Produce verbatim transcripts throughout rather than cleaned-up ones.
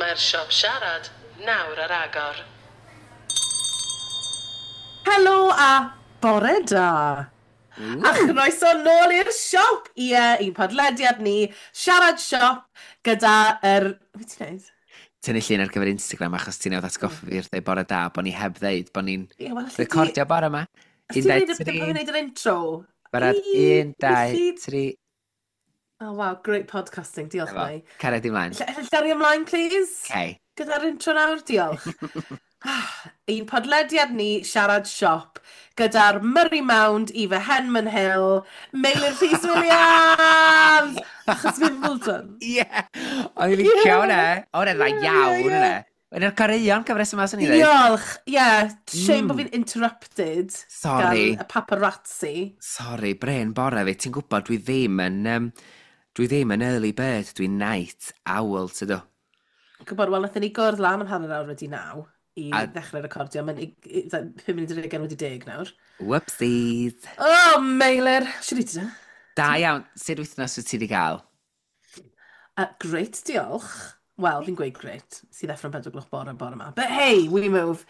Mae'r siop siarad nawr ar agor. Helo a bore da. A chroeso nôl i'r siop. Ie, i'n podlediad ni, Siarad Siop, gyda yr... Be ti'n neud? Tynnu llun ar gyfer Instagram achos ti'n newydd atgoffa fi wrth ddeud bore da, bod ni heb ddeud bod ni'n Ie, wel, alli di- recordio bore yma. Os Un, ti'n dau, neud y... tri. Pan fi'n neud yr intro. Barod, Ii, un, dau, felly- tri. Oh, wow, great podcasting, diolch Efo. Mei. Caria di mlaen. Ll- Llario ymlaen, please? Okay. Gyda'r intro nawr, diolch. Ein podlediad ni, Siarad Siop, gyda'r Murray Mound, Eva Henman Hill, Meilir Rhys Williams! Achos Wimbledon. Ie! O'n i'n licio hwnna. O, hwnna dda Ie, iawn ie, ie. hwnna. Un o'r goreuon cyfres yma, swn i ddweud. Diolch! Ie, yeah, shame Mm. bod fi'n interrupted Sorry. gan y paparazzi. Sorry, Bryn, bore fi. Ti'n gwybod, dwi ddim yn... Um, dwi ddim yn early bird, dwi'n night owl, tydw. Gwybod, wel, nathon ni gwrdd lan am hanner awr wedi naw i A- ddechrau recordio. Mae'n pum munud ar hugain wedi deg nawr. Whoopsies. Oh, Meilir! Siwr i ti da? Da iawn. Sut wythnos wyt ti wedi cael? Uh, great, diolch. Wel, fi'n gweud great. Sydd ddeffro'n pedwar gloch bore bore yma. But hey, we move.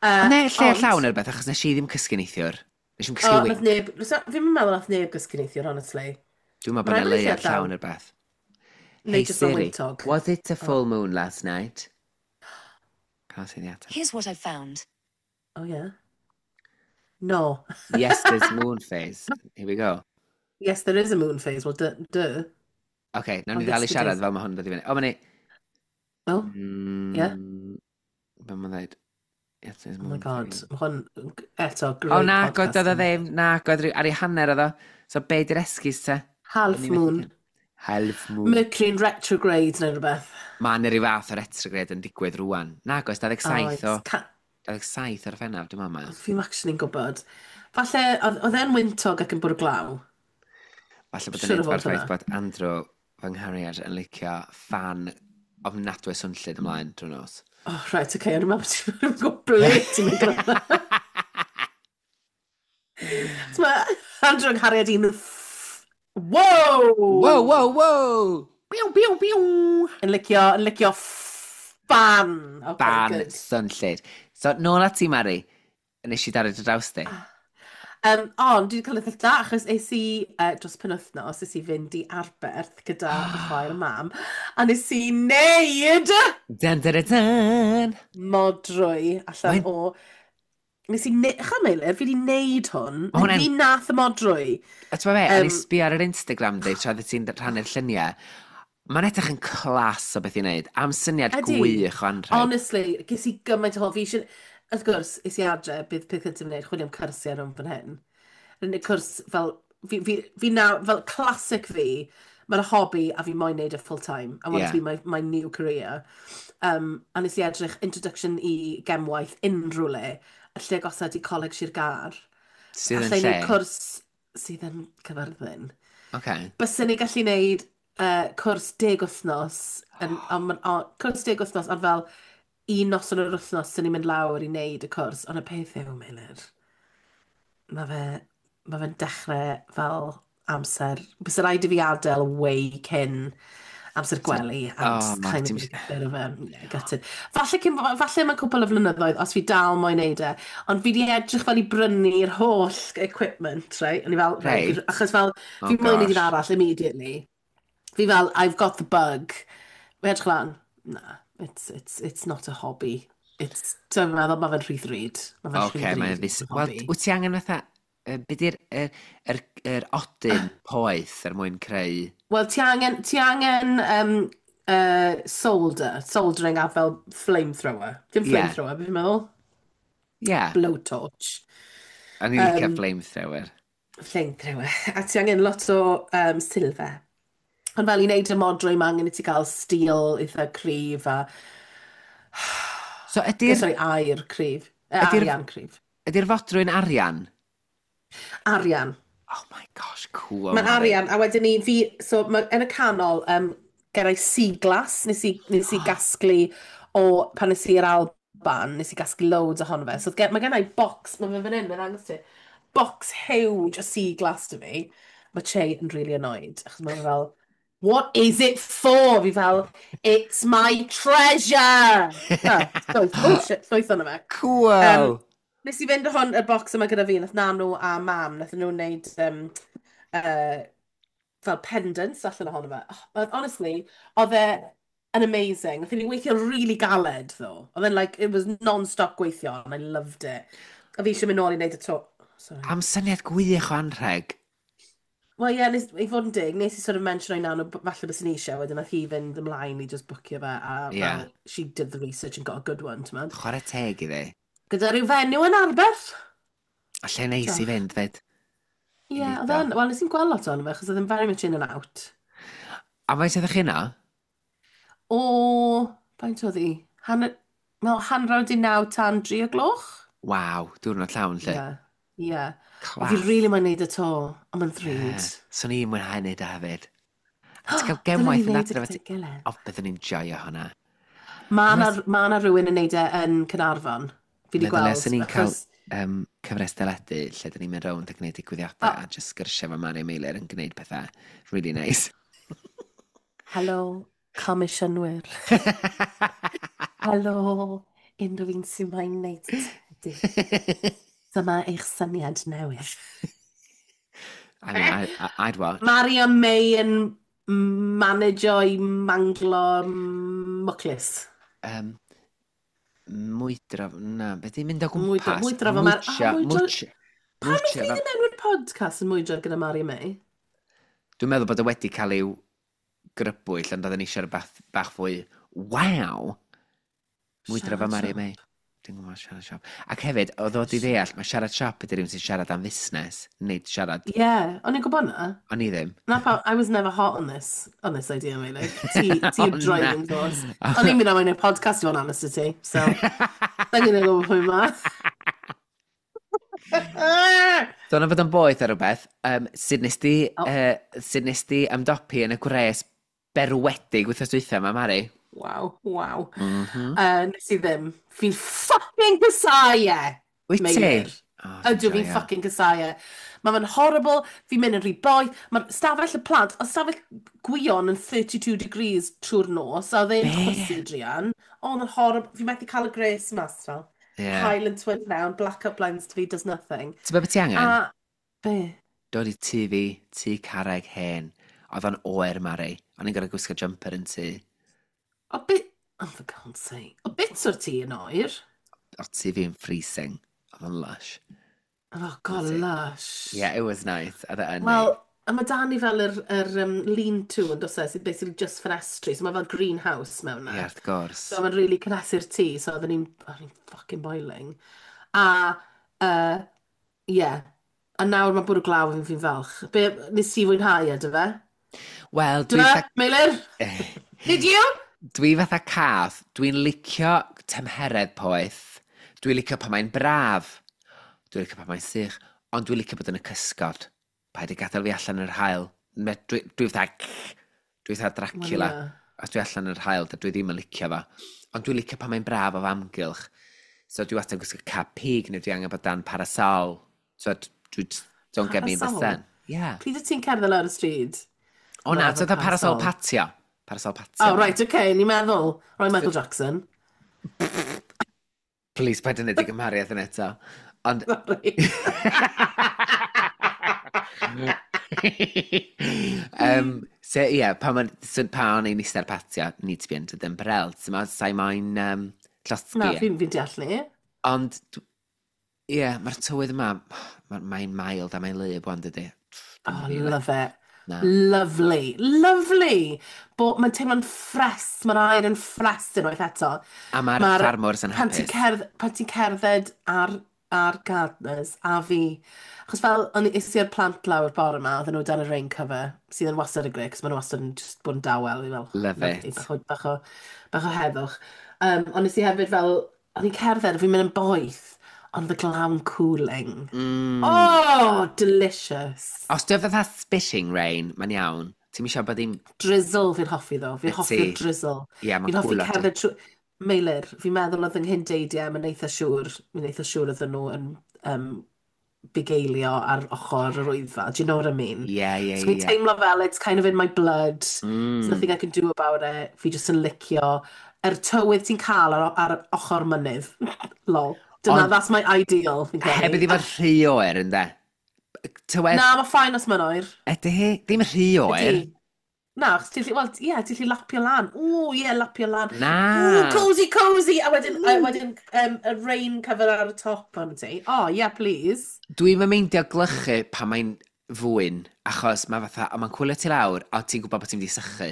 Uh, Ond ne, lle ond- llawn ar beth, achos nes i ddim cysgu neithiwr. Nes i'm cysgu O, nath wink. neb... Fi'n meddwl nath neb gysgu neithiwr, honestly. Dwi'n meddwl bod Ma' yna raid bod leuad lle llawn ar beth. Neu Hey jyst mewn Siri, wyntog. was it a full moon last night? Can't see the ateb. Here's what I found. Oh, yeah. No. Yes, there's moon phase. Here we go. Yes, there is a moon phase. Well, duh. duh. OK, nawn ni Ond ddal i it's the siarad days. fel mae hwn yn dod i fyny. O, mae'n ni... Oh, Mm, yeah. Be mae'n dweud? Yes, there's Oh my moon God. phase. Mae hwn eto, great O, na, oedd oedd o podcasting. ddim. Na, oedd ar ei hanner oedd o. So, be di'r esgus te? Half O'n i methu moon. cael- Half moon. Mercury in retrograde neu rhywbeth. Mae yna rhyw fath o retrograde yn digwydd rwan. Na, oes, dau ddeg saith o... Oes. Ca- dau ddeg saith o'r Gorffennaf, dwi'n meddwl. Fi'n actually'n gwybod. Falle, oedd oedd e'n wyntog ac yn bwrw glaw. Falle bod yn Siŵr o neud fod fo'r ffaith hwnna. bod Andrew, fy nghariad, yn licio ffan ofnadwy swnllyd ymlaen drwy nos. Oh, right, okay, o'n i'n meddwl bod ti'n gwybod ble ti'n mynd gyda. Mae Andrew yng nghariad i'n... Wow! Wow, wow, wow! Biw, biw, biw! Yn licio, yn licio ffan. Okay, Fan good. swnllyd. So, nôl at ti, Mari. Nes i daro dy draws di. Um, ond dwi wedi cael eitha da, achos es i uh, dros penwythnos, es i fynd i Arberth gyda fy chwaer a mam, a nes i neud Dun, dun, dun, dun! modrwy allan Mae'n- o... Nes i ne... Cha Meilir, fi wedi neud hwn. Ma' hwnna'n- Fi nath y modrwy. A ti'n be, o'n i Yym, sbio ar yr Instagram di, tra oedd ti'n rhannu'r lluniau. Mae'n edrych yn class o beth i wneud. Am syniad Ydi. gwych o anrheg. Honestly, ges i gymaint o hwyl. Fi eisiau... Wrth gwrs, es i adre, bydd peth cyntaf yn wneud, chwilio am cyrsiau rhwng fan hyn. Yr unig cwrs fel... Fi, fi, fi naw, fel classic fi, mae'n hobby a fi moyn neud e full time. I want Yeah. to be my, my new career. Um, a nes i edrych introduction i gemwaith unrhyw le, y lle agosaf i Coleg Sir Gâr. Sydd yn Alla i lle? wneud cwrs sydd yn Cyfyrddin. Okay. Byswn ni gallu neud uh, cwrs deg wythnos, yn, on, on, on, cwrs deg wythnos, ond fel un noson yr wythnos sy'n ni'n mynd lawr i wneud y cwrs, ond y peth yw, Meilir, mae fe, mae fe'n dechrau fel amser, bysa rhaid i fi adael way cyn amser gwely, and Oh, ma, kind of ti'n- be a bit of a, yeah, gutted. Falle, cyn, falle mae'n cwpl o flynyddoedd os fi dal moyn neud e, ond fi di edrych fel i brynu'r holl equipment, right? O'n i fel, right, Reit. achos fel, Oh, fi moyn neud un gosh. arall immediately. Fi fel, "I've got the bug." Fi edrych lan, na, it's, it's, it's not a hobby. It's, dwi'n meddwl, mae fe'n rhy ddrud. Mae fe'n Oce, rhy mae'n ddrud ddis... i Wel, hobby. wyt ti angen fatha... Uh, be di'r yr, yr, yr odyn poeth er mwyn creu? Wel, ti angen, ti angen um, uh, solder, soldering a fel flamethrower. Dim Ie. flamethrower, beth fi'n meddwl? Ie, yeah, Blowtorch. o'n i'n licio Yym, flamethrower. Flamethrower. A ti angen lot o um, silver. Ond fel i wneud y modrwy, mae angen i ti gael steel eitha cryf a... So ydy'r Sorry, aur cryf. Eh, Ydi'r- arian cryf. Ydy'r fodrwy'n arian? Arian. Oh my gosh, cool. Mae'n Mari. arian, a wedyn ni, fi, so ma, yn y canol, um, gen i sea glass, nes i, nes i gasglu o, pan nes i i'r Alban, nes i gasglu loads ohono fe. So gen, mae gen i box, mae fe fan hyn, mae'n dangos ti, box huge o sea glass 'da fi. Mae Che yn really annoyed, achos mae fe fel, What is it for? Fi fel, it's my treasure! Oh, llwyth, oh shit, llwyth ono fe. Cool! Um, nes i fynd o hwn, y box yma gyda fi, nath Nanw a mam, nath nhw wneud um, uh, fel pendants allan ohono fe. Oh, but honestly, oedd e yn amazing. Nath ni weithio really galed, though. Oedd e'n like, it was non-stop gweithio, and I loved it. A fi eisiau mynd nôl i wneud y to. Sorry. Am syniad gwych o anrheg. Wel ie, yeah, nes, i fod yn dig, nes i sort of mention o'i nanw, b- falle bys ni eisiau, wedyn nath hi fynd ymlaen i just bwcio fe, a Ie. fel, she did the research and got a good one, ti'n meddwl. Chwarae teg iddi. Gyda rhyw fenyw yn Arberth. A lle neis i Diolch. fynd, fyd. Ie, I yeah, neud oedd o. e'n, wel, nes i'n gweld lot ohono fe, achos oedd e'n very much in and out. A faint ydych chi yna? O, faint oedd hi? Hanner, wel, hanner awr naw tan dri o gloch? Waw, diwrnod llawn, lle. Ie, ie. O, fi Class. really moyn neud y to, ond mae'n Ie. ddrud. Swn i'n mwynhau neud o hefyd. A ti'n cael Dylen ni gemwaith yn neud e adre. gyda'n gilydd. O, byddwn ni'n joio hwnna. Ma' 'na Unless- ma' 'na rhywun yn neud e yn Caernarfon. Fi wedi Meddylia gweld. swn ni'n cael achos- um, cyfres deledu lle dyn ni'n mynd rownd a gwneud digwyddiadau O. a just sgyrsiau efo Mari Meilir yn gwneud pethau really nice. Helo, comisiynwyr. Helo, unrhyw un sy'n moyn neud teledu. Dyma eich syniad newydd. I mean, I, I, I'd watch. Mari a May yn managio i manglo mwclis. Um, mwydro, na, beth i'n mynd o Mwydro- gwmpas? mwydro fo Mar- Mwtio, oh, mwydro- mwtio. Pam Mwtio ydych chi fo- ddim enw'r podcast yn mwydro gyda Mari a May? Dwi'n meddwl bod o wedi cael ei grybwyll, ond oedden ni eisiau rhywbeth bach fwy, waw! Mwydro fo Siarad Mari a siop. May. Dwi'n gwybod siarad siop. Ac hefyd, oedd o di ddeall, mae siarad siop ydy rhywun sy'n siarad am fusnes, nid siarad. Ie, yeah, o'n i'n gwybod na. O'n i ddim. Na pa, I was never hot on this, on this idea, Meilir. Ti, ti O, yw'r driving na. force. O'n i'n mynd am ein podcast i fod yn honest i ti, so... Da ni'n gwybod pwy ma. Dyna fod yn boeth ar rhywbeth. Um, sut nes di, O. uh, sut nes di ymdopi yn y gwres berwedig wythnos dwytha yma, Mari? Waw, waw. Mm -hmm. Uh, nes i ddim. Fi'n fucking casáu e, Wyt ti? Meilir. Oh, dwi'n Ydw, fi'n joio. fucking casáu e. Mae fe'n horrible, fi'n mynd yn rhy boeth. Mae'r stafell y plant, o stafell Gwion yn thirty-two degrees trwy'r nos, a oedd e'n Be? chwysu druan. O, mae'n horrible. Fi'n methu cael y gres mas, fel. Ie. Haul yn twyn mewn, black-up blinds to fi, does nothing. Ti'n gwybod beth ti angen? A, be? Dod i tŷ fi, tŷ carreg hen. Oedd o'n oer, Mari. O'n i'n gorfod gwisgo jumper yn tŷ. O, bit... Oh, for God's sake. O, bits o'r tŷ yn oer. O, tŷ fi'n freezing. Oedd o'n lush. Oh, God, Was it? lush. Yeah, it was nice. Oedd e yn Wel, neis. a mae 'da ni fel yr, yr um, lean-to yn does e, sydd basically just ffenestri, so mae fel greenhouse mewn Ie, na. wrth gwrs. So mae'n really cynhesu'r tŷ, so oedden ni'n oedden ni'n fucking boiling. A, uh, yeah. A nawr mae'n bwrw glaw yn fi'n falch. Be, nes ti fwynhau e, dy fe? Wel, Dwi dwi fe, fatha Meilir? Did you? Dwi fatha cath. Dwi'n licio tymheredd poeth. Dwi'n licio pan mae'n braf. Dwi'n licio pan mae'n sych. Ond dwi'n licio bod yn y cysgod. Paid â gadael fi allan yr haul. Me- Dwi, dwi fatha... Dwi fatha Dracula. Wel, ie. Os dwi allan yr haul, dwi ddim yn licio fo. Ond dwi'n licio pan mae'n braf o amgylch. So dwi wastad yn gwisgo cap pig neu dwi angen bod dan parasol. So dwi just, don't get me in the Parasol? sun. Yeah. Pryd wyt ti'n cerdded lawr y stryd? O na, Fel so fatha parasol parasol. patio. Parasol patio. Oh, right, okay, ni'n meddwl. Roy Michael Jackson. Please, paid yn neud i gymhariaeth yn eto. Ond Sorry. um, so, ie, yeah, pan, ma- so, pan o'n i'n eistedd ar patio, need to be under the umbrella. So, ma, sa'i moyn um, llosgi. Na, fi'n fi deall ni. Ond, dw- ie, yeah, mae'r tywydd yma, mae'n mae mild a mae'n wlyb wan, dydy. Dim Oh, really. love it. Na. Lovely. Lovely. Bo, mae'n teimlo'n ffres. Mae'r aer yn ffres unwaith eto. A mae'r Ma'r- ffarmwrs yn Pan ti'n hapus. cerdd, pan ti'n cerdded ar, ar gardeners, a fi. Achos fel, o'n i is i'r plant lawr bore yma, oedden nhw dan y rain cover, sydd yn wastad y greu, cos maen nhw wastad yn just bod yn dawel. Fi fel, Love lovely, it. Bach o, bach o, bach o heddwch. Um, ond nes i hefyd fel, o'n i'n cerdded, a fi'n mynd yn boeth, ond the glaw yn cooling. Mm. Oh, delicious. Os dwi'n fatha spitting rain, mae'n iawn. Ti'n eisiau bod ddim. Drizzle fi'n hoffi ddo. Fi'n Wyt hoffi'r ti? drizzle. Ie, mae'n Fi'n hoffi cwlo. cerdded trwy. Meilir, fi'n meddwl oedd yng nghyn-deidiau, mae'n eitha siŵr, mae'n eitha siŵr oedden nhw yn um, bugeilio ar ochr yr Wyddfa. Do you know what I mean? Ie, ie, So fi'n ie. teimlo fel it's kind of in my blood. There's Mm. nothing I can do about it. Fi jyst yn licio yr tywydd ti'n cael ar, ar ochr mynydd. Lol. Dyna, Ond that's my ideal, fi'n heb credu. iddi fod rhy oer, ynde? Tywed, Na, mae fine os mae'n oer. Ydy hi? Ddim rhy oer. Ydy. Na, achos ti'n gallu, wel, ie, ti'n gallu lapio lan. Ww, ie, lapio lan. Na. Ww, cozy, cozy! A wedyn, a wedyn um, y rain cover ar y top o'n ti. Oh, yeah, please. Dwi'n meindio glychu pan mae'n fwyn, achos mae fatha, o, mae'n cwlio ti lawr, a ti'n gwybod bod ti'n mynd i sychu.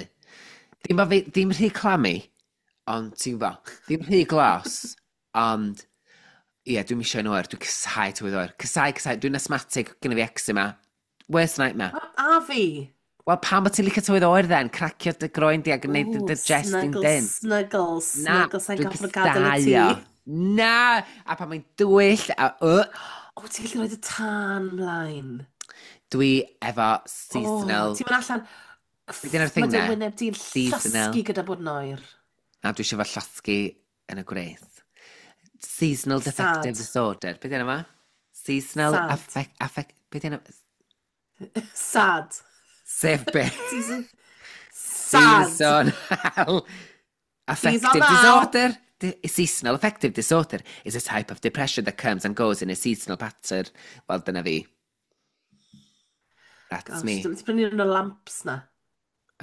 Ddim, bo fi, ddim rhy clammy, ond ti'n gwybod, ddim rhy glos, ond ie, dwi'n misio yn oer, dwi'n casáu tywydd oer. Casáu, casáu, dwi'n asthmatic, gynna fi eczema. Worst nightmare. A, a fi. Wel, pam bod ti'n licio tywydd oer then? Cracio dy groen di ac yn gwneud dy Ww, dy jest yn snuggle, dyn. Snuggle, Na, snuggle, sa'n dwi'n gorfod gadael y casáu tŷ. o. Na! A pan mae'n dywyll, a uh, O, ti'n gallu rhoi y tân mlaen. Dwi efo O, seasonal. ti'n mynd allan. Be 'di enw'r thing Mae dy 'na? wyneb di'n Seasonal. llosgi gyda bod yn oer. Na, dwi eisiau fo llosgi yn y gwres. Seasonal Sad. defective disorder. Be 'di enw fo? Seasonal Sad. affect... affect be 'di enw? Sad. Sef be? Season... Sad. Seasonal affective Seasonal. disorder. Di- Seasonal affective disorder is a type of depression that comes and goes in a seasonal pattern. Wel, dyna fi. That's Gosh, me. ti'n prynu un o'r lamps na.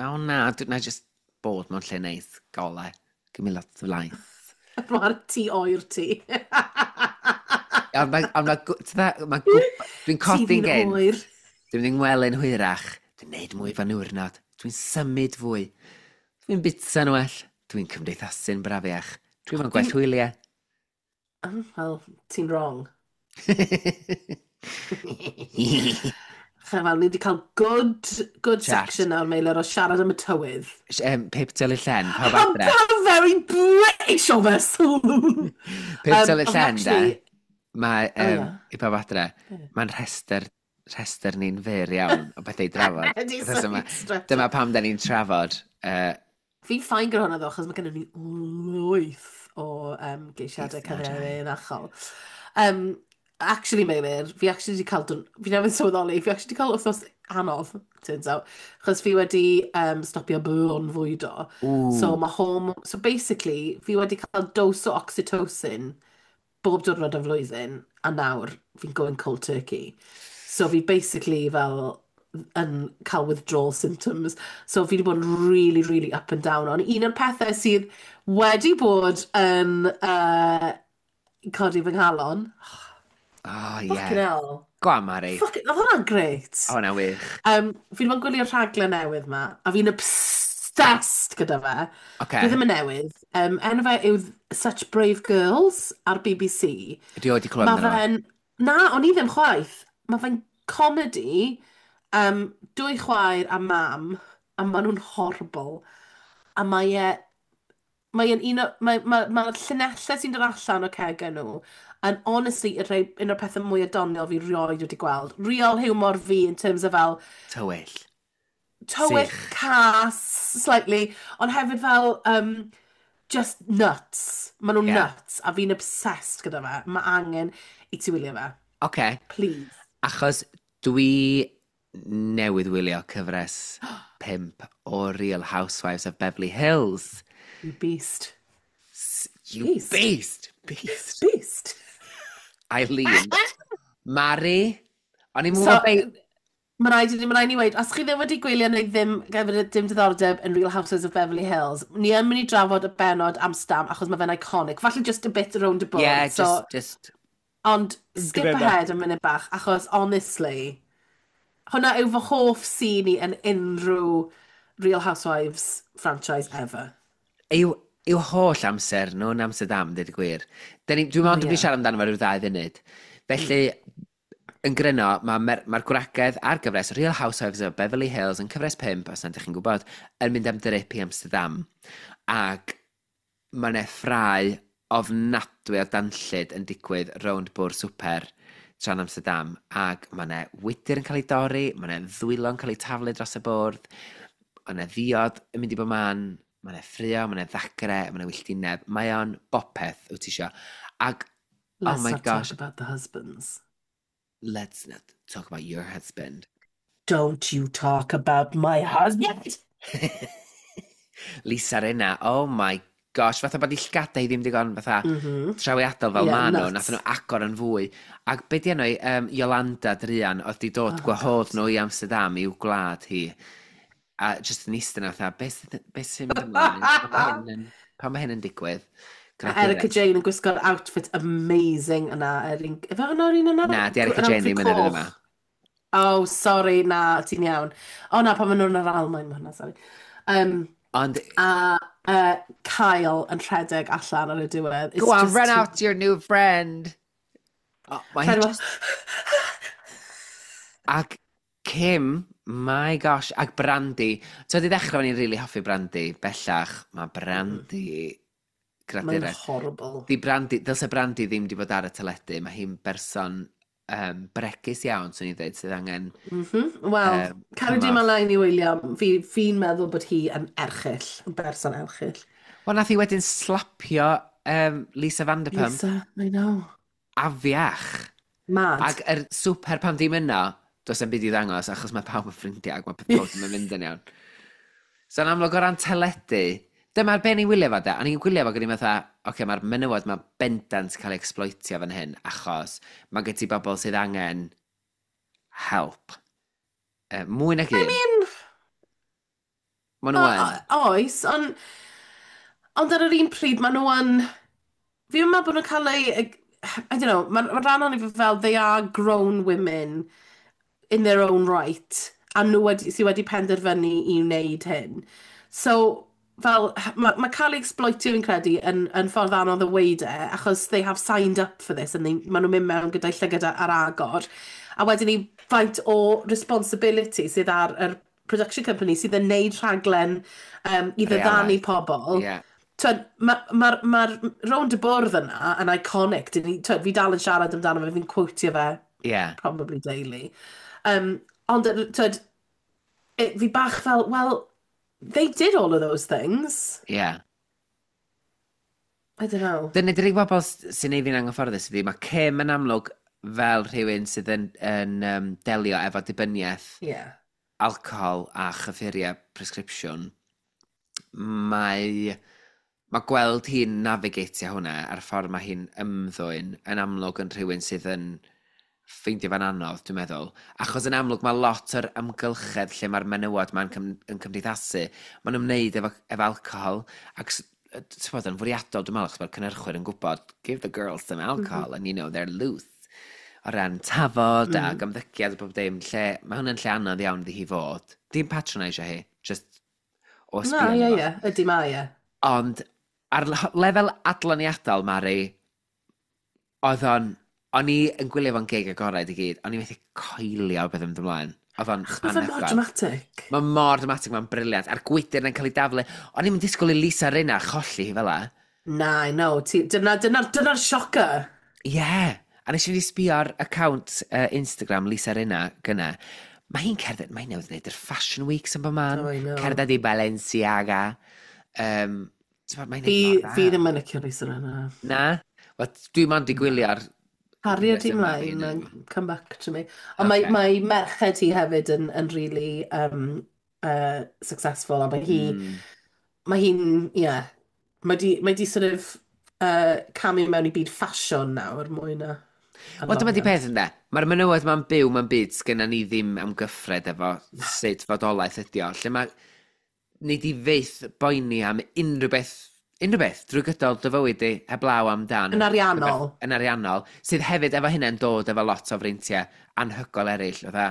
Oh na, dwi'n na just bod mewn lle neis, gole. Give me lots of light. Mae'r tŷ oer ti. Ond mae, ond mae, ma, dwi'n Tŷ codi'n fi'n gynt. oer. Dwi'n mynd i'n ngwely'n hwyrach. Dwi'n neud mwy fan niwrnod. Dwi'n symud fwy. Dwi'n bita'n well. Dwi'n cymdeithasu'n brafiach. Dwi'n mewn gwell hwyliau. Oh, well, ti'n wrong. Fel, ni wedi cael good, good Chat. section nawr, Meilir, o siarad am y tywydd. um, Pip dylu llen, pawb How, adre. How very British of us! Pip Um, dylu ond llen, de. actually- Mae, Oh, um, ie. i pawb adre, mae'n rhestr, rhestr ni'n fyr iawn o bethau i drafod. Ydy, Achos sorry, dyma, stretch. Dyma pam da ni'n trafod. Uh, Fi'n fine gyda hwnna ddo, achos mae gennym ni lwyth o um, geisiadau Geisiadau. cyfrinachol. Um, actually, Meilir, fi actually wedi cael, dwn- fi newydd sylweddoli, fi actually wedi cael wythnos anodd, turns out, achos fi wedi um, stopio bron fwydo. So mae horm... So basically, fi wedi cael dose o oxytocin bob diwrnod o flwyddyn, a nawr fi'n going cold turkey. So fi basically fel yn cael withdrawal symptoms. So fi wedi bod yn really, really up and down. Ond un o'r pethau sydd wedi bod yn uh, codi fy nghalon, Oh, fucking yeah. hell. Go on, Mari. Fucking, oedd hwnna'n great. O, hwnna'n wych. Um, fi wedi bod yn gwylio'r rhaglen newydd ma, a fi'n obsessed gyda fe. Oce. Dwi ddim yn newydd. Um, enw fe yw Such Brave Girls ar B B C. Dwi wedi clywed Mae amdano fo. fe'n... Na, o'n i ddim chwaith. Mae fe'n comedy, um, dwy chwaer a mam, a maen nhw'n horrible. A mae e... Mae e'n un o... Mae, mae, mae'r llinellau sy'n dod allan o cegau nhw yn honestly y rhai, un o'r pethau mwy doniol fi rioed wedi gweld. Real humor fi in terms of fel Tywyll. Tywyll, Sych. cas, slightly, ond hefyd fel um, just nuts. Maen nhw'n Ie. nuts, a fi'n obsessed gyda fe. Mae angen i ti wylio fe. Oce. Please. Achos dwi newydd wylio cyfres pump o Real Housewives of Beverly Hills. You beast. S- You Beast. Beast. Beast. Beast. Eileen. Mari. O'n i'n So, mwyn be... Mae rhaid i ni, mae rhaid i ni weud, os chi ddim wedi gwylio neu ddim gyda dim diddordeb yn Real Housewives of Beverly Hills, ni yn mynd i drafod y bennod Amsterdam achos mae fe'n iconic. Falle just a bit around the board. Yeah, so, just, just Ond skip Gyda. ahead am munud bach, achos honestly, hwnna yw fy hoff scene i yn unrhyw Real Housewives franchise ever. Yw, yw holl amser nhw'n Amsterdam, dweud y gwir. Dyn ni, dwi'n meddwl O, dwi'n ie. siarad amdano fo ryw ddau funud. Felly, yn gryno, mae'r ma ma gwragedd ar gyfres Real Housewives of Beverly Hills yn cyfres pump, os nad ydych chi'n gwybod, yn mynd am drip i Amsterdam. Ac mae yna ffrau ofnadwy o danllyd yn digwydd rownd bwrdd swper tra'n Amsterdam. Ac mae yna wydyr yn cael ei dorri, mae yna ddwylo'n cael ei taflu dros y bwrdd, mae yna ddiod yn mynd i bob man, mae yna ffrio, mae yna ddagre, mae yna wylltineb. Mae o'n bopeth wyt ti isio. Ac, oh Let's my not gosh, talk about the husbands. Let's not talk about your husband. Don't you talk about my husband! Lisa Rinna, oh my gosh, fatha bod i llgadau hi ddim digon fatha Mm -hmm. trawiadol fel Yeah, ma nhw, nuts. nath nhw agor yn fwy. Ac be di enw hi, um, Yolanda Drian, oedd di dod Oh, gwahodd God. nhw i Amsterdam i'w gwlad hi. A just yn eistedd yna fatha, beth sydd- beth sy'n mynd ymlaen? Pam mae hyn yn, pam mae hyn yn digwydd? A Erika Gradured. Jane yn gwisgo'r outfit amazing yna. Yr un... Efe hwnna'r un yna? Na, di Erika Yr Jane outfit ddim yn yr un yma. coch. Oh, sorry, na, ti'n iawn. O na, pan maen nhw'n yr Almaen, mae hwnna, sorry. Um, Ond, a uh, Kyle yn rhedeg allan ar y diwedd. Go It's on, just run too out to your new friend. Oh, mae hi Rhedeg just. Ac Kim, my gosh, ac Brandy. So, di ddechrau o'n i'n really hoffi Brandy. Bellach, mae Brandy Mae'n gradures. horrible. Di Brandy, dylse Brandy ddim di bod ar y teledu. Mae hi'n berson um, bregus iawn, swn i'n dweud, sydd angen Mm -hmm. Wel, um, cario di cymorth. ymlaen i wylio, fi, fi'n meddwl bod hi yn erchyll, yn berson erchyll. Wel, nath hi wedyn slapio um, Lisa Vanderpump Lisa, I know. afiach. Mad. Ac yr swper pan dim yno, does 'na'm byd i ddangos, achos mae pawb yn ffrindiau ac mae pob ddim yn mynd yn iawn. So yn amlwg o ran teledu, dyma'r be ni'n wylio fo de, a ni'n gwylio fo gyda fatha, oce, okay, mae'r menywod mae bendant cael ei exploitio fan hyn, achos mae gen ti bobl sydd angen help. Uh, mwy nag I un. mean, Maen nhw yn. oes, ond ond ar yr un pryd, maen nhw yn. Fi'n meddwl bod nhw'n cael ei. I don't know, mae'n ma rhan o'n i fel, they are grown women in their own right, a nhw wedi, sydd wedi penderfynu i wneud hyn. So, fel, mae ma cael ei exploitio fi'n credu yn, yn ffordd anodd o weud e, achos they have signed up for this, and they, maen nhw'n mynd mewn gyda'i llygad ar agor. A wedyn ni faint o responsibility sydd ar yr production company sydd yn neud rhaglen um, i ddiddanu Realaidd. pobl. Ie. Yeah. Twyd, mae'r ma, ma, ma rownd y bwrdd yna yn iconic. Dyn ni, twyd, fi dal yn siarad amdano fe, fi'n quotio fe Ie. Yeah. probably daily. Um, ond, twyd, it, fi bach fel, well, they did all of those things. Ie. Yeah. I don't know. Dyna di'r unig bobl sy'n neud fi'n anghyfforddus ydi, mae Kim yn amlwg fel rhywun sydd yn, yn um, delio efo dibyniaeth Yeah. alcohol a chyffuriau prescription. Mae, mae gweld hi'n navigatio hwnna a'r ffordd mae hi'n ymddwyn yn amlwg yn rhywun sydd yn ffeindio fe'n anodd, dwi'n meddwl. Achos yn amlwg mae lot o'r amgylchedd lle mae'r menywod ma'n cym, yn cymdeithasu, maen nhw'n wneud efo, efo alcohol, ac s- yy, ti'n bod yn fwriadol, dwi'n meddwl, achos mae'r cynhyrchwyr yn gwybod, give the girls some alcohol, mm -hmm. and you know, they're loose. O ran tafod mm. ac ymddygiad a bob dim, lle, mae hwnna'n lle anodd iawn iddi hi fod. Dim patronisio hi, just o Na, sbio ie, arno fo. ie, ydy mae e. Ond ar le- lefel adloniadol, Mari, oedd o'n. O'n i yn gwylio fo'n geg agored i gyd, o'n i methu coelio beth yn mynd ymlaen. Oedd o'n Achos mae fe mor anhygoel. dramatic. Mae mor dramatic, mae'n brilliant. A'r gwydr yn cael ei daflu. O'n i'n disgwyl i Lisa Rinna cholli hi fel 'a. Na, I know. Ti- Dyna, dyna, dyna'r shocker. Ie. Yeah. A nes i fynd i sbio ar account uh, Instagram Lisa Rinna gynna. Mae hi'n cerdded, mae'n newydd wneud yr Fashion Weeks yn bob man. Oh, I know. Cerdded i Balenciaga. Um, mae'n Fi, neud mor fi dda. ddim yn licio Lisa Rinna. Na? Wel, dwi mond i gwylio ar Caria gyfres di yma fi mlaen yn and come back to me. Ond mae, Okay. mae merched hi hefyd yn, yn really um, uh, successful a mae hi, Mm. mae hi'n, ie, yeah, mae di, mae di sort of uh, camu mewn i byd ffasiwn nawr mwy na Wel, dyma di adloniant. peth ynde. Mae'r menywod ma'n byw mewn byd sgynna ni ddim amgyffred efo sut fodolaeth ydi o. Lle mae ni di fyth boeni am unrhyw beth, unrhyw beth drwy gydol dy fywyd di, heblaw amdan Yn ariannol. Yn ariannol, sydd hefyd efo hynny'n dod efo lot o freintiau anhygoel eraill. Fatha,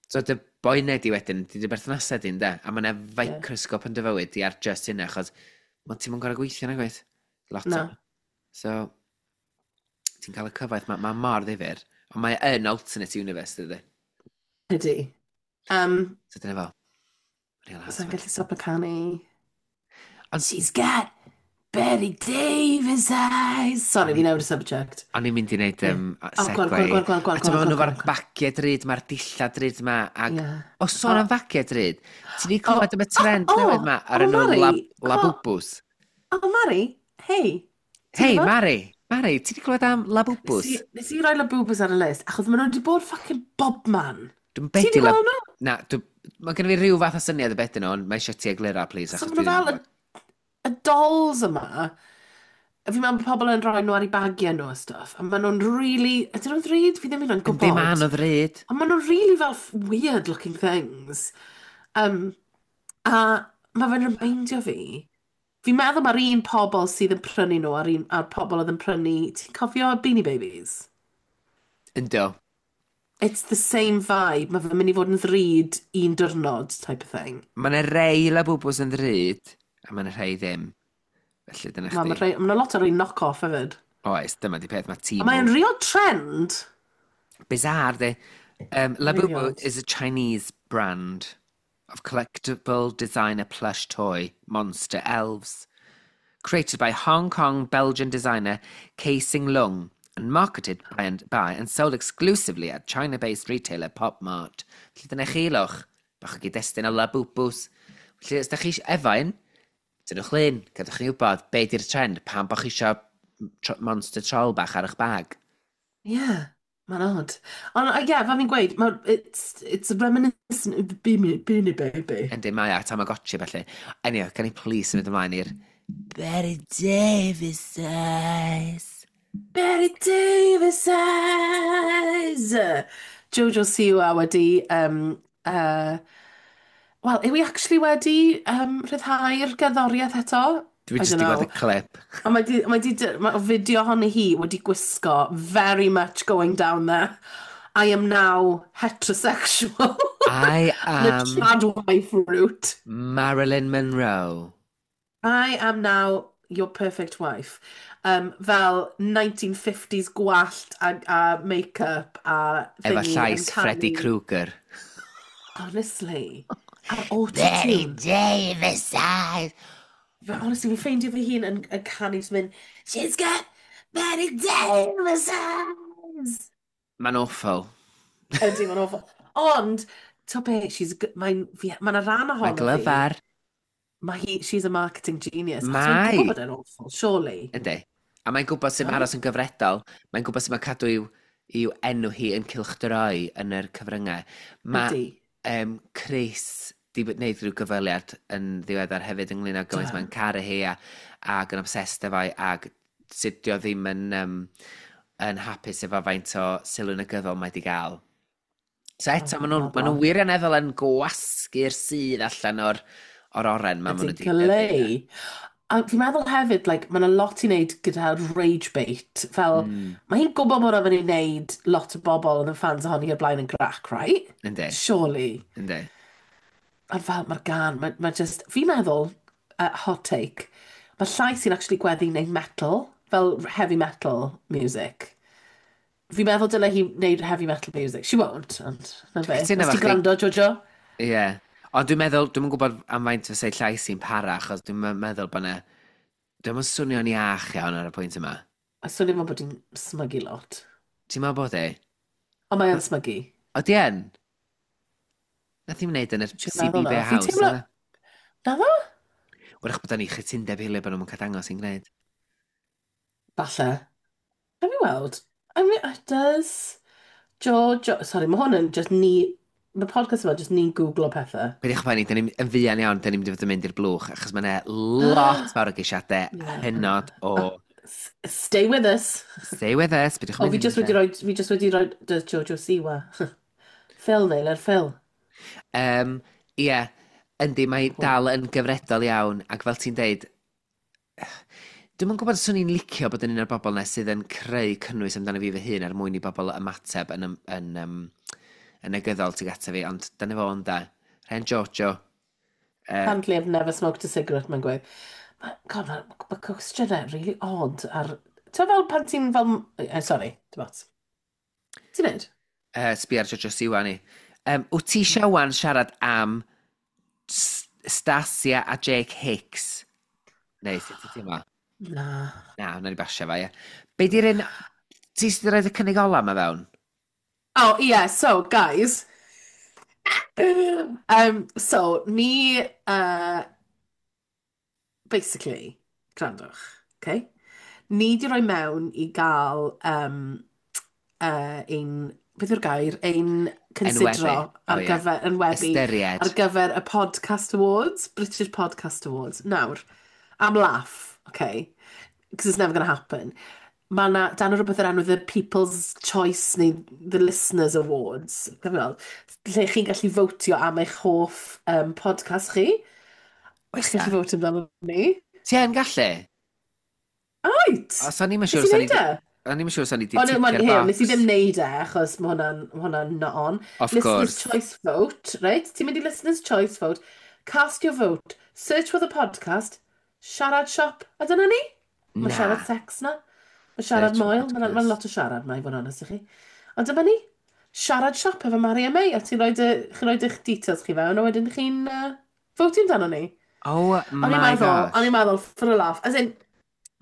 so dy boenau di wedyn, di dy berthnasau di, ynde? A mae yna microscope yn dy fywyd di ar just hynna, achos ma' ti'm yn gorau gweithio na gwaith. Lot o. Na. So, ti'n cael y cyfoeth, mae ma mor ddifyr. Ond mae yn alternate universe, dydy. Ydy. Um, So dyna fo. Real Sa'n Housewives. gallu stopio canu. Ond She's got Bette Davis eyes. Sorry, fi newid y subject. o'n i'n mynd i wneud um, Oh, go on, segue. go on, go on, go on, go on, A ti'n go on, meddwl go nhw on, fo'r go on. bagiau drud, mae'r dillad drud ma. Ag, Yeah. o sôn Oh. am fagiau drud, ti di Oh, clywed am y trend oh, newydd ma ar oh, enw Mari, lab, co- Labubus? Oh, Mari, hei. Ti'n Hei, gwybod? Mari! Mari, ti wedi clywed am Nes Labubus? i, nes i roi Labubus ar y list, achos maen nhw wedi bod fucking bobman. Dwi'n Ti bedi wedi lab... gweld nhw? Na, dwi... Mae gen i fi rhyw fath o syniad o beth nhw, ond mae eisiau ti egluro, please, So achos maen dwi nhw ddim yn fel y, gwybod. y dolls yma. Fi'n meddwl bod pobl yn rhoi nhw ar eu bagiau nhw a stuff. A maen nhw'n really... Ydyn nhw'n ddrud? Fi ddim yn Yndi, gwybod. ma'n o ddrud. Ond maen nhw'n really fel weird looking things. Um, a mae fe'n remeindio fi. Fi'n meddwl mae'r un pobl sydd yn prynu nhw a'r, un, a'r pobl oedd yn prynu... Ti'n cofio Beanie Babies? Ynddo. It's the same vibe. Mae fe'n mynd i fod yn ddrud un diwrnod type of thing. Mae yna rei Labubus yn ddrud, a mae yna rhai ddim. Felly dyna Mae chdi. ma, ma 'na lot o'r un knock-off hefyd. Oes, dyma di peth, mae A tîm mae'n real trend. Bizarre, de. Um, Really Labubu odd. is a Chinese brand of collectible designer plush toy monster elves. Created by Hong Kong Belgian designer Kei Sing Lung and marketed by and, by and sold exclusively at China-based retailer Pop Mart. Felly dyna chi lwch, bach o gyd-destun o Labubus. Felly os da chi efo un, dynwch lun, gadwch chi wybod be di'r trend, pam bo chi isio tro monster troll bach ar eich bag. Yeah, mae'n odd. Ond uh, yeah, fel fi'n gweud, ma, it's, it's reminiscent of the Beanie, Beanie Baby. Yndi, mae a Tamagotchi felly. Anyway, can i please symud ymlaen i'r Bette Davis eyes. Bette Davis eyes! Jojo Siwa wedi... Um, uh, Wel, yw i actually wedi um, rhyddhau'r gerddoriaeth eto? Dwi I jyst don't di gweld know. y clip. A mae di, mae di, mae fideo ohoni hi wedi gwisgo very much going down there. I am now heterosexual. I The am trad wife route. Marilyn Monroe. I am now your perfect wife. Um, fel nineteen fifties gwallt a, a make-up a Efo thingy yn llais Freddy canu. Krueger. Honestly. A'r Bette autotune. Davis eyes. Fe- Honestly, fi'n ffeindio fy hun yn, yn canu jyst mynd, "She's got Bette Davis eyes." Mae'n awful. Ydy, mae'n awful. Ond, to be, she's, g- mae'n, fi- mae'n rhan Mae'n ohono fi. glyfar. Mae hi, she's a marketing genius. Achos Mae. mae'n gwybod bod e'n awful, surely. Yndi. A mae'n gwybod sut mae No? aros yn gyfredol. Mae'n gwybod sut mae cadw i'w, i'w enw hi yn cylchdroi yn yr cyfryngau. Mae Ydy. um, Chris di wneud rhyw gyfweliad yn ddiweddar hefyd ynglyn â gymaint Do. mae'n caru hi a, ac yn obsessed efo hi ac sut dio ddim yn, um, yn hapus efo faint o sylw negyddol mae di gael. So eto, Oh, maen nhw'n ma nhw bobl. wirioneddol yn gwasgu'r sudd allan o'r, o'r oren ma maen Ydy, nhw wedi dyfu. glei. A fi'n meddwl hefyd, like, mae'n lot i wneud gyda rage bait. Fel, Mm. mae hi'n gwybod bod o'n mynd i wneud lot o bobl oedd yn fans ohoni o'r blaen yn grac, right? Yndi, Surely. yndi. A fel, mae'r gan, mae, mae just, fi'n meddwl, uh, hot take, mae llais sy'n actually gweddu wneud metal, fel heavy metal music. Fi'n meddwl dyle hi wneud heavy metal music. She won't, ond na fe. Cytuno Os efo ti'n chdi. gwrando, Jojo? Ie. Yeah. Ond dwi'n meddwl, dwi'n gwybod am faint fysa'i llais hi'n para, achos dwi'n meddwl bod na... Dwi'n meddwl swnio'n iach iawn ar y pwynt yma. A swnio fel bod hi'n smygu lot. Ti'n meddwl bod e? Ond mae yn smygu. Ydy yn? Nath hi'm wneud yn y Ti'n meddwl C B B na? Fi'n House, teimlo. na? Na ddo? Wrach bod ni chytundeb hiliol bod nhw'n cael dangos i'n gwneud. Falle. Have you weld? I mean, it does. Jojo. Sorry, mae hwn yn just ni. Mae podcast yma just ni'n googlo pethau. Peidiwch poeni, dyn ni'n yn fuan iawn, dyn ni'n mynd i fod yn mynd i'r blwch, achos mae yna lot fawr o geisiadau Yeah. hynod o S- Stay with us. Stay with us, peidiwch O, mynd fi just wedi rhoi, fi just wedi rhoi does Jojo Siwa. Phil neu, let Phil. Um, Ie, yndi, mae dal yn gyfredol iawn, ac fel ti'n deud, dwi'n yn gwybod os o'n i'n licio bod yn un o'r bobl na sydd yn creu cynnwys amdano fi fy hun er mwyn i bobl ymateb yn, yn, yn, um, yn negyddol tuag ata fi, ond dyna fo ynda. Rhen Jojo. Uh, Apparently I've never smoked a cigarette, mae'n gweud. Ma- God, mae ma cwestiynau really odd ar. Ti'n fel pan ti'n fel... Eh, sorry, dim ots. Ti'n neud? uh, sbi ar Jojo Siwa ni. Um, wyt ti eisiau wan siarad am S- Stasia a Jake Hicks? Neu, sut ti'n teimlo? Na. Na, wna ni basio fa, ie. Be di'r un... Ti sydd wedi rhoi y cynnig ola ma fewn? Oh, yeah, so, guys. Um, so, ni... Uh, basically, gwrandwch, okay? Ni di roi mewn i gael um, uh, ein, beth yw'r gair, ein Enwebu. considro O ar ie. gyfer, enwebu, Ystyried. ar gyfer y Podcast Awards, British Podcast Awards. Nawr, am laugh, okay, because it's never going to happen. Mae yna, dan rhywbeth o'r enw The People's Choice neu The Listeners Awards, gael weld, lle chi'n gallu fotio am eich hoff um, podcast chi. Oes Chi'n na? gallu fotio amdano ni. Ti yn gallu? Right! Os o'n i'm yn Nes siŵr i os o'n i wneud 'di... e? O'n i'm yn siŵr os o'n i 'di O, no, ticio'r here, nes i box. ddim neud e, achos mae hwnna'n ma hwnna'n not on. Of Listener's course. Choice Vote, right? Ti'n mynd i Listener's Choice Vote, cast your vote, search for the podcast, siarad siop, a dyna ni. Mae Na. siarad sex na. Mae siarad Search for moel, mae'n ma podcast. lot o siarad ma, i fod yn onest i chi. Ond dyma ni. Siarad siop efo Mari a May, a ti'n rhoi chi'n rhoi eich details chi fewn, a wedyn chi'n uh, votio amdano ni. Oh O'n i'n my meddwl, o'n gosh. i'n meddwl, for a laugh. As in,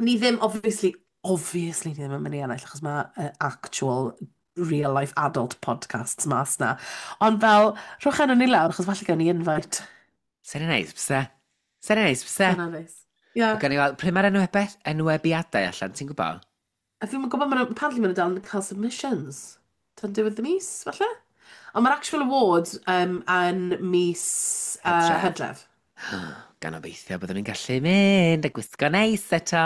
ni ddim, obviously, obviously ni ddim yn mynd i ennill, achos mae uh, actual real life adult podcasts mas na. Ond fel, rhowch enw ni lawr, achos falle gawn ni invite. Sa'n neis, bysa? Sa'n neis, bysa? Dyna neis. Yeah. Gawn ni weld, pryd mae'r enwebeth, enwebiadau allan, ti'n gwybod? A fi'n gwybod, maen nhw- apparently maen nhw dal yn cael submissions. Tan diwedd y mis, falle? Ond mae'r actual awards um, yn mis uh, Hydref. Hydref. Gan obeithio byddwn ni'n gallu mynd a gwisgo neis eto.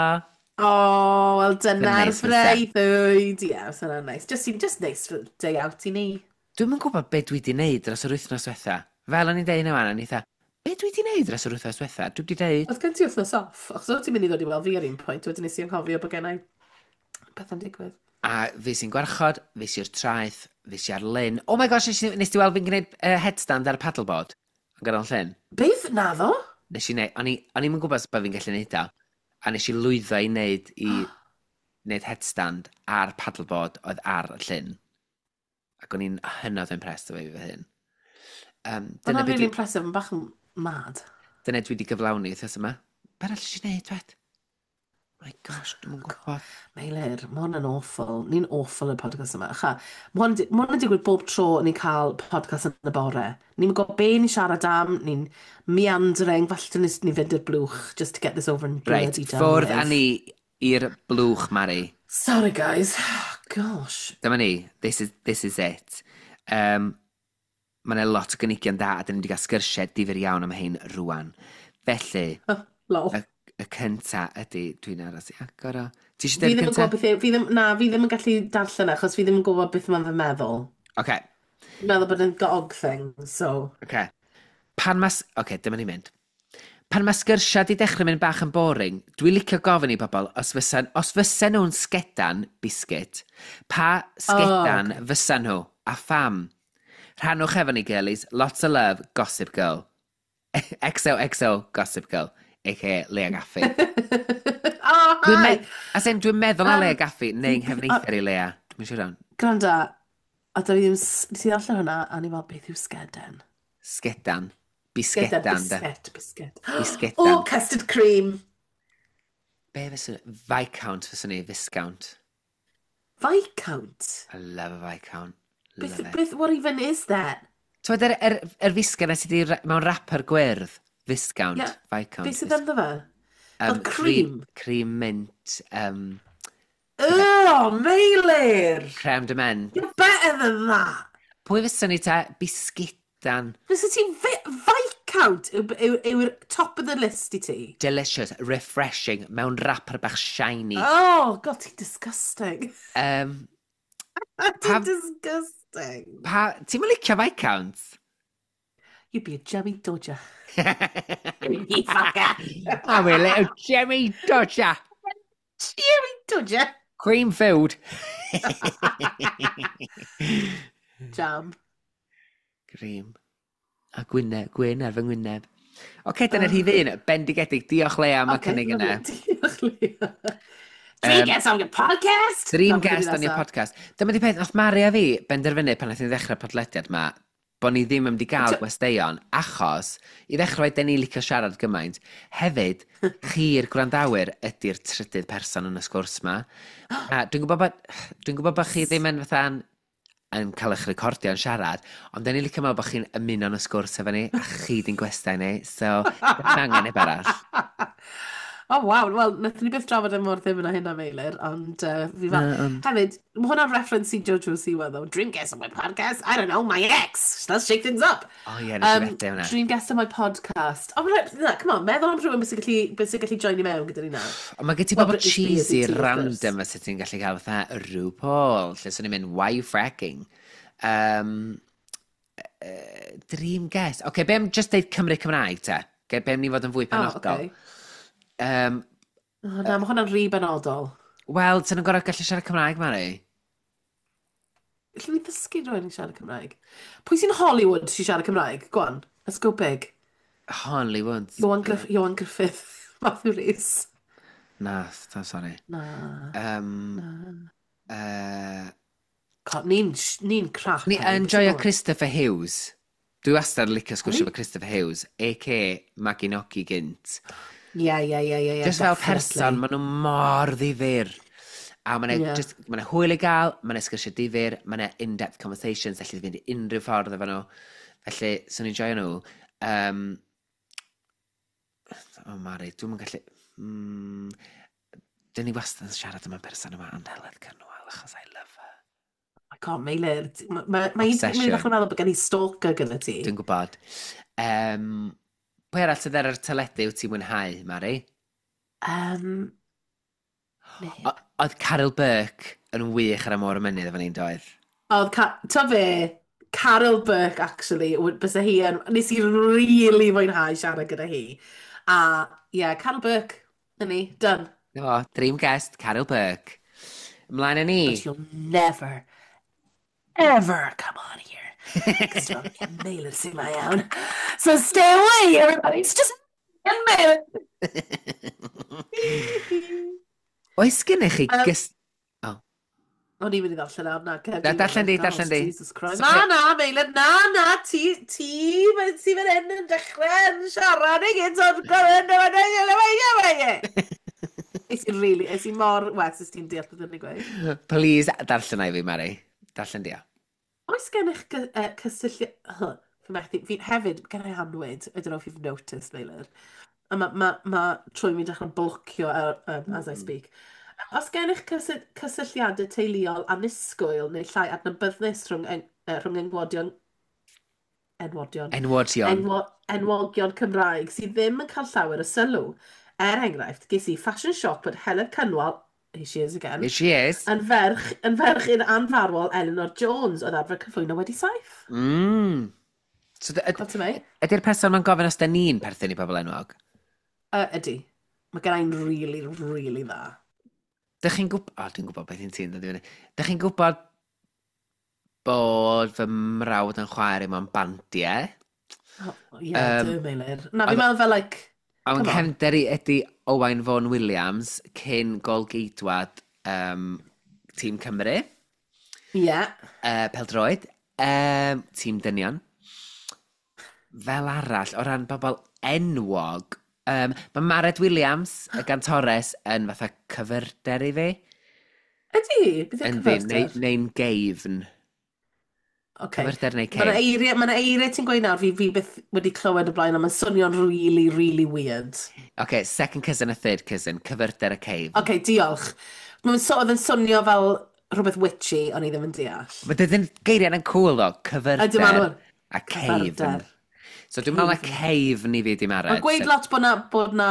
Oh, wel Dyna dyna'r neis fyse. breuddwyd. Ie, yeah, so nice. Just, just nice for day out i ni. Dwi'm yn gwybod be dwi wedi wneud dros yr wythnos diwetha. Fel o'n i'n deud yna, o'n i fatha, be dwi wedi wneud dros yr wythnos diwetha? Dwi wedi deud, Oedd gen ti wythnos off, achos oedd ti'n mynd i ddod i weld fi ar un pwynt, wedyn nes i anghofio bod gen i pethau'n digwydd. A fi sy'n gwarchod, fi sy'n traeth, fi sy'n ar lyn. Oh my gosh, nes, i- nes ti weld fi'n gwneud uh, headstand ar y paddleboard? Yn ganol llyn. Beth? Naddo? Nes i wneud, o'n i, o'n i'm yn gwybod sut bod fi'n gallu neud o. A nes i lwyddo i wneud, i wneud headstand ar paddleboard oedd ar y llyn. Ac o'n i'n hynod o impressed efo fi fy hun. Um, dyna, Hwnna'n be really dwi, impressive, yn bach yn mad. dyna dwi wedi gyflawni wythnos yma. Be arall nes i wneud, dwed? My gosh, dwi'm yn gwybod. Meilir, mae hwn yn awful. Ni'n awful y podcast yma. Cha, mae hwn, ma hwn yn digwydd bob tro ni'n cael podcast yn y bore. Ni'n gwybod be ni'n siarad am, ni'n meandering, falle ni, ni fynd i'r blwch just to get this over and Reit, bloody done ffwrdd â with. ni i'r blwch, Mari. Sorry guys. Gosh. Dyma ni. This is, this is it. Um, mae yna lot o gynigion da, a dyn ni wedi cael sgyrsiau difyr iawn am hein rwan. Felly, Lol. y, y cynta ydy, dwi'n aros i agor o. Ti eisiau Fi dweud y ddim yn cynta? gwybod beth yw, fi ddim, na, fi ddim yn gallu darllen e, achos fi ddim yn gwybod beth mae'n fy meddwl. Oce, Fi'n meddwl bod yn gog thing, so... oce. Pan mas... Oce, dyma ni'n mynd. Pan mae sgyrsiau di dechrau mynd bach yn boring, dwi'n licio gofyn i bobl, os fysa, os fysa nhw'n sgedan biscuit, pa sgedan Oh, okay. fysa nhw, a pham? Rhannwch efo ni, girlies. Lots of love, Gossip Girl. X O X O Gossip Girl, A K A Lea Gaffi. Oh, Dwi'n hi! me as in, dwi'n meddwl na Um, Lea Gaffi, neu uh, nghyfneither i Lea. Dwi'n siŵr iawn. Gwranda, a da fi ddim... s- Nes i ddarllen hwnna, a ni fel, beth yw sgeden? Sgedan. Sgedan, Bisgedan, de. biscuit, biscuit. Bisgedan. Oh, custard cream! Be fyswn... Viscount fyswn i, Viscount. Viscount? I love a Viscount. Beth, Love it. beth, what even is that? Ti'n yr, yr, yr fisged na sydd wedi ra- mewn wrapper gwyrdd? Viscount. Yeah, Viscount. beth sydd Vis ynddo fe? Fel um, cream, cream? cream mint. Um, Oh, Meilir! Creme de menthe. You're better than that! Pwy fyswn i te? Bisgidan. Fysa ti fi- Viscount yw- yw- yw'r top of the list i ti? Delicious, refreshing, mewn wrapper bach shiny. Oh, God, ti'n disgusting. Um, Ti'n pa, disgusting. pa, ti'n mynd licio Viscount? You'd be a jemmy dodger. You fucker. I'm a little Jemmy Dodger. Jemmy dodger. Cream food. Jam. Cream. A gwyneb, gwyn ar fy ngwyneb. Oce, okay, dyna'r rhif un. Bendigedig. Diolch, Lea, am y Okay, cynnig lovely. yna. Diolch, Leah. Dream Um, guest on your podcast! Dream Na, beth guest ydi on your nesa? podcast. Dyma di peth, nath Mari a fi benderfynu pan nath ni ddechrau podlediad ma, bod ni ddim yn mynd i gael Ti- gwesteion, achos i ddechrau fe, den ni licio siarad gymaint. Hefyd, chi'r gwrandawyr ydy'r trydydd person yn y sgwrs ma. A dwi'n gwybod bod, dwi'n gwybod bod chi ddim yn fatha'n yn cael eich recordio yn siarad, ond den ni licio meddwl bod chi'n ymuno yn y sgwrs efo ni, a chi di'n gwestai ni, so ddim angen neb arall. Oh, waw. Wel, nathon ni byth drafod e mor ddim yna hynna, Meilir, ond uh, fi fel. Na, ond. Hefyd, mae hwnna'n reference i Jojo Siwa, though. Dream guest on my podcast? I don't know, my ex! Let's shake things up. O ie, nes i Um, fethu hwnna. Dream guest on my podcast. Oh, right, na, come on, meddwl am rhywun beth sy'n gallu, beth sy'n gallu join i mewn gyda ni nawr. Ond mae gen ti Wel, bobl Britney Spears cheesy i ti, wrth gwrs. random fysa ti'n gallu cael fatha RuPaul, lle swn i'n mynd, "Why you fracking?" Um, uh, dream guest. Oce, okay, be am just deud Cymru Cymraeg te? Be be am ni fod yn fwy Oh, penodol? okay. Um, Oh, na, mae hwnna'n rhy benodol. Wel, ti'n gorau gallu siarad Cymraeg, Mari? Lle ni ddysgu rhywun i siarad Cymraeg? Pwy sy'n Hollywood sy'n siarad Cymraeg? Go on, let's go big. Hollywood. Ioan, Griff Ioan Gruffudd, Matthew Rhys. Na, so sorry. Na, Um, na. uh, God, ni'n ni crap Ni heddi, yn beth sy'n joio bod? Christopher Hughes. Dwi wastad yn licio sgwrsio Pwy? efo Christopher Hughes, A K A Maggie Nogi gynt. Ie, ie, ie, ie, ie, Just fel person, definitely. maen nhw mor ddifyr. A maen Ie. yeah. just, maen hwyl i gael, maen sgwrsio difyr, maen in-depth conversations, allu fynd i unrhyw ffordd efo nhw. Felly, swn i'n joio nhw. Um, oh, Mari, dwi'm yn gallu. Mm, dyn ni wastad yn siarad am y person yma, ond Heledd Cynwal, achos I love her. Oh my God, Meilir. Mae ma, ma hi'n Obsession. ddechrau meddwl bod gen i stalker gyda ti. Dwi'n gwybod. Um, pwy arall sydd ar yr teledu wyt ti'n mwynhau, Mari? Um, neb. O- Oedd Caryl Burke yn wych ar y Môr y Mynydd efo ni'n doedd? Oedd, Ca ta fe, Caryl Burke, actually, bysa hi yn, nes i really fwynhau siarad gyda hi. A, ie, yeah, Caryl Burke, na ni, done. Na fo, dream guest, Caryl Burke. Ymlaen â ni. But you'll never, ever come on here. Cos dwi'n Meilir sy'n ma iawn. So stay away, everybody. It's just Meilir. Oes gennych chi Um, gys... Oh. O'n i'n mynd i ddarllen nawr, na. Na, darllen di, darllen di. Jesus Christ. Sorry. Na, na, Meilir, na, na, ti, ti, mae- ti fan hyn yn dechrau yn siarad i gyd o'r gwrdd, Es i really, es i mor wes ys ti'n deall beth yn ei gweud. Please, darllen i fi, Mari. Darllen di o. Oes gennych gy- uh, cysylltiad... Huh, fi methu, fi hefyd, gen i annwyd, I don't know if you've noticed, Meilir. A mae ma, ma trwy mi'n dechrau blocio uh, um, as I Mm. speak. Os gennych cysy cysylltiadau teuluol annisgwyl neu llai adnabyddus rhwng, en, uh, rhwng enwodion, enwodion, Enwodion. enwo, enwogion Cymraeg sydd ddim yn cael llawer o sylw. Er enghraifft, ges i fashion shock bod Heledd Cynwal, here she is again, Here she is. yn ferch, yn ferch i'r anfarwol Elinor Jones oedd arfer cyflwyno Wedi Saith. Mm. So, yd- Clot to me? ydy'r person ma'n gofyn os da ni'n perthyn i bobl enwog? Uh, ydy. Mae gen i'n really, really dda. Dych chi'n gwybod... O, dwi'n gwybod beth i'n ti'n dod i fyny. Dych chi'n gwybod bod fy mrawd yn chwaer i mewn bandiau? Oh, yeah, Um, um, Meilir. Na, fi'n oedd- meddwl fel, like, A come on. nghefnder i ydy Owain Fôn Williams, cyn golgeidwad um, Tîm Cymru, Yeah. uh, Peldroed, um, Tîm Dynion. Fel arall, o ran bobl enwog, um, mae Mared Williams, y gantores, yn fatha cyfyrder i fi. Ydy, beth yw'r Yndi, neu, cyfyrder? neu'n geifn. Okay. Cyfyrder neu Mae yna ceifn. eiriau, ma' 'na eiriau ti'n gweud nawr, fi, fi byth wedi clywed o blaen, ond mae'n swnio'n really, really weird. Okay, second cousin a third cousin, cyfyrder a ceifn. Okay, diolch. Mae'n so, oedd yn swnio fel rhywbeth witchy, o'n i ddim yn deall. Mae dydyn geiriau yn cool ddo, Ydy, maen cyfyrder nhw. a ceifn. Cyfyrder. So dwi'n meddwl na Ceifn. ceifn i fi di Mared. Mae'n gweud sef- lot bod na, bod na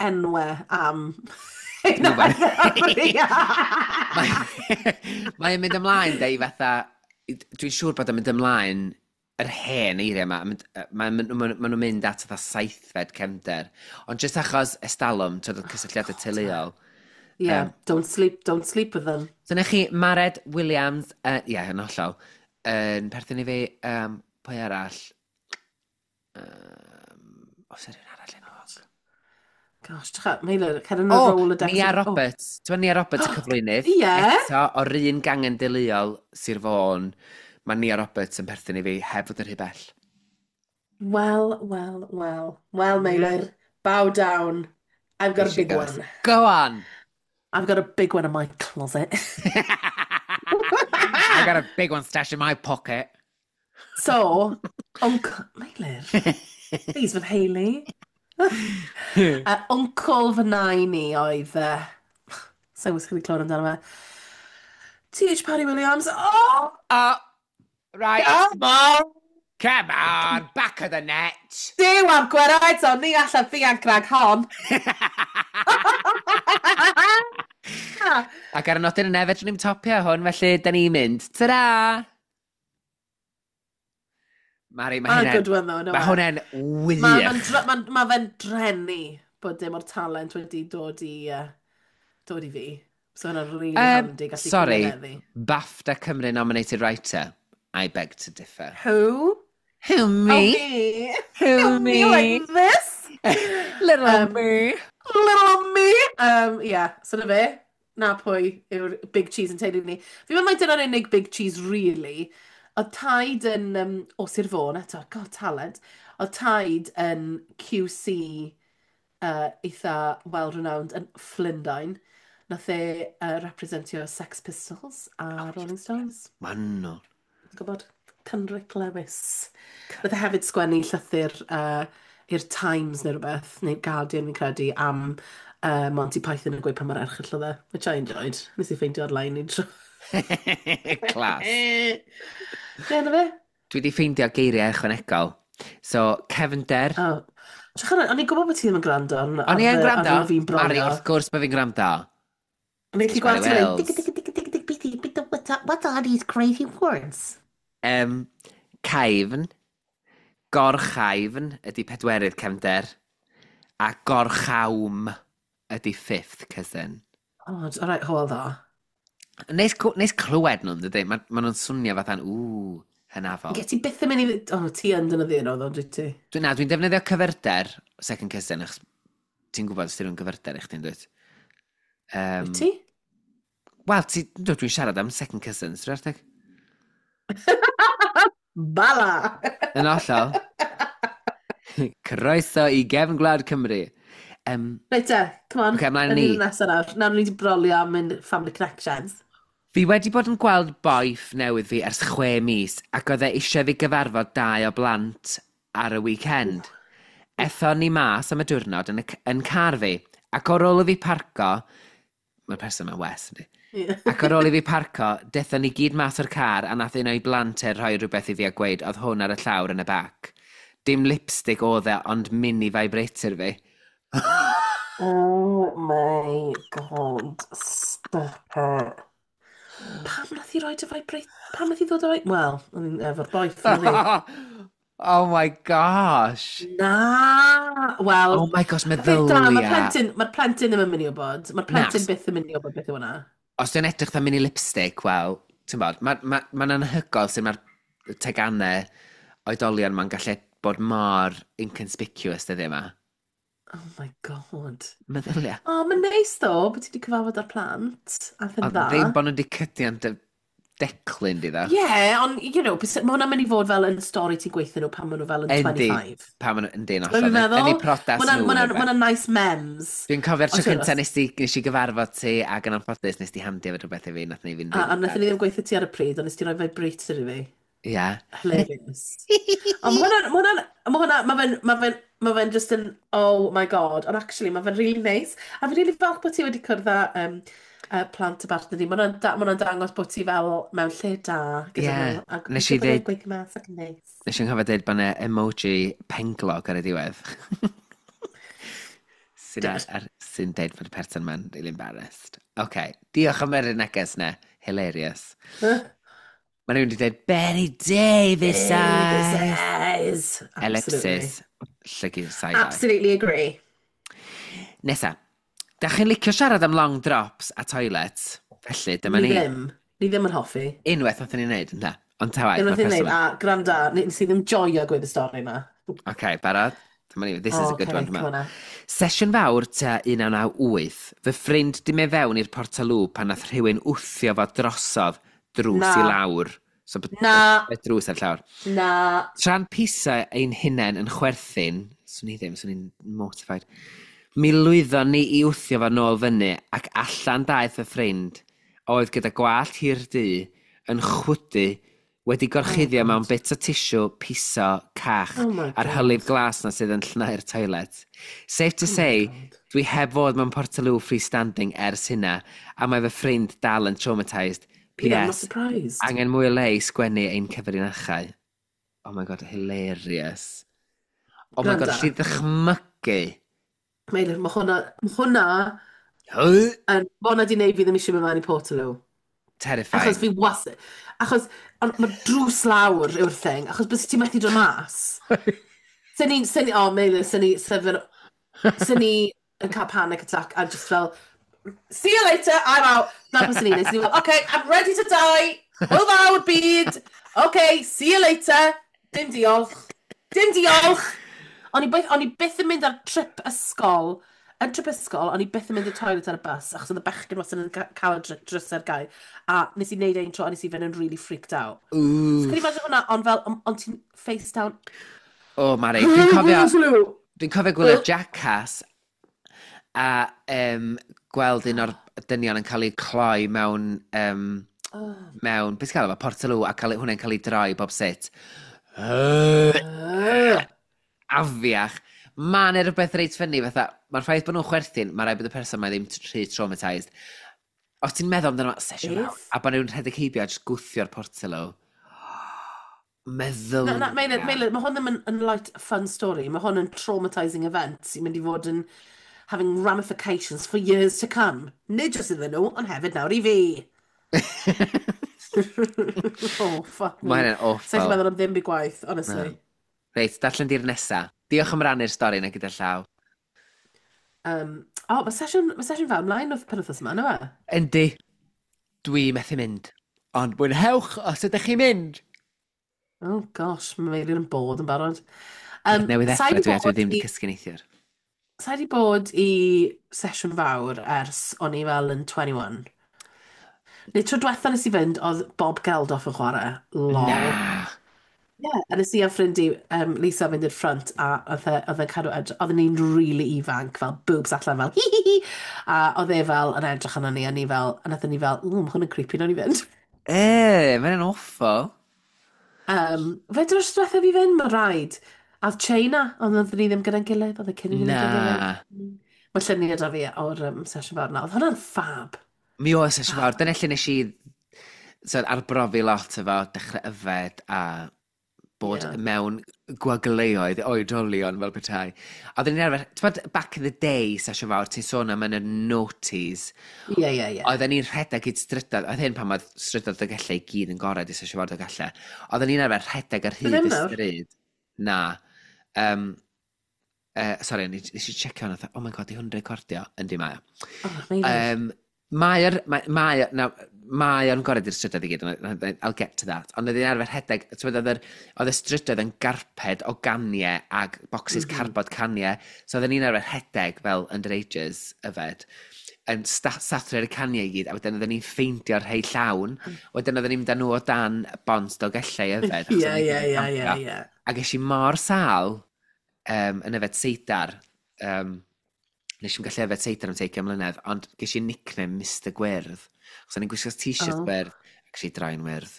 enwau am. Dwi'n gwbod. Mae- Mae'n mynd ymlaen, de, i fatha. Dwi'n siŵr bod o'n mynd ymlaen yr hen eiriau yma. Mae'n ma, ma, ma nhw'n mynd at fatha saithfed cefnder. Ond jyst achos estalwm, twyd, oh, cysylltiadau teuluol. Yeah, Um, don't sleep, don't sleep with them. So na chi, Mared Williams, ie, uh, yeah, yn hollol, yn perthyn i fi, um, pwy arall? Um, oes yna rhywun arall enwog? Gosh, tcha, Meilir, cer yn y O, Rolodex. Nia Oh. Roberts. Ti'n Nia Roberts y cyflwynydd? Ie. Eto, o'r un gangen deuluol Sir Fôn, mae Nia Roberts yn perthyn i fi heb fod yn rhy bell. Well, well, well. Well, Meilir, bow down. I've got Here a she big goes. one. Go on! I've got a big one in my closet. I've got a big one stashed in my pocket. So, Uncle Meilir, please, with Hayley. Uh, Uncle fy nain i oedd... Uh, Sa'n gwybod chi wedi clywed amdano fe. T H. Parry Williams. Oh! Oh, right. Come on! Come on, back of the net. Duw am gwerau eto, ni allan ddianc rhag hon. Ac ar y nodyn yna, fedrwn ni'm topio hwn, felly da ni'n mynd. Ta-ra! Mari, mae Mae'n hynna'n... good one though, no Mae e? hwnna'n Mae ma, wych. ma, ma fe'n drenu bod dim o'r talent wedi dod i, uh, dod i fi. So hwnna'n really Um, handi gallu sorry, cyfareddu. BAFTA Cymru nominated writer. I beg to differ. Who? Who, Oh, me? me. Who, Me like me? this? Little Um, me. Little me! Um, yeah, so na fe. Na pwy yw'r big cheese yn teulu ni. Fi'n meddwl mai dyna'r unig big cheese, really. Oedd taid yn, um, o Sir Fôn eto, god, talent. Oedd taid yn Q C uh, eitha well-renowned yn Llundain. Nath e uh, representio Sex Pistols a Rolling Stones. Wahanol. Ti'n gwybod? Cynric Lewis. Nath e hefyd sgwennu llythyr uh, i'r Times neu rhywbeth, neu Guardian fi'n credu, am uh, Monty Python yn gweud pa mor erchyll oedd e, which I enjoyed. Nes i ffeindio ar-lein un tro. Class. Ie, na fe? Dwi wedi ffeindio geiriau ychwanegol. So, cefnder. Oh. Trach arno, o'n i'n gwybod bod ti ddim yn gwrando ar, O'n i yn ar, gwrando. ar fi'n Mari, brolio. wrth gwrs bod fi'n gwrando. O'n i'n gallu gweld Mary ti'n mynd, Wells. dig, dig, dig, dig, dig, dig, dig, dig, what are, what are these crazy words? Um, caifn, gorchaifn ydy pedwerydd cefnder, a gorchawm ydy fifth cousin. Oh, all right, hwyl dda. Neis, cw- neis clywed nhw'n dydy? Mae ma nhw'n swnio fatha'n, ww, hynafol. Ie, ti byth yn mynd i... Oh, ti yn defnyddio nhw, ddo, dwi ti? Dwi, na, dwi'n defnyddio cyfyrder, second cousin, achos ti'n gwybod os dyn nhw'n gyfyrder i chdi'n dweud. Um, Wyt ti? Wel, ti, dwi- dwi'n siarad am second cousins, dwi'n arteg? Bala! Yn hollol. Croeso i gefn gwlad Cymru. Um, Reit te, come on. Ocê, ymlaen â Yn ni. ni'r nesaf nawr. Nawr ni wedi brolio am ein family connections. Fi wedi bod yn gweld boyff newydd fi ers chwe mis ac oedd e eisiau fi gyfarfod dau o blant ar y weekend. Ethon ni mas am y diwrnod yn, y, c- yn car fi ac ar ôl i fi parco, mae'r person yma Wes, yndi? Ie. Ac ar ôl i fi parco, dethon ni gyd mas o'r car a nath un o'i blant e rhoi rhywbeth i fi a gweud oedd hwn ar y llawr yn y bac. Dim lipstick oedd e, ond mini vibrator fi. Oh my God, stop it. Pam nath i roi dy vibrate? Pam nath i ddod o... Wel, o'n i'n efo'r boeth, o'n i. Oh my gosh. Na! Wel, Oh my gosh, y peth da, mae'r meddylia. plentyn, mae'r plentyn ddim yn mynd i wybod. Mae'r plentyn Na. byth yn mynd i wybod beth yw hwnna. Os dwi'n edrych fatha mini lipstick, wel, ti'n bod, mae'n ma, ma anhygoel sut mae'r teganau oedolion ma'n gallu bod mor inconspicuous dyddiau yma. Oh my God. Meddylia. O, oh, mae'n neis ddo, bod ti wedi cyfarfod â'r plant. A yn Ond dda. ddim bod nhw wedi cydio yn dy declyn di ddo. Ie, yeah, ond, you know, mae hwnna'n mynd i fod fel yn stori ti'n gweithio nhw pan maen nhw fel yn Yndi. dau ddeg pump. Pa maen nhw, yndi, yn Ti'n hollol. meddwl? Yn eu priodas Ma' hwnna'n- nhw. ma' hwnna'n neu ma' hwnna'n nice mems. Dwi'n cofio'r tro Ond ti'n cyntaf nes, di, nes i gyfarfod ti ac yn anffodus nes di handio fe rhywbeth i fi, nath ni fynd A, a wnaethon ni ddim gweithio ti ar y pryd, ond nes ti roi vibrator i fi. Ie. Hilarious. Ond ma' hwnna'n, ma' hwnna'n, ma' hwnna, ma' fe'n, ma' fe'n, ma' fe'n just yn, oh my God. Ond actually, ma' fe'n really nice. A fi'n really falch bod ti wedi cwrdd â um, uh, plant y bartner di. Ma' hwnna'n da, ma' hwnna'n dangos bod ti fel mewn lle da gyda Ie. nhw. A Nes i gobeithio bod nhw'n ddeud- gweithio mas ac yn neis. Nes i'n cofio dweud bod yna emoji penglog ar y diwedd sy'n ar, ar, sy'n deud bod y person ma'n really embarrassed. OK, diolch am yr neges na. Hilarious. Mae rhywun wedi dweud, "Bette Davis Davis eyes." eyes. Absolutely. Ellipsis. Llygu side eye. Absolutely agree. Nesa. Da chi'n licio siarad am long drops a toilets? Felly, dyma Ni ni. ddim. Ni ddim yn hoffi. Unwaith nathon ni wneud, ynda? Ond ta waeth, Unwaith mae'r i'n person neud, a gwranda, nes i ddim joio gweud y stori yma. OK, barod? Dyma ni. This is a good Okay, one, dwi'n come on meddwl. now. Sesiwn fawr tua un naw naw wyth, fy ffrind di mynd fewn i'r portalŵ pan nath rhywun wthio fo drosodd drws Na. i lawr. So, b- Na. y drws ar llawr. Na. Tra'n pisa ein hunain yn chwerthin, swn i ddim, swn i'n mortified. Mi lwyddon ni i wthio fo nôl fyny ac allan daeth y ffrind oedd gyda gwallt hir du yn chwydu Wedi Oh gorchuddio mewn God. bit o tissue, piso, cach, Oh my a'r hylif God. glas na sydd yn llnau'r toilet. Safe to Oh my say, God. dwi heb fod mewn Portaloo freestanding ers hynna, a mae fy ffrind dal yn traumatised. Yeah, I'm not P S. surprised. Angen mwy o le i sgwennu ein cyfrinachau. Oh my God, hilarious. Oh my God, Gwranda. alli ddychmygu. Meilir, mae hwnna, ma hwnna, Huh? yn, ma hwnna di wneud fi ddim eisiau mynd mewn i Portaloo. Terrifying. Achos fi was... Achos, ond mae drws lawr yw'r thing, achos bys ti'n methu dod mas. Sy'n ni, sy'n ni, oh Meilir, sy'n ni, sy'n sy'n ni yn cael panic attack a just fel, "See you later, I'm out." Na beth sy'n ni'n neud. Sy'n ni fel, "Okay, I'm ready to die. Hwyl fawr, byd. Okay, see you later. Dim diolch. Dim diolch." O'n i byth, o'n i byth yn mynd ar trip ysgol. Yn trip ysgol, o'n i byth yn mynd i'r toilet ar y bus, achos oedd y bechgyn wastad yn ca- cael y dr- drysau ar gau. A nes i wneud ein tro, a nes i fynd yn really freaked out. So Ooh. can you imagine hwnna, ond fel, ond on ti'n face down. Oh, Mari, dwi'n cofio... Dwi'n cofio gwylio Jackass a um, gweld un o'r dynion yn cael ei cloi mewn, um, Oh. mewn, beth gael efo, Portaloo, a cael, hwnna'n cael ei droi bob sut. Uh. Afiach. Mae'n rhywbeth reit funny, fatha, mae'r ffaith bod nhw'n chwerthin, mae rhaid bod y person mae ddim rhy traumatised. Os ti'n meddwl amdano fo, sesiwn fawr, Beth? a bod nhw'n rhedeg heibio a jyst gwthio'r Portaloo. Meddwl. Na, na, Meilir, Meilir, mae hwn ddim yn, yn light, fun story. Mae hwn yn traumatising event sy'n mynd i fod yn having ramifications for years to come. Nid jyst iddyn nhw, ond hefyd nawr i fi. Oh, fuck me. Mae hynny'n Sa'n gallu awful. meddwl am ddim byd gwaith, honestly. Na. Reit, darllen di'r nesa. Diolch am rannu'r stori yna gyda llaw. Um, oh, mae sesiwn, mae sesiwn fawr ymlaen wrth penwythnos yma, na fe? Yndi, dwi methu mynd. Ond mwynhewch os ydych chi'n mynd. Oh gosh, mae Meilir yn bod yn barod. Um, Newydd sa i ddechrau 'di dwi a dwi bod ddim wedi i- cysgu neithiwr. Sa i 'di bod i sesiwn fawr ers o'n i fel yn twenty-one. Neu tro diwetha nes i fynd oedd Bob Geldof yn chwarae. Lol. Na. Yeah, a nes i a ffrind i, um, Lisa, fynd i'r ffrynt a oedd e- oedd e'n cadw edrych, oedden ni'n really ifanc, fel boobs allan fel hi hi hi, a oedd e fel yn edrych arno ni a ni fel, a nathon ni fel, "Ww, mae hwn yn creepy, nawn ni fynd." E, mae'n awful. Um, fe dros diwetha fi fynd, mae rhaid. A oedd China, ond oedden ni ddim gyda'n gilydd, oedd e cyn i ni fynd gyda'n Na. gilydd. Mae lluniau da fi o'r um, sesiwn fawr 'na. Oedd hwnna'n fab. Mi oedd sesiwn fawr. Dyna lle nes i so, arbrofi lot efo dechrau yfed a bod Ie. mewn gwagleoedd oedolion fel petai. A oedden ni'n arfer, ti'n bod, back in the day, sesiwn fawr, ti'n sôn am yn y noughties, Ie, ie, ie. oedden ni'n rhedeg i strydoedd, oedd hyn pan oedd strydoedd Dolgellau i gyd yn gored i sesiwn fawr Dolgellau. Oedden ni'n arfer rhedeg ar hyd Ddim y nawr? stryd. Na. Um, uh, sorry, nes nes i checio hwnna, oh my God, di hwn recordio? Yndi mae o. Oh, Meilir. Um, Mae'r, mae, mae, na, mae o'n gored i'r strydoedd i gyd, ond I'll get to that. Ond oedd hi'n arfer rhedeg, ti'n gwbod, oedd yr- oedd y strydoedd yn garped o ganiau ag boxes mm Mhm. -hmm. cardboard caniau. So oedden ni'n arfer rhedeg fel underagers yfed, yn sathru ar y caniau i gyd, a wedyn oedden ni'n ffeindio'r rhai llawn. Wedyn oedden ni'n mynd â nhw o dan bont Dolgellau yfed, achos Ie, oedden ie, ni'n ie, ie, campio. ie. A ges i mor sâl um, yn yfed seidar. Um, nes i'm gallu yfed seidar am deugain mlynedd, ond ges i nickname Mister Gwyrdd. Chos o'n i'n gwisgo t-shirt Oh. gwyrdd, ac ges i draen wyrdd.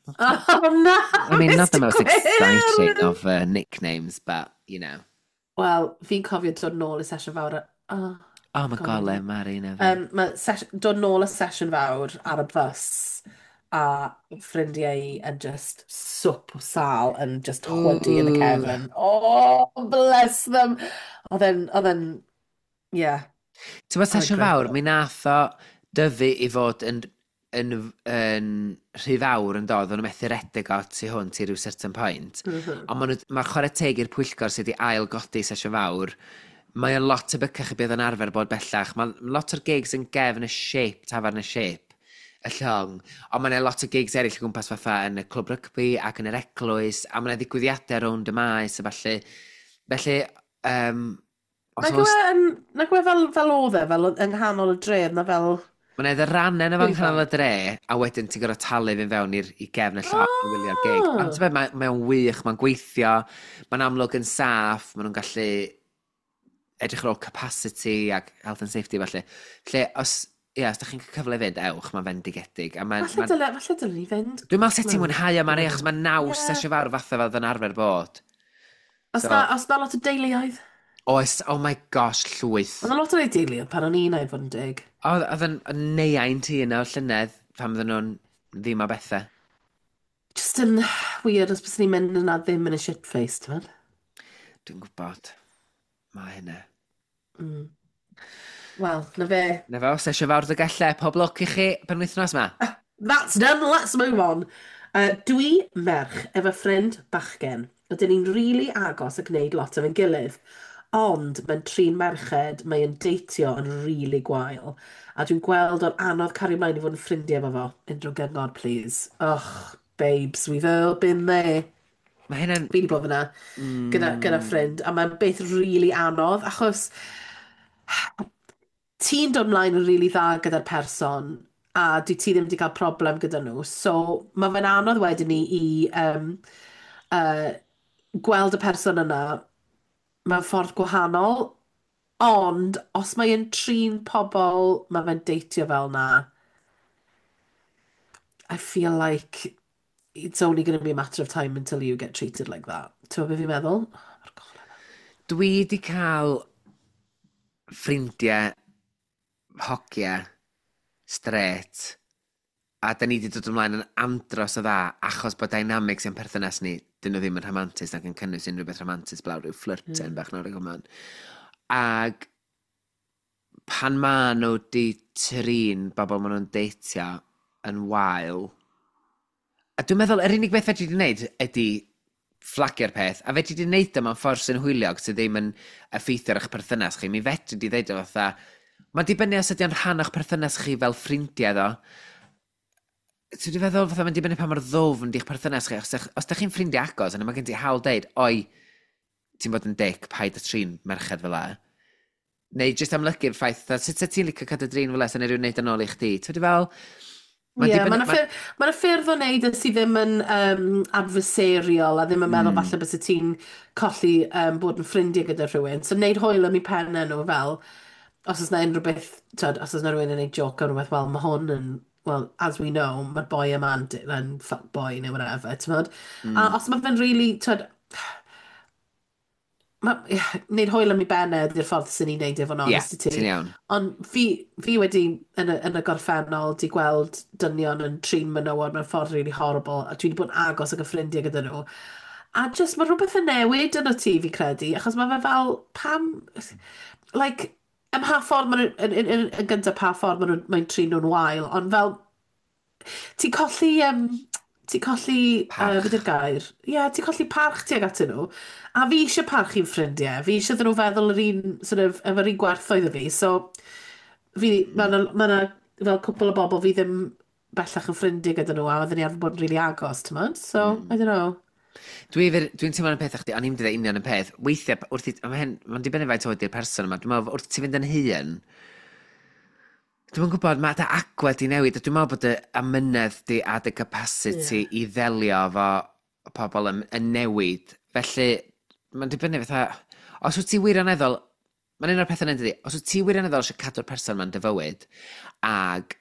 Oh, na! I mean, not the Mister most exciting Gwyrdd! of uh, nicknames, but, you know. Wel, fi'n cofio dod nôl i sesiwn fawr. a- Oh, Oh, mae God. gole, Mari, na fe. Um, mae ses dod nôl y sesiwn fawr ar y bus a ffrindiau i yn just swp o sal yn just chwydu yn y Ooh. cefn. Oh, bless them! Oedd e'n, oedd e'n, yeah. Ti'n bod Oedd e'n sesiwn grêt. fawr, mi nath o dyfu i fod yn, yn, yn rhy fawr yn dod, o'n nhw methu redeg o tu hwnt i ryw certain point. Mm -hmm. Ond ma' nhw, mae chwarae teg i'r pwyllgor sydd wedi ail godi sesiwn fawr, mae o'n lot tebycach i beth yn arfer bod bellach. Mae lot o'r gigs yn gefn y shape, tafarn y shape, y llong. Ond mae yna lot o gigs eraill o gwmpas fatha yn y clwb rygbi ac yn yr eglwys, a mae yna ddigwyddiadau rownd y maes a falle. Felly, um, os Nag yw oes e yn, nag yw e fel, fel oedd e, fel yng nghanol y dref, na fel Mae'n eitha rannau yn y fan Rhyw canol y dre, a wedyn ti'n gorfod talu fynd fewn i'r i gefn y llong i wylio'r gig. Ond Oh! ti'n gwbod, mae, mae o'n wych, mae'n gweithio, mae'n amlwg yn saff, maen nhw'n gallu edrych ar ôl capacity ac health and safety felly. Felly, os, Ie, os da chi'n cael cyfle i fynd, ewch, mae'n fendigedig. A mae'n... Falle Ma dyle, falle dyle ni fynd. Dwi'n meddwl sut ti'n Wel, mwynhau o, Mari, dwi'n achos meddwl. mae'n naws Ie. Sesiwn Fawr fatha fel yn arfer bod. Os So, na, os na lot o deuluoedd. Oes, oh my gosh, llwyth. Oedd 'na lot o deuluoedd pan o'n i'n ei fod yn deg. Oedd oedd yn yn neuain ti yna o'r llynedd pan fydden nhw'n ddim o bethau. Just yn weird os bys ni'n mynd yna ddim yn y shit face, ti'n meddwl? Dwi'n gwybod. Mae hynna. Mm. Wel, na fe. Na fo, Sesiwn Fawr Dolgellau, pob lwc i chi penwythnos ma. That's done, let's move on. Uh, dwi merch efo ffrind bachgen. Ydyn ni'n rili really agos a gwneud lot efo'n gilydd. Ond mae'n trin merched, mae'n deitio yn rili really gwael. A dwi'n gweld o'n anodd cario mlaen i fod yn ffrindiau efo fo. Unrhyw gyngor, please. Ugh, babes, we've all been there. Mae hynna'n... Fi wedi bod fyna gyda, gyda Mm, ffrind, a mae'n beth rili really anodd, achos ti'n dod mlaen yn rili really dda gyda'r person, a dwi ti ddim wedi cael problem gyda nhw. So mae fe'n anodd wedyn ni i um, uh, gweld y person yna mewn ffordd gwahanol, ond os mae'n trin pobl, mae fe'n deitio fel na, I feel like it's only going to be a matter of time until you get treated like that. Ti'n gwybod beth fi'n meddwl? Mae'r golau. Dwi wedi cael ffrindiau hogia straight a da ni wedi dod ymlaen yn andros o dda achos bod dynamics yn perthynas ni, dyn nhw ddim yn rhamantus ac yn cynnwys unrhyw beth rhamantus blaw rhyw flirten mm. bach nawr ag yma. Ag pan ma nhw di trin bobl maen nhw'n deitio yn wael, a dwi'n meddwl yr unig beth fedri di wneud ydy fflagio'r peth, a fedri di wneud o mewn ffordd sy'n hwyliog sydd ddim yn effeithio ar eich perthynas chi. Mi fedri di ddeud o fatha, mae'n dibynnu os ydy o'n rhan o'ch perthynas chi fel ffrindiau ddo. Ti'n dwi'n feddwl fatha mae'n dibynnu pa mor ddwfn di'ch perthynas chi. Os, os dych chi'n ffrindiau agos, yna mae gen ti hawl deud, "Oi, ti'n bod yn dick, paid â trin merched fel 'a." Neu jyst amlygu'r ffaith, fatha, sut ti'n licio cadw drin fel 'a, sy'n rhywun neud yn ôl i chdi? Ti'n fel... Ie, yeah, mae'n ffyrdd, ma ffyrdd o wneud e sydd ddim yn um, adversarial a ddim yn meddwl mm. falle bys ti'n colli um, bod yn ffrindiau gyda rhywun. So wneud hwyl am eu pennau nhw fel, os oes na unrhyw beth, tyd, os oes na rhywun yn gwneud joke am rhywbeth, wel, mae hwn yn, well, as we know, mae'r boi yma'n yn fuck boy neu whatever, ti'n modd? Mm. A os mae fe'n really, tyd, ma, wneud hwyl am ei bennau ydy'r ffordd sy'n ni'n neud efo yn Ie, honest i ti. Ti'n iawn. Ond fi, fi wedi, yn y, yn y gorffennol, di gweld dynion yn trin menywod mewn ffordd really horrible, a dwi wedi bod yn agos ag y ffrindiau gyda nhw. A just, mae rhywbeth yn newid yn o ti, fi credu, achos mae fe fel, pam, like, ym mha ffordd maen nhw, yn, yn, yn, yn gyntaf pa ffordd maen nhw'n mae'n trin nhw'n wael, ond fel, ti'n colli, um, ti'n colli, uh, Parch. beth yw'r gair? Ie, yeah, ti'n colli parch tuag atyn nhw. A fi eisiau parch i'n ffrindiau. Fi eisiau iddyn nhw feddwl yr un, sort of, efo'r un gwerthoedd y fi. So, fi, mm. mae yna ma fel cwpl o bobl fi ddim bellach yn ffrindiau gyda nhw, a oedden ni arfer bod yn rili really agos, ti'n modd? So, mm. I don't know. Dwi'n dwi teimlo'n y peth â chdi, o'n i'n dweud union y peth. Weithiau, wrth i, mae hyn, mae'n dibynnu faint oed i'r person yma, dwi'n meddwl, wrth ti fynd yn hŷn, dwi'n gwybod, mae dy agwedd di newid, a dwi'n meddwl bod dy amynedd di a dy capacity yeah. i ddelio efo pobl yn, yn newid. Felly, mae'n dibynnu fatha, os wyt ti wirioneddol, mae'n un o'r pethau yn dydi, os wyt ti wirioneddol eisiau cadw'r person ma'n dy fywyd, ag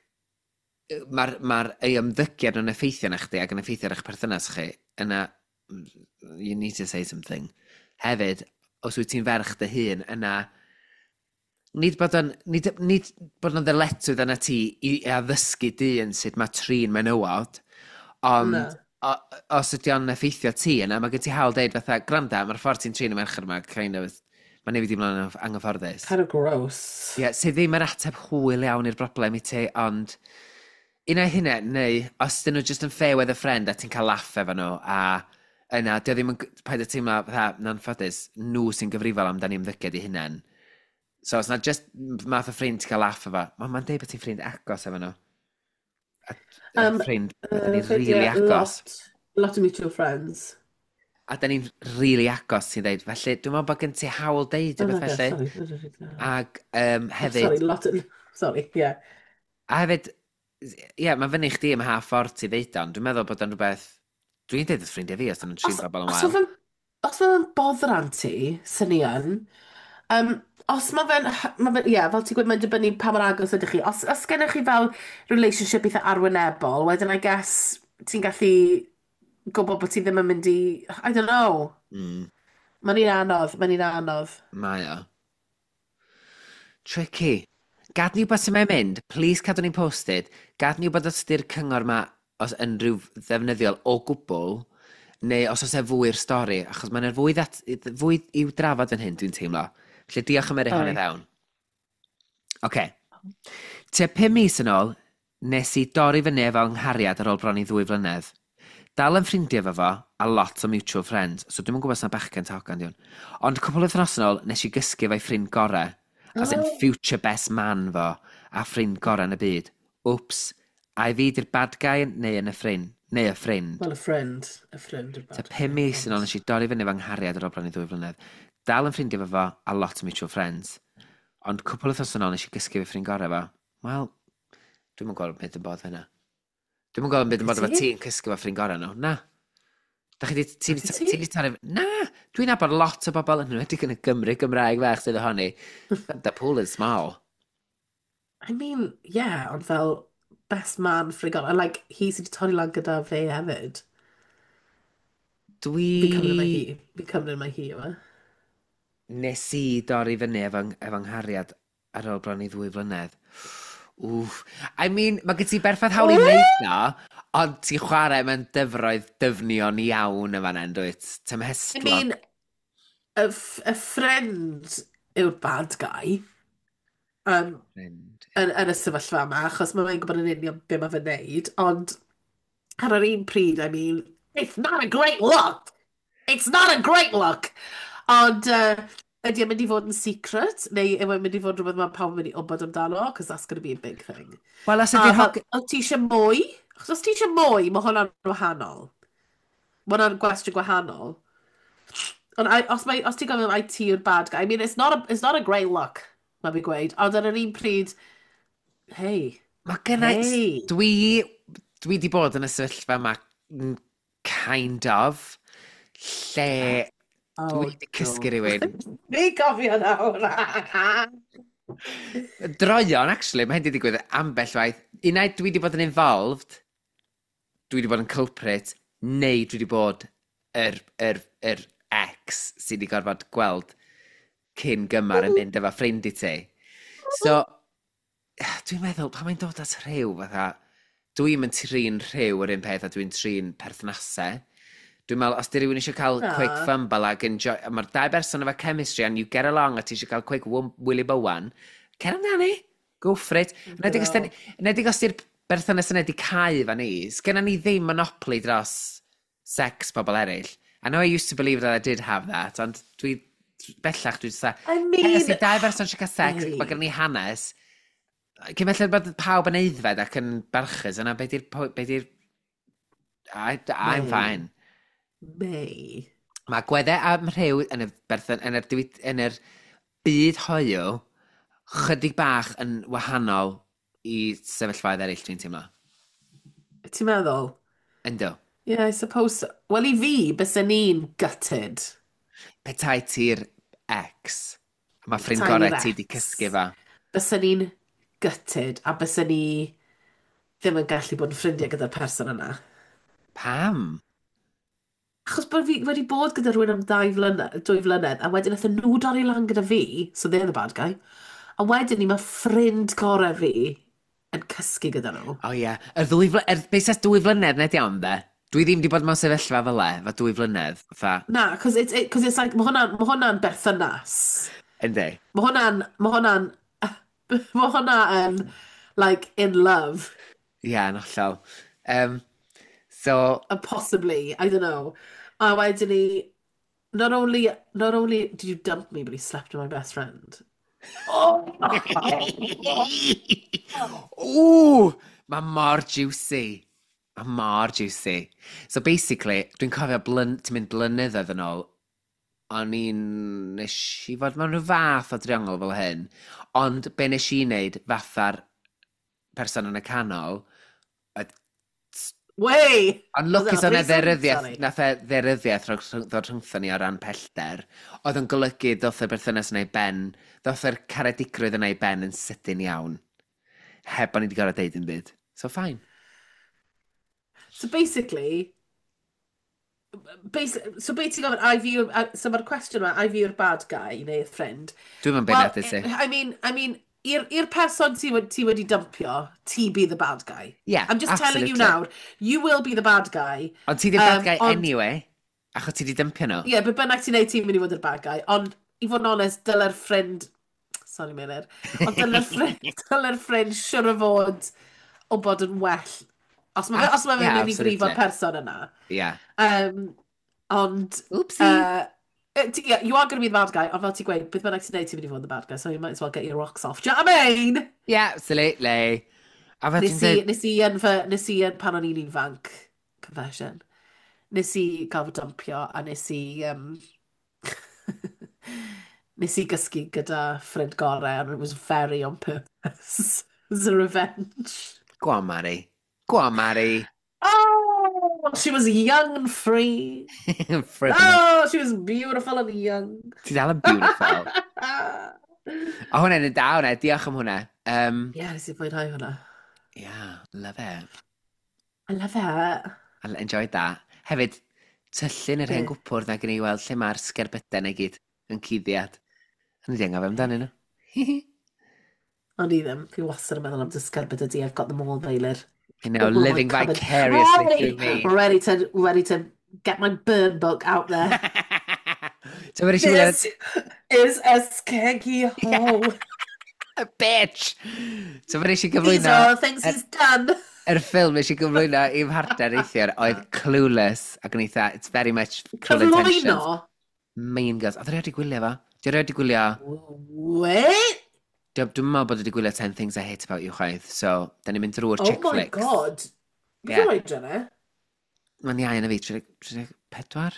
mae'r ma ei ymddygiad yn effeithio na chdi ac yn effeithio ar eich perthynas chi, yna, you need to say something. Hefyd, os wyt ti'n ferch dy hun, yna, nid bod yn, nid, nid bod yn ddyletswydd yna ti i addysgu dyn sut mae trin menywod, ond no. o, os ydy o'n effeithio ti yna, mae gen ti hawl deud fatha, "Granda, mae'r ffordd ti'n trin y merched yma, kind of, mae'n newid i mlaen yn anghyfforddus." Kind of gross. Ie, yeah, sydd ddim yr ateb hwyl iawn i'r broblem i ti, ond un o'i hynna, neu os dyn nhw just yn fair weather friend a ti'n cael laff efo nhw, a yna, dio ddim yn, paid â teimlo, fatha, na'n ffodus, nhw sy'n gyfrifol amdani ymddygiad i hunain. So os na just math o ffrind ti'n cael laff efo, mae'n ma deud bod ti'n ffrind agos efo nhw. A, um, ffrind, uh, ni'n really agos. Lot, lot of mutual friends. A da ni'n really agos, ti'n deud. Felly, dwi'n meddwl bod gen ti hawl deud oh, rhywbeth felly. Sorry. Ag um, hefyd... Sorry, lot of... Sorry, yeah. A hefyd, ie, yeah, mae fyny chdi ym mha ffordd ti ddeud o'n. Dwi'n meddwl bod o'n rhywbeth. Dwi'n deud wrth ffrindiau fi os dyn nhw'n trin bobl yn wael. Os oedd o'n boddran ti, sy'n ni yn, Um, os mae fe'n, ma fe, ie, fel ti'n gweud, mae'n dibynnu pa mor agos ydych chi. Os, os gennych chi fel relationship eitha arwynebol, wedyn I guess ti'n gallu gwybod bod ti ddim yn mynd i, I don't know. Mm. Mae'n un anodd, mae'n un anodd. Mae o. Tricky. Gad ni wybod sut mae'n mynd. Please cadw ni'n posted. Gad ni wybod os ydy'r cyngor ma os unrhyw ddefnyddiol o gwbl, neu os oes e fwy i'r stori, achos mae'n fwy, that, fwy i'w drafod yn hyn, dwi'n teimlo. Felly diolch am yrru hwn i Oi. fewn. Oce. Tua pum mis yn ôl, nes i dorri fyny efo nghariad ar ôl bron i ddwy flynedd. Dal yn ffrindiau efo fo, a lot o mutual friends, so dwi'm yn gwybod os na bachgen ta hogan di hwn. Ond cwpl o wythnos yn ôl, nes i gysgu efo'i ffrind gorau, as in Oh. future best man fo, a ffrind gorau yn y byd. Wps, ai fi di'r bad guy neu yn y ffrind? Neu y ffrind? Well, a friend. A friend yw'r Ta bad pum guy, mis yn ôl ond nes i dorri fyny efo nghariad ar ôl bron i ddwy flynedd. Dal yn ffrindiau efo fo, a lot o mutual friends. Ond cwpl o wythnos yn ôl nes i gysgu efo ffrind gorau fo. Wel, dwi'm yn gweld beth yn bod hynna. Dwi'm yn gweld beth yn bod efo Ti? ti'n cysgu efo ffrind gorau nhw. Na. Da chi di, ti di, Ti? ti di torri... Na! Dwi'n nabod lot o bobl yn enwedig yn y Gymru Gymraeg fach sydd ohoni. The pool is small. I mean, yeah, ond fel best man ffrind gorau. And like, hi sydd wedi torri lan gyda fe hefyd. Dwi... Fi'n cymryd mai hi. Fi'n cymryd mai hi yma. Nes i dorri fyny efo, efo nghariad ar ôl bron i ddwy flynedd. Wff. I mean, mae gen ti berffaith hawl i wneud na, ond ti'n chwarae mewn dyfroedd dyfnion iawn y fan hyn, dwyt? I Tymhestlog. mean, y, f- y ffrind yw'r bad guy. Um, Ffrind. yn, yn y sefyllfa yma, achos mae fe'n gwybod yn union be mae fe'n neud, ond ar yr un pryd, I mean, it's not a great look! It's not a great look! Ond uh, ydy e'n mynd i fod yn secret, neu yw e'n mynd i fod rhywbeth mae pawb yn mynd i wybod amdano, because that's going to be a big thing. Wel, os A ydy'r fel, hog... os ti eisiau mwy? Achos os ti eisiau mwy, mae hwnna'n wahanol. Mae hwnna'n gwestiwn gwahanol. Ond I- os, mae, os ti'n gofyn ai ti yw'r bad guy, I mean, it's not a, it's not a great look, mae fi gweud. Ond ar yr un pryd, hey, Mae gennau... hey. Dwi... Dwi di bod yn y sefyllfa yma, mm, kind of, lle Oh, dwi di cysgu rhywun. Ni gofio nawr. Droion, actually, mae hyn di digwydd ambell waith. Unai dwi di bod yn involved, dwi di bod yn culprit, neu dwi di bod yr, yr, yr ex sydd wedi gorfod gweld cyn gymar yn mynd efo ffrind i ti. So, dwi'n meddwl, pan mae'n dod at rhyw, fatha, dwi'n mynd trin rhyw yr un peth a dwi'n trin perthnasau. Dwi'n meddwl, os di rhywun eisiau cael Na. quick fumble ac enjoy, a mae'r dau berson efo chemistry and you get along a ti eisiau cael quick wum, Willy Bowan, cer amdani, go for it. Enwedig os Girl. enwedig os di'r berthynas yna di cau fan ni, sgenna ni ddim monopoly dros sex pobl eraill. I know I used to believe that I did have that, ond dwi, bellach dwi just I Hey, os mean, di dau berson eisiau cael sex, Hey. mae gen ni hanes, cyn belled bod pawb yn aeddfed ac yn barchus, yna be di'r... po- Be di'r I, I'm May. fine. May. Mae gweddau am rhyw yn y, berthyn, yn yr, diwy- yn yr byd hoyw chydig bach yn wahanol i sefyllfaoedd eraill, dwi'n teimlo. Ti'n meddwl? Ynddo. Yeah, I suppose so. Wel, i fi, bysen ni'n gutted. Petai ti'r ex, mae ffrind Petai gorau ni'r ti di ex. cysgu fo. Bysen ni'n gutted, a bysen ni ddim yn gallu bod yn ffrindiau gyda'r person yna. Pam? Achos bod fi wedi bod gyda rhywun am dau flynedd, dwy flynedd, a wedyn nathon nhw dorri lan gyda fi, so they're the bad guy, a wedyn ni mae ffrind gorau fi yn cysgu gyda nhw. O ie. Y ddwy fly... Er, beth sa's dwy flynedd nid iawn, de? Dwi ddim di bod mewn sefyllfa fel e, fa dwy flynedd. Fatha, Na, cos it's, it, cause it's like, mae hwnna'n ma hwnna berthynas. Yndi. Mae hwnna'n, mae hwnna'n, mae hwnna yn, like, in love. Ie, yn hollol. Um, so, Uh, possibly, I don't know. A wedyn ni, not only, not only did you dump me, but he slept with my best friend. Oh! Ww! Mae mor juicy. Mae mor juicy. So basically, dwi'n cofio blyn, ti'n mynd blynyddoedd yn ôl, o'n i'n, nes i fod mewn rhyw fath o driongl fel hyn, ond be nes i wneud fatha'r person yn y canol, oedd Way! Ond Was lwcus that a o'n e threesome? dderyddiaeth, Sorry. nath e dderyddiaeth rhwng- ddod rhyngthon ni o ran pellter, oedd yn golygu ddoth y berthynas yna i ben, ddoth yr caredigrwydd yna i ben yn sydyn iawn. Heb bod ni wedi gorfod deud yn byd. So fine. So basically, basi so be ti'n gofyn, ai fi yw'r- a- so mae'r cwestiwn yma, ai fi yw'r bad guy neu'r ffrind? Dwi'n mynd Well, beirniadu ti. I mean, I mean, i'r i'r person ti, wedi- ti wedi dumpio, ti be the bad guy. Yeah, I'm just telling you absolutely. now, you will be the bad guy. Ond ti di'r bad Um, guy ond- anyway, achos ti di dympio nhw. Ie, yeah, be bynnag ti'n neud, ti'n mynd i fod yr bad guy. Ond, i fod yn onest, dyle'r ffrind... Sorry, Meilir. Ond dyle'r ffrind, dyle'r ffrind siwr o fod o bod yn well. Os mae fe, os mae fe'n Yeah, mynd i brifo'r absolutely. person yna. Yeah. Um, ond... Oopsie. Uh, eh, yeah, you are going to be the bad guy, ond fel ti'n gweud, beth bynnag ti'n neud, ti'n mynd i fod yn the bad guy, so you might as well get your rocks off. Do you know what I mean? Yeah, absolutely. A fel Nes ti'n i, dweud, nes i yn fy, nes i yn pan o'n i'n ifanc, confession, nes i gael fy dumpio a nes i, um, nes i gysgu gyda ffrind gorau and it was very on purpose. It was a revenge. Go on, Mari. Go on, Mari. Oh, she was young and free. Frivolous. Oh, she was beautiful and young. Ti dal yn beautiful. A hwnna'n yn da hwnna, diolch am hwnna. Um, Yeah, nes i fwynhau hwnna. Yeah, love it. I love it. I enjoyed that. Hefyd, tyllu'n yr hen Be? gwpwrdd na gen i weld lle mae'r sgerbydau na i gyd yn cuddiad. O'n i di anghofio amdanyn nhw. Ond i ddim. Fi wastad yn meddwl am dy sgerbyd di. I've got them all, Meilir. You know, All in my living cupboard. vicariously Ready, through me. ready to, ready to get my burn book out there. So fe eisiau wylio This is a skeggy hole. Bitch! So fe eisiau These gyflwyno are all the things he's done. Yr ffilm nes i gyflwyno i'm mhartner neithiwr oedd Clueless ac yn eitha, it's very much Cruel Intentions. Cyflwyno? Mean Girls. Oedd erioed wedi gwylio fo? Di erioed wedi gwylio? Wait? Dwi'n dwi'n meddwl bod wedi gwylio ten Things I Hate About You chwaith, so da ni'n mynd drwy'r Oh chick my flicks. God. Beth Yeah. yeah. oedran e? Mae'n iau na fi, tri deg pedwar?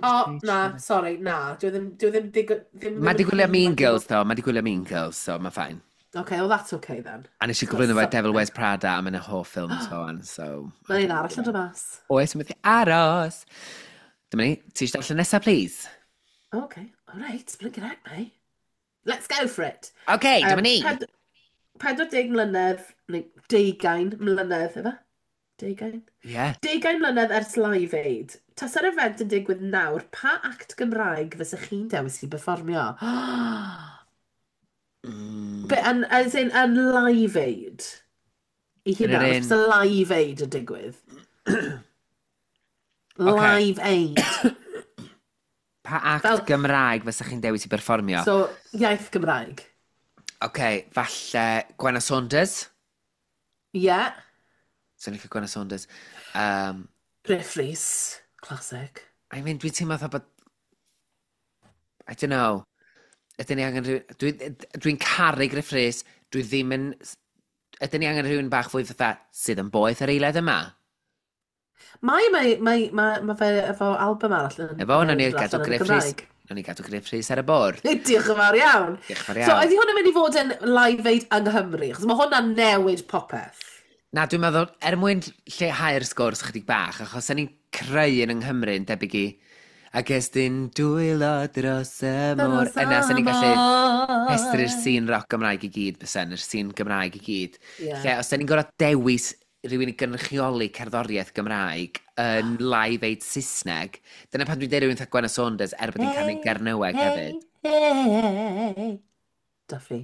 O, na, sorry, na. Dwi ddim, dwi ddim, digon- ddim, Mae ddim di yn gwylio hŷn Mean ifanc i Girls, fod- though. Mae di gwylio Mean Girls, so mae'n fine. Okay, well that's okay then. A nes i It's got gyflwyno fe something. Devil Wears Prada a mae'n hoff ffilm so on, so Mae'n un arall yn dod mas. Oes, yn methu aros. Dyma ni, ti eisiau darllen nesaf, please? Okay, all right, blinking heck, mate. Let's go for it. OK, dyma Um, ni. ped- pedwar deg mlynedd, neu deugain mlynedd, efe? Deugain? Yeah. Deugain mlynedd ers Live Aid. Tasa'r event yn digwydd nawr, pa act Gymraeg fysa chi'n dewis i berfformio? Mm. Be, yn, as in, yn Live Aid? I Yn yr hynna, un os Live Aid yn digwydd. Ocê. Live Aid. Pa act Fel- Gymraeg fysa chi'n dewis i berfformio? So, iaith Gymraeg. OK, falle Gwenna Saunders. Ie. Yeah. Swn i'n licio Gwenna Saunders. Um, Gruff Rhys. Classic. I mean, dwi'n teimlo fatha bod... I don't know. Ydyn ni angen rhywun... Dwi'n dwi caru Gruff Rhys. Dwi ddim yn... Ydyn ni angen rhywun bach fwy fatha sydd yn boeth yr eiliad yma? Mae, mae, mae, mae, mae fe efo album arall yn Efo, nawn ni newydd dod gadw allan yn y Gruff Rhys. Gymraeg. Nawn ni gadw Gruff Rhys ar y bwrdd. Diolch yn fawr iawn. Diolch yn fawr So, iawn. ydy hwn yn mynd i fod yn Live Aid yng Nghymru? Achos mae hwnna'n newid popeth. Na, dwi'n meddwl, er mwyn lleihau'r sgwrs chydig bach, achos ni'n creu yn yng Nghymru yn debyg i ac estyn dwylo dros y môr. Yna, sy'n ni'n gallu rhestru'r sîn rock Gymraeg i gyd, bysen, yr sîn Gymraeg i gyd. Ie. Lle, os da ni'n gorfod dewis rhywun i gynrychioli cerddoriaeth Gymraeg yn Live Aid Saesneg, dyna pan dwi'n deud rhywun fatha Gwenna Saunders, er bod hi'n canu Gernyweg hefyd. Hey. Duffy.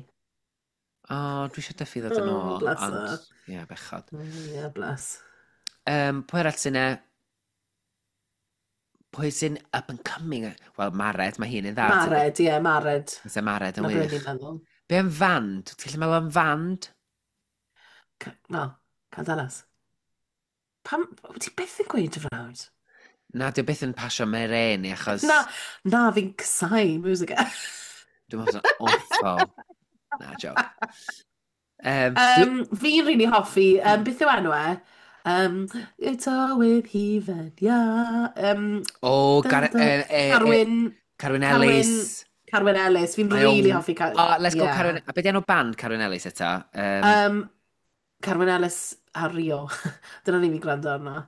O, oh, dwi eisiau Duffy ddod yn Oh, ôl, bless ond, her. ie, yeah, bechod. Mm, yeah, bless. Um, pwy arall sy'n e? Pwy sy'n up and coming? Wel, Mared, mae hi'n un dda. Mared, ie, yeah, Mared. Fysa Mared yn Na be wych. ni'n meddwl. Be am fand? Ti'n gallu meddwl am fand? Ca- Wel, Candelas. Pam, wyt ti byth yn gweud dy frawd? Na, dwi byth yn pasio Meren i achos Na, na, fi'n casáu music. Dwi'n meddwl bod o'n awful. Na, joke. Um, dwi... Um, fi'n really hoffi, um, beth yw enw e? Um, it's all with hufen, yeah. Um, O, dun, Gar dun, e, e, e, Carwyn, Carwyn Carwyn, Ellis. Carwyn Ellis. Fi'n Mae o'n really hoffi Car Oh, let's go yeah. Carwyn. A beth enw band Carwyn Ellis eto? Um, Um, Carwyn Ellis a Rio. Dyna ni fi gwrando arno.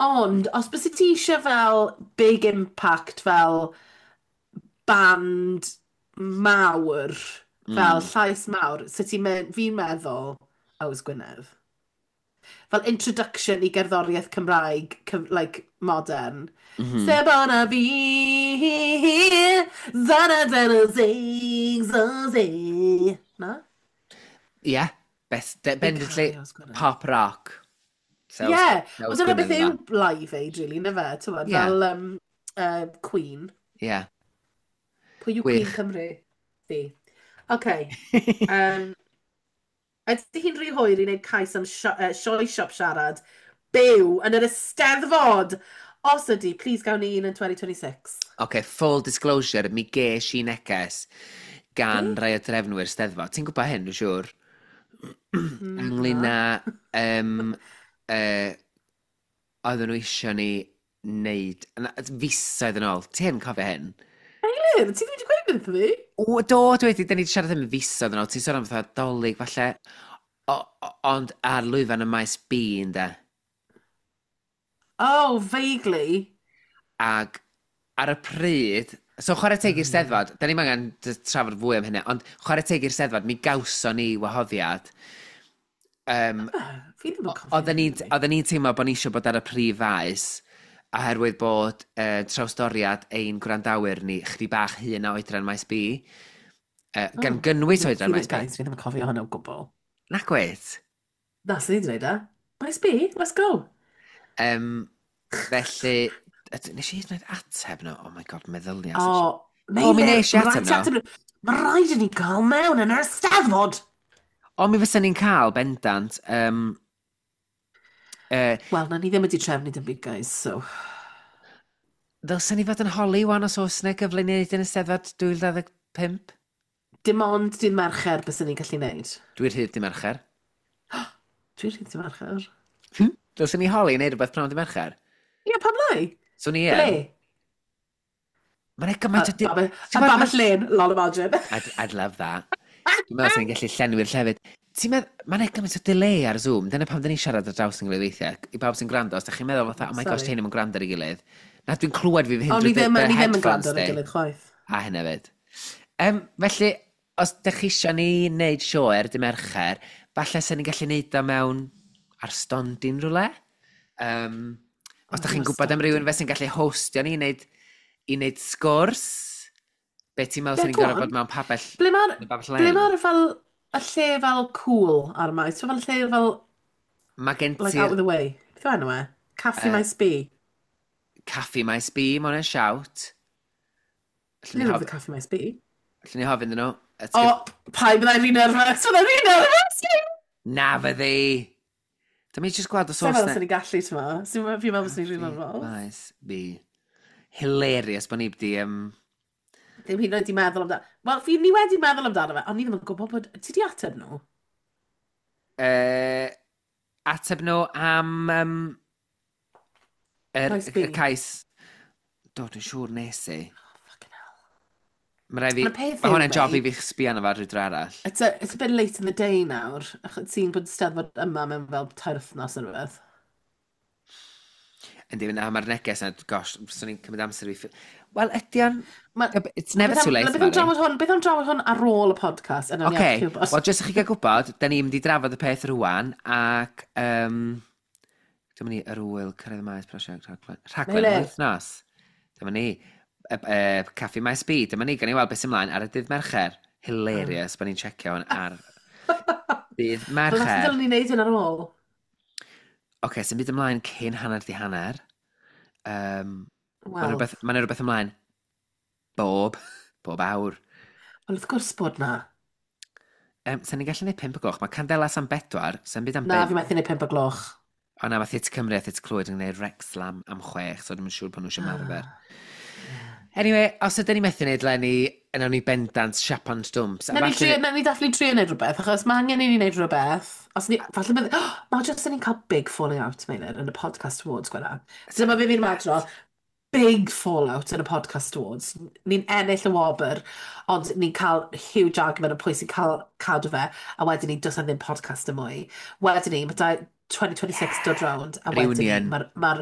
Ond, os byse ti eisiau fel big impact, fel band mawr, fel Mm. llais mawr, so ti'n me fi'n meddwl Yws Gwynedd. Fel introduction i gerddoriaeth Cymraeg, cyf like, modern. Mm -hmm. Sebona fi, zana zana zig zo zi. Na? Ie. Yeah. Best, Fi'n bendantly caru Yws Gwynedd. pop rock. Ie, yeah. Wel dyna beth yw Live Aid, really, na fe, ti'n Ie. fel um, uh, Queen. Ie. Yeah. Pwy yw Queen Gwych. Cymru? Fi. OK. Um, ydy hi'n rhy hwyr i wneud cais am sio uh, sioe siop siarad byw yn yr Eisteddfod? Os ydy, please gawn ni un yn twenty twenty-six. OK, full disclosure, mi ges i neges gan Be? rai o drefnwyr Steddfod. Ti'n gwybod hyn, dwi'n siŵr? Mm, Ynglyn na. â um, uh, oedden nhw eisiau ni wneud, na, fisoedd yn ôl. Ti yn cofio hyn? Eilir, ti ddim wedi gweud wrtho fi? O, do, dwi wedi, da ni wedi siarad am fisoedd yn ôl. Ti'n sôn am fatha Dolig, falle. O, o, ond ar lwyfan y Maes B, ynde. Oh, vaguely. Ag ar y pryd, so chwarae teg Oh, i'r yeah. Steddfod, da ni'n angen d- trafod fwy am hynny, ond chwarae teg i'r Steddfod, mi gawson ni wahoddiad. Um, Ah, fi ddim yn cofio Oedden ni'n hynny. oedden ni'n teimlo bod ni eisiau bod ar y prif faes, oherwydd bod uh, trawsdoriad ein gwrandawyr ni chydig bach hŷn na oedran Maes B, uh, gan Oh, gynnwys fi oedran ddim, Maes B. guys, fi ddim yn cofio hwnna o gwbl. Na gweit. Na, sy'n ni wedi gwneud e. Maes B, let's go. Um, felly, yd- nes i hyd yn oed ateb nhw? Oh my God, meddylia. O, O, mi Meilir, nes i ma' ateb raid ti nhw. ateb nhw. Mae rhaid i ni gael mewn yn yr Eisteddfod. O, mi fysa ni'n cael, bendant. Um, uh, Wel, na ni ddim wedi trefnu dim byd, guys, so. Ddylsen ni fod yn holi wan os oes yna gyfle i wneud yn y Steddfod dwy fil dau ddeg pump? Dim ond dydd Mercher bys ni'n gallu neud. Dwi'n rhydd dydd Mercher. Dwi'n rhydd dydd Mercher. Dylsen ni holi i wneud rhywbeth prynhawn dydd Mercher? Ie, pam lai? So ni Ble? yn. Mae'n gymaint o... di- Y Ti'n gwbod Babell Lên, lol imagine. I'd, I'd love that. Dwi'n meddwl sy'n gallu llenwi'r llefydd. Ti'n meddwl, mae'n gymaint o delay ar Zoom. Dyna pam dyn ni'n siarad ar draws yn gilydd weithiau. I bawb sy'n gwrando, os da chi'n meddwl fatha, "Oh my gosh, Sorry. ti'n ddim yn gwrando ar ei gilydd." Na, dwi'n clywed fi fy hun Ond ni drwy ddim, dy- dy ni ddim yn headphones gwrando ar ei di. gilydd chwaith. A hynna fyd. Um, felly, os ydych chi eisiau ni wneud sioe ar dy Mercher, falle sy'n ni'n gallu neud o mewn ar stondin rhywle. Um, os O, ydych chi'n ar gwybod am rhywun stondin. fe sy'n gallu hostio ni i wneud, i wneud sgwrs, be ti'n meddwl Ie, sy'n ni'n go gorfod on. bod mewn pabell, Ble mae'r yn y babell ble len? mae'r fel y lle fel cool ar y maes? Fel lle fel, Mae gen like, out ti'r of the way. Beth yw enw e? Caffi uh, Maes B. Caffi Maes B, mae hwnna'n shout. Allwn ni Dwi'n hof, lyfio Caffi Maes B. Allwn ni hofyn iddyn nhw. O, pa byddai'n rhy nervous? Byddai'n rhy nervous! Na fyddi! Dyma i just gweld os Sa'n oes meddwl na sy'n ni'n gallu, ti'n ma? Fi'n meddwl sy'n ni'n rhy Caffi nervous. Maes B. Hilarious bod ni wedi... Um, Ddim hyd yn oed wedi meddwl amdano. Wel, fi ni wedi meddwl amdano fe, ond ni ddim yn gwybod bod. Ti di ateb nhw? uh, ateb nhw am um, yr, Maes B. y cais. Do, dwi'n siŵr nes i. Oh, fucking hell. Mae rai fi. Ond y peth Mae yw, hwnna'n job i mate, fi sbio arno fo ar rhyw dro arall. It's a, it's a bit late in the day nawr, achos ti'n bod Steddfod yma mewn fel tair wythnos neu rhywbeth. Yndi, na, mae'r neges yna, gosh, swn i'n cymryd amser i fi. Wel, ydy o'n Ma, It's never beth too am, late, beth am Mari. drafod hwn, beth am drafod hwn ar ôl y podcast? Yna ni Oce, actually wybod. wel, jyst i chi gael gwybod, da ni'n mynd i drafod y peth rwan, ac um, dyma ni, yr wyl, cyrraedd y maes prosiect, rhaglen. Rhaglen Meilir. wythnos. Dyma ni, y, y, Caffi Maes B, dyma ni, gan i weld beth sy'n ymlaen ar y dydd Mercher. Hilarious, bod ni'n checio hwn ar dydd Wel, falle Mercher. dylen ni wneud hyn ar ôl. Oce, okay, sy'n byd ymlaen cyn hanner di hanner. Um, Mae'n Wel, rhywbeth, ma rhywbeth ymlaen bob, bob awr. Wel, wrth gwrs bod na. Um, Sa'n ni'n gallu gwneud pump o gloch? Mae Candelas am bedwar, sa'n byd am Na, bump. fi methu gwneud pump o gloch. O na, mae Theatr Cymru a Theatr Clwyd yn gwneud Wrexham am chwech, so dwi'n siŵr bod nhw eisiau ymarfer. Ah, yeah. Anyway, os ydyn ni methu wneud Lenny, yna ni bendant siapan stwmps. A Na ni, falle trio, na ni definitely trio wneud rhywbeth, achos mae angen i ni wneud rhywbeth. Os ni, falle bydd. Oh, mae jyst ni'n cael big falling out, Meilir, yn y podcast awards gwela. Dyma fe fi'n madrodd. Big fallout yn y podcast awards. Ni'n ennill y wobr, ond ni'n cael huge argument o pwy sy'n cael cadw fe, a wedyn ni, does na ddim podcast y mwy. Wedyn ni, mae dau twenty twenty-six dod rownd, a wedyn ni, Reunion. mae'r ma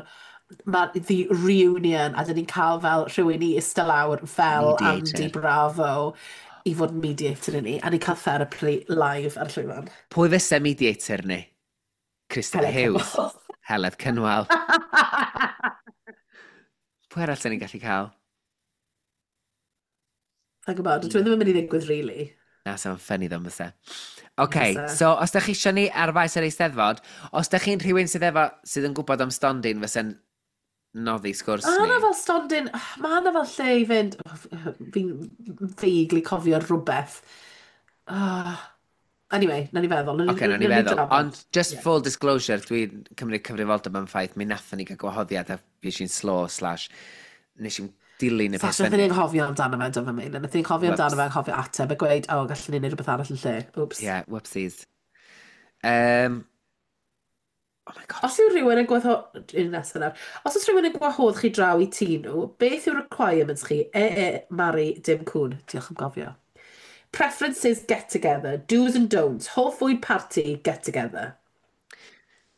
ma the reunion, a dyn ni'n cael fel rhywun i eistedd lawr fel Andy Mediator. Bravo i fod yn mediator i ni, a ni'n cael therapy live ar y llwyfan. Pwy fysa mediator ni? Christopher Heledd Hughes. Cynwal. Heledd Cynwal. Pwy arall sy'n ni'n gallu cael? Sa'n gwybod, dwi ddim yn mynd i ddigwydd, really. Na, sa'n funny ddo, fysa. OK, Fysa. So os da chi eisiau ni ar faes yr Eisteddfod, os da chi'n rhywun sydd efo, sydd yn gwybod am stondin fysa'n noddi sgwrs Mae ni. yna fel stondin, mae yna fel lle i fynd, fi'n vaguely cofio rhywbeth. Ah, anyway, na ni feddwl. Na ni, Oce, nawn ni nawn ni feddwl. drafod. Ond just Ie. full disclosure, dwi'n cymryd cyfrifoldeb am ffaith, mi nathon ni gael gwahoddiad a fi eisiau'n slow slash nes i'n dilyn y peth Sasha, nathon ni anghofio amdano fe, do fe, Meilir. Nathon ni anghofio amdano Whoops. fe, anghofio ateb a gweud, "O, gallwn ni wneud rhywbeth arall yn lle." Oops. Yeah, whoopsies. Um, oh my God. Os yw rhywun yn gwahodd... Un nesaf nawr. Os oes rhywun yn gwahodd chi draw i tŷ nhw, beth yw requirements chi? E, e, Mari, dim cwn. Diolch am gofio. Preferences get together. Do's and don'ts. Hoff fwyd party get together.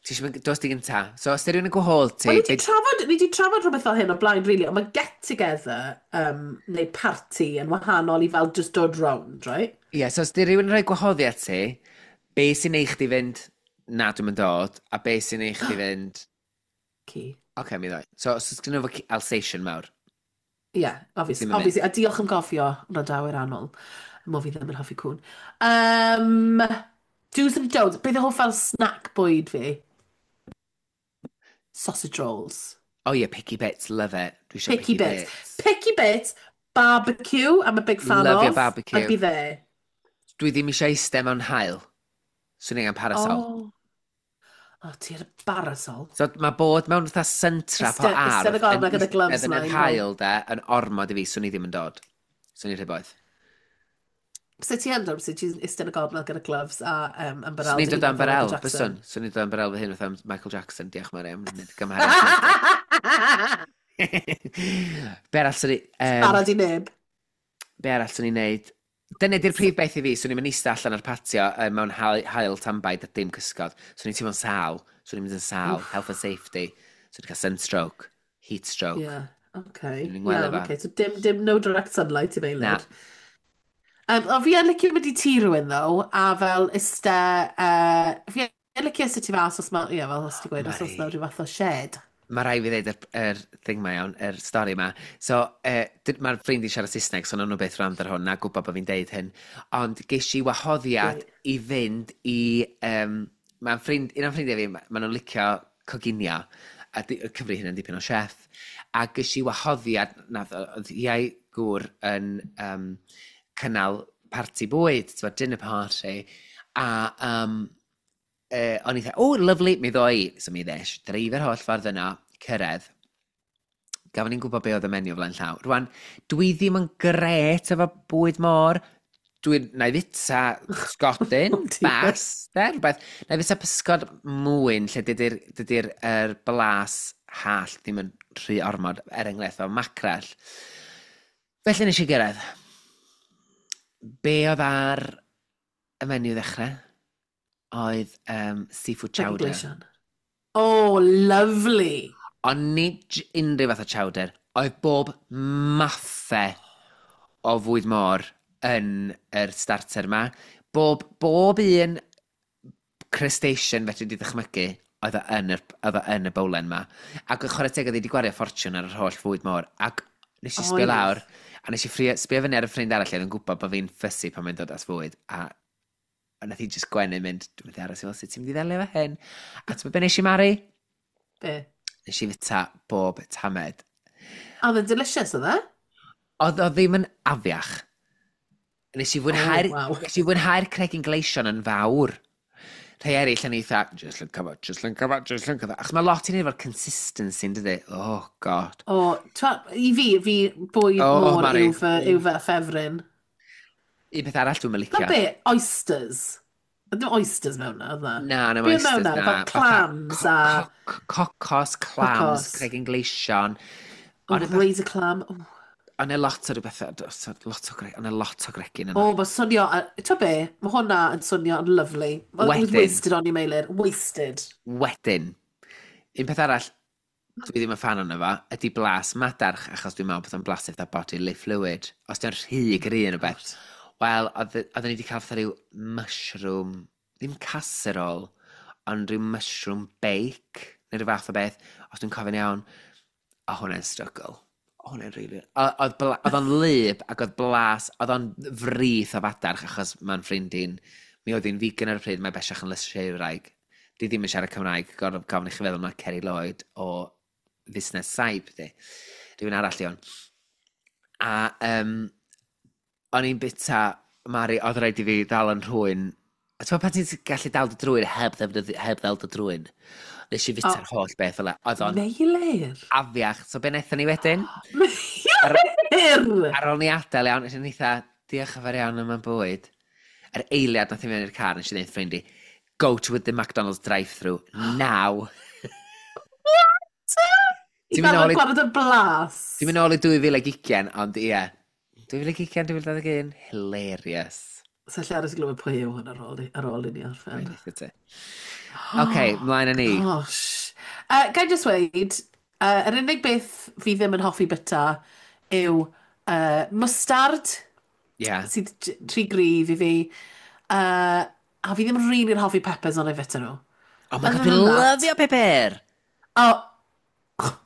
Ti eisiau mynd, dos di gynta. So, os di rhywun yn gwahodd ti, Wel, ni wedi be- trafod, ni wedi trafod rhywbeth fel hyn o blaen, really, ond mae get together um, neu party yn wahanol i fel just dod round, right? Ie, yeah, so os di rhywun yn rhoi gwahoddiad ti, be sy'n neud chdi fynd, "Na, dwi'n mynd dod," a be sy'n neud chdi fynd, Ci. "Oce, okay, mi ddoi"? So, os oes gen nhw fo Alsatian mawr. Ie, yeah, obvious, Ddim yn mynd. Obviously. A diolch am gofio, wrandawyr annwyl. Mo fi ddim yn hoffi cwn. Um, do's and don'ts. Beth yw hoff fel snack bwyd fi? Sausage rolls. Oh yeah, picky bits, love it. Dwi eisiau Picky picky bits. bits. Picky bits, barbecue, I'm a big fan Love your of. barbecue. I'd be there. Dwi ddim eisiau eistedd mewn haul. Swn i'n parasol. Oh. Oh, ti ar y barasol. So mae bod mewn fatha sun trap o Iste- iste ardd yn y gornel gyda gloves eistedd yn yr mlaen, haul de, yn ormod i fi, swn i ddim yn dod. Swn i'n rhy boeth. Sut ti yn dod? Sut ti'n iste yn y gornel gyda gloves a um, ymbarel Swn i'n dy dod hun am fel Michael barel, Jackson? byswn. Swn i'n dod am barel fy hun fatha Michael Jackson, diolch Mariam, nid gymharu. Be arall swn i... Um, Barod i neb. Be arall swn i'n neud? Dyna di'r prif beth i fi, swn i'n mynd eistedd allan ar patio uh, mewn haul, haul tanbaid a dim cysgod. Swn i'n teimlo'n sâl. Swn i'n mynd yn sâl. Health and safety. Swn i'n cael sunstroke. Heat stroke. Yeah, okay. Swn i'n gweld Iawn, efo. okay. So dim, dim, no direct sunlight i Na. Meilir. Um, o, fi yn licio mynd i tŷ rhywun, though, a fel iste... Uh, fi yn licio iste tu fas os ma... Ie, fel os ti'n gweud, os oes Mari. na rhyw fath o shed. Mae rhaid fi ddeud yr, yr thing ma iawn, yr stori ma. So, uh, mae'r ffrind i siarad Saesneg, so nawn nhw beth rand ar hwn, na gwybod bod fi'n deud hyn. Ond ges i wahoddiad Great. i fynd i... Um, mae'n ffrind, un o'n ffrindiau fi, ma ma nhw'n licio coginio, a di, cyfri hynny'n dipyn o chef. A ges i wahoddiad, nath, oedd iau gŵr yn um, cynnal parti bwyd, ti'n dinner party, a um, uh, o'n i dweud, "Oh, lovely, mi ddoi." So mi ddes, dreifio'r holl ffordd yna, cyrraedd. Gafon ni'n gwybod be oedd y menu o flaen llaw. Rwan, dwi ddim yn gret efo bwyd môr. Dwi'n, na i fita sgodyn, Oh dear. bas, de, rhywbeth. Na i fita pysgod mwyn lle dydy'r dydy er blas hallt ddim yn rhy ormod, er enghraifft o macrell. Felly nes i gyrraedd. Be oedd ar y menu ddechrau? Oedd um, seafood Chicken chowder. gleision. Oh, lovely. Ond nid j- unrhyw fath o chowder. Oedd bob mathau o fwyd môr yn yr starter ma. Bob, bob un crustacean fedri di ddychmygu oedd o yn yr, oedd o yn y bowlen ma. Ac yn chwarae teg oedd hi wedi gwario ffortiwn ar yr holl fwyd môr. Ac nes i sbio Oedd. lawr, a nes i ffrio, sbio fyny ar y ffrind arall oedd yn gwybod bod fi'n fussy pan mae'n dod at fwyd. A, a nath hi just gwenu mynd, "Dwi'n mynd i aros i weld sut ti'n mynd i ddelio efo hyn." A ti'n be nes i, Mari? Be? Nes i fita bob tamed. Oedd yn delicious, oedd e? Oedd o ddim yn afiach. Nes i fwynhau'r Oh, waw. Nes i fwynhau'r cregyn gleision yn fawr. Rhai eraill yn eitha, "Just lynca fo, just lynca fo, just lynca fo." Achos mae lot i wneud efo'r consistency, yn dydi? Oh, God. O, twa, i fi, fi bwyd Oh, môr Mari. yw fy, yw fy ffefryn. Un peth arall dwi'n Na licio. be, oysters. Ddim oysters mewn na, oedd na? Na, na, Be oedd oysters, mewn na? na. Fel clams a Cocos, clams, Cocos. cregyn gleision. Oh, Ond y razor clam. Oh, Ond e lot o rhywbeth, lot o gre, ond e lot o gregyn yna. Oh, mae swnio... Ti'n be? Mae hwnna yn swnio yn lovely. It was Wedyn. wasted on you, Meilir. Wasted. Wedyn, un peth arall dwi ddim yn fan ono fo, ydy blas madarch, achos dwi'n meddwl bod o'n blasu fatha bodily fluid. Os di'n rhy gry yn o beth. Wel, oedd oedden ni wedi cael fatha rhyw mushroom, ddim casserole, ond rhyw mushroom bake, neu rhyw fath o beth, os dwi'n cofio'n iawn, o hwnna'n struggle. O hwnna'n really... O- Oedd bla- oedd o'n lyb ac oedd blas, oedd o'n frith o fadarch, achos mae'n ffrind i'n, mi oedd hi'n vegan ar y pryd, mae bellach yn lysieuwraig. Di ddim yn siarad Cymraeg, gorfod gofyn i chi feddwl mae Kerry Lloyd o fusnes saib, di. Rhywun arall i hwn. A um, o'n i'n bita, Mari, oedd rhaid i fi ddal yn rhywun. A ti'n pan ti'n gallu dal dy drwyn heb, ddefnyddio, heb ddal dy drwyn? Nes i fita'r Oh. holl beth fel 'na. Oedd o'n Meilir. afiach. So be wnaethon ni wedyn? Meilir! Ar ôl ni adael iawn, nes i'n eitha, "Diolch yn fawr iawn am y bwyd." Yr eiliad nath i mewn i'r car, nes i ddeud ffrind i, "Go to the McDonald's drive-through now." I Ti'n mynd gael nôl i- gwared y blas. Ti'n mynd nôl i dwy fil ac ugain, ond ie. dwy fil ac ugain, dwy fil dau ddeg un, hilarious. Sa lle aros i glywed pwy yw hwn ar ôl, i- ar ôl i ni orffen. Mae'n eitha ti. Oce, mlaen â ni. Gosh. Uh, Ga i just weud, uh, yr unig beth fi ddim yn hoffi byta yw uh, mustard, Ie. Yeah. sydd j- rhy gryf i fi. Uh, a fi ddim really'n hoffi peppers ond i fyta nhw. Oh my God, Other dwi'n than that- lyfio pepper! Oh,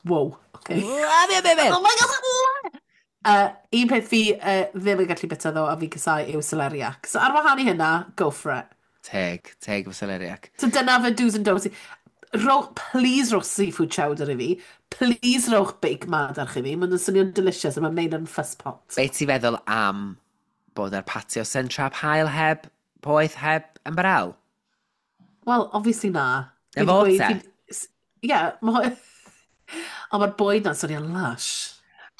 wow, okay. Lyfio pepper! Oh my God! Uh, un peth fi uh, ddim yn gallu byta ddo a fi'n casáu yw celeriac. So ar wahân i hynna, go for it. Teg, teg efo celeriac. So dyna fy do's and don'ts. Rowch, please rowch seafood chowder i fi. Please rowch bake madarch i fi. Mae'n swnio'n delicious a mae'n made yn fuss pot. Be ti feddwl am bod ar patio sun trap haul heb poeth heb ymbarel? Well, obviously na. Na Fi 'di fo gweud- te? fi- s- Ie, ma- ond mae'r bwyd na'n swnio'n lush.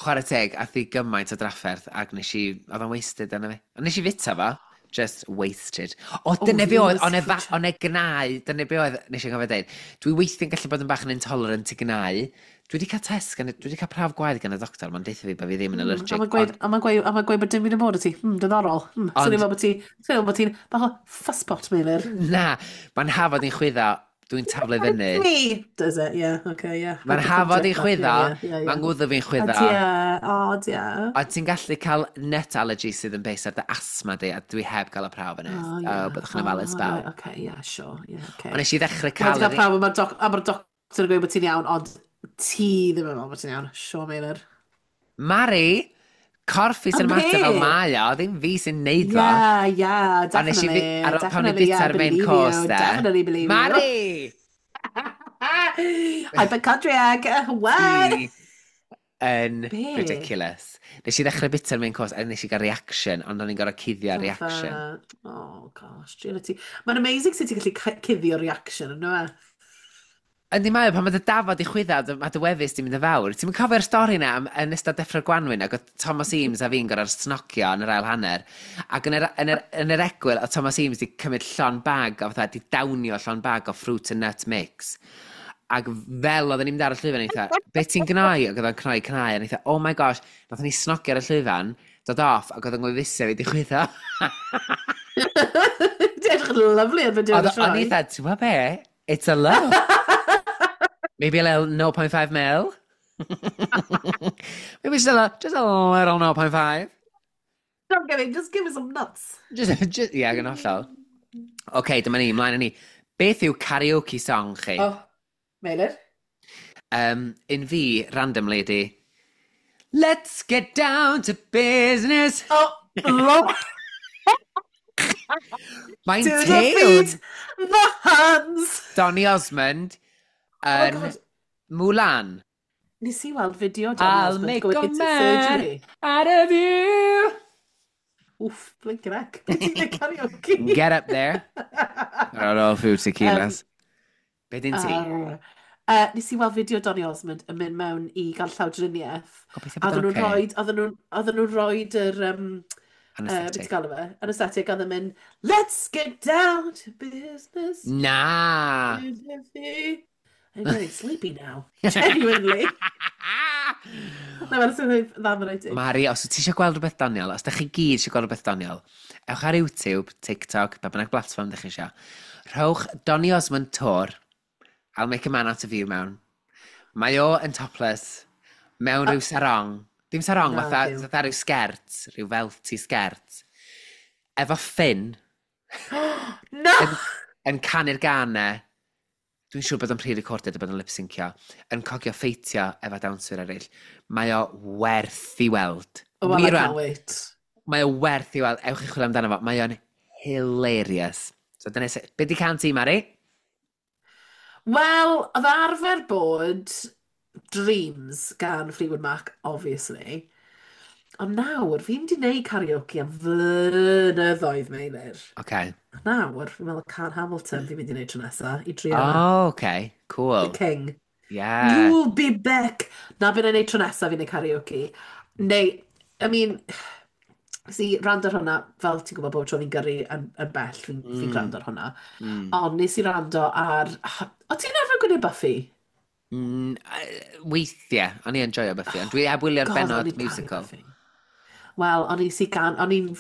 Chwarae teg, ath i gymaint o drafferth ac nes i, oedd o'n wasted arno fi. Ond nes i fita fo, just wasted. O, dyna be oedd, o'n e fa- o'n e gnau, dyna be oedd, nes i'n cofio dweud. Dwi weithiau'n gallu bod yn bach yn intolerant i gnau. Dwi wedi cael test, gan, dwi wedi cael prawf gwaed gan y doctor, mae'n deutha fi bod fi ddim yn allergic. A mae'n gweud, ond- a mae'n gweud, a mae'n gweud bod dim byd yn bod y ti. Hmm, diddorol. Hmm, Ond- swnio fel bod ti, swnio fel bod ti'n bach o fusspot, Meilir. Na, mae'n hafod i'n chwyddo, dwi'n taflu fyny. Me! Does it? Yeah, okay, yeah. Mae'n hafod i'n chwyddo, Yeah, yeah, yeah. mae'n ngwddw fi'n O, chwyddo. dia, o, dia. A ti'n gallu cael nut allergy sydd yn based ar dy asthma di, a dwi heb gael y prawf yna. Oh, Oh, yeah. byddwch yn ofalus Oh, bawb. right, okay, yeah, sure, yeah, okay. Ond nes i ddechrau Mae'n cael... cael yr- prawf, a mae'r doc, a mae'r doctor yn gweud bod ti'n iawn, ond ti ddim yn meddwl bod ti'n iawn. Sure, Meilir. Mari, corff fi sy'n Am ymateb fel be? mae o, ddim fi sy'n neud fo. Yeah, yeah, A nes i definitely. fi- ar ôl pan o'n i Definitely, yeah, bita'r main believe course you, de. definitely believe you. Mari! Hypochondriac, what? Ti yn Be? ridiculous. Nes i ddechrau bita'r main course a nes i gael reaction, ond o'n i'n gorfod cuddio reaction. Oh, gosh, Trinity. Mae'n amazing sut ti'n gallu cu- cuddio reaction, ynddo e? Yndi mae o, pan mae dy dafod i chwyddo, dy- mae dy wefus di mynd yn fawr. Ti'n mynd cofio'r stori na am, yn ystod deffro'r gwanwyn ac oedd Thomas Eames a fi'n gorfod snocio yn yr ail hanner. Ac yn yr, yn yr, yn yr egwyl, oedd Thomas Eames di cymryd llon bag o fatha, di downio llon bag o fruit and nut mix. Ac fel oedden ni'n mynd ar y llwyfan, eitha, "Be ti'n gnoi?" Ac oedd o'n cnoi cnau, a eitha, "Oh my gosh," nathon ni snogio ar y llwyfan, dod off, ac oedd yn ngwefusau fi di chwyddo. Ti'n edrych yn lovely ar fideo Oedd yn y o'n sioe. eitha, "Ti'n gwybod be? It's a love. Maybe a little zero point five mil. Maybe just a, little, just a little zero point five" Don't get me, just give me some nuts. Just, just, yeah, yn hollol. Oce, dyma ni, mlaen â ni. Beth yw karaoke song chi? Oh, Meilir? Um, un fi, randomly, ydi "Let's get down to business." Oh, love. Mae'n To the tiwn. feet, the hands. Donny Osmond Oh my yn God. Mulan. Nes i weld fideo Donny I'll Osmond make going a into man surgery. out of you. Oof, blinking heck. Beth ti'n gwneud karaoke? Get up there. Ar ôl few tequilas. Be dyn ti? Uh, uh, nes i weld fideo Donny Osmond yn mynd mewn i gael llawdriniaeth. Gobeithio A bod oedden o'n nhw'n oce. rhoi, oedden nhw'n oedden nhw'n rhoi yr, um, uh, beth Anesthetic. ti'n galw fe? Anesthetic, a oedd yn mynd, "Let's get down to business." Na! I'm getting sleepy now. Genuinely. Na, mae'n swnio'n dda mae'n rhaid i. Mari, os wyt ti eisiau gweld rhywbeth doniol, os da chi gyd eisiau gweld rhywbeth doniol, ewch ar YouTube, TikTok, ba bynnag platform da chi eisiau. Rhowch Donny Osmond Tour, I'll Make a Man Out of You mewn. Mae o yn topless, mewn rhyw sarong. Dim sarong, Na, fatha, byw. fatha rhyw sgert, rhyw felty sgert. Efo ffyn, No! yn, yn canu'r ganau. Dwi'n siŵr bod o'n pre-recorded a bod o'n lip-syncio. Yn cogio ffeitio efo dawnswyr eraill. Mae o werth i weld. Oh, well, I Wir can't rwan, wait. mae o werth i weld. Ewch i chwilio amdano fo. Mae o'n hilarious. So dyna se... Be di cân ti, Mari? Wel, oedd arfer bod Dreams gan Fleetwood Mac, obviously. Ond nawr, fi'n di wneud karaoke am flynyddoedd, Meilir. Okay. A nawr, fi'n meddwl cân Hamilton fi'n mynd i wneud tro nesa, i drio fe. Oh, okay. The Cool. King. Yeah. You'll be back! Na beth wna i wneud tro nesa fi'n neud karaoke. Neu, I mean, si rando ar hwnna, fel ti'n gwybod bob tro fi'n gyrru yn, yn bell, fi'n fi Mm. gwrando ar hwnna. Mm. Ond nes i rando ar... O ti'n arfer gwylio Buffy? Mm, eh, weithiau, o'n i enjoyo Buffy, ond dwi heb wylio'r God, o'n benod i'n caru musical. Buffy. Wel, o'n i si gan... O'n i'n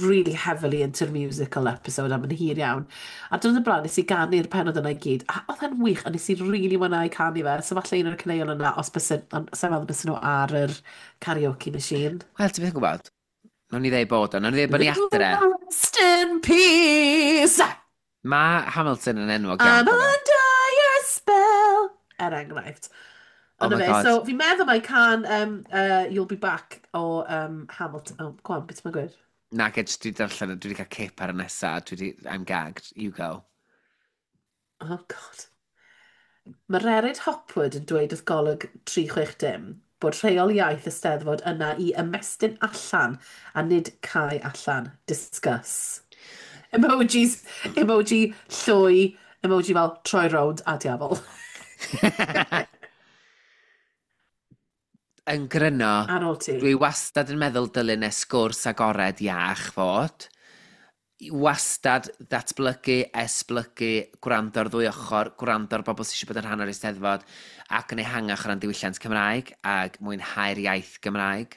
really heavily into the musical episode am yn hir iawn. A dyn y blaen, nes i ganu'r penod yna i gyd. A oedd e'n wych, a nes i really mwynhau canu fe. So falle un o'r caneuon yna, os byse, ond sa'n meddwl byse nhw ar yr karaoke machine. Wel, ti'n byth yn gwybod? Nawn ni ddeud bod o, nawn ni ddeud bod ni adre. Rest in peace! Mae Hamilton yn enwog iawn. I'm cofio. under your spell! Er enghraifft. Oh Ond my fe, God. so fi'n meddwl mai cân um, uh, You'll Be Back o um, Hamilton. Oh, go on, beth ti'n gweud? Na, ge, jyst dwi darllen, dwi wedi cael cip ar y nesa, dwi wedi, I'm gagged, you go. Oh, God. Mae Mererid Hopwood yn dweud wrth Golwg tri chwe dim bod rheol iaith y Steddfod yna i ymestyn allan a nid cau allan. Discuss. Emojis, emoji llwy, emoji fel troi rownd a diafol. Yn gryno, Ar ôl ti. dwi wastad yn meddwl dylun y sgwrs agored iach fod. Wastad ddatblygu, esblygu, gwrando ar ddwy ochr, gwrando ar bobl sydd eisiau bod yn rhan o'r Eisteddfod ac yn ehangach o ran diwylliant Cymraeg ac mwynhau'r iaith Gymraeg.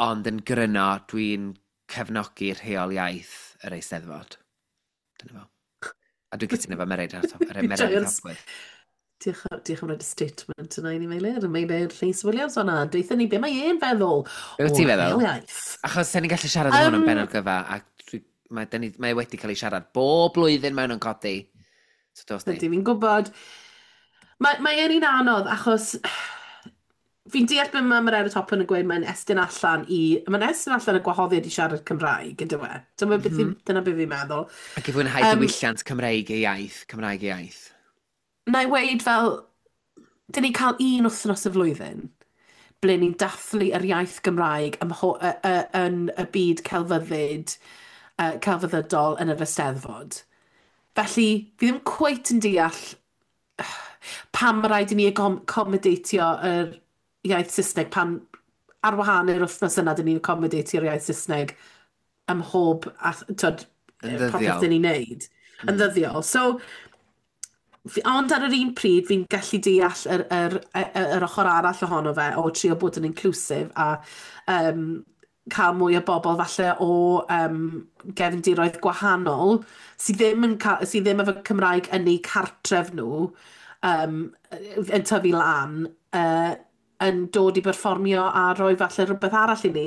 Ond yn gryno, dwi'n cefnogi rheol iaith yr Eisteddfod. Dyna fo. A dwi'n cytuno efo Mererid Fi'n Mererid joio'r Hopwood. Diolch, diolch am roed y statement yna i ni, Meilir. Meilir Rhys Williams o'na. Deutha ni be mae e'n feddwl Be wyt o ti'n feddwl? rheol iaith. Achos sen ni'n gallu siarad am hwn yn Um, bennod gyfa, a dwi, mae, dyn ni, mae wedi cael ei siarad bob blwyddyn mewn yn codi. So dos ni. Ydy, fi'n gwybod. Mae, mae e'n un anodd achos fi'n deall beth mae Mererid Hopwood yn gweud mae'n estyn allan i... Mae'n estyn allan y gwahoddiad i siarad Cymraeg, yn dyw e? Dyma beth mm -hmm. Dyna beth fi'n meddwl. Ac i fwynhau Um, diwylliant Cymreig ei iaith, Cymraeg ei iaith. Na i weud fel, dyn ni'n cael un wythnos y flwyddyn ble ni'n dathlu yr iaith Gymraeg ym mho- y, y, yn y byd celfyddyd, uh, celfyddydol yn yr Eisteddfod. Felly, fi ddim cweit yn deall pam mae rhaid i ni accomodatio yr iaith Saesneg pan ar wahân i'r wythnos yna dyn ni'n accomodatio'r iaith Saesneg ym mhob a, tyd, Yn popeth ddyddiol. dyn ni'n neud. Yn ddyddiol. So, fi, ond ar yr un pryd, fi'n gallu deall yr, yr, yr, yr ochr arall ohono fe o trio bod yn inclusive a um, cael mwy o bobl falle o um, gefndiroedd gwahanol sydd ddim, yn ca sydd ddim efo Cymraeg yn eu cartref nhw um, yn tyfu lan uh, yn dod i berfformio a rhoi falle rhywbeth arall i ni.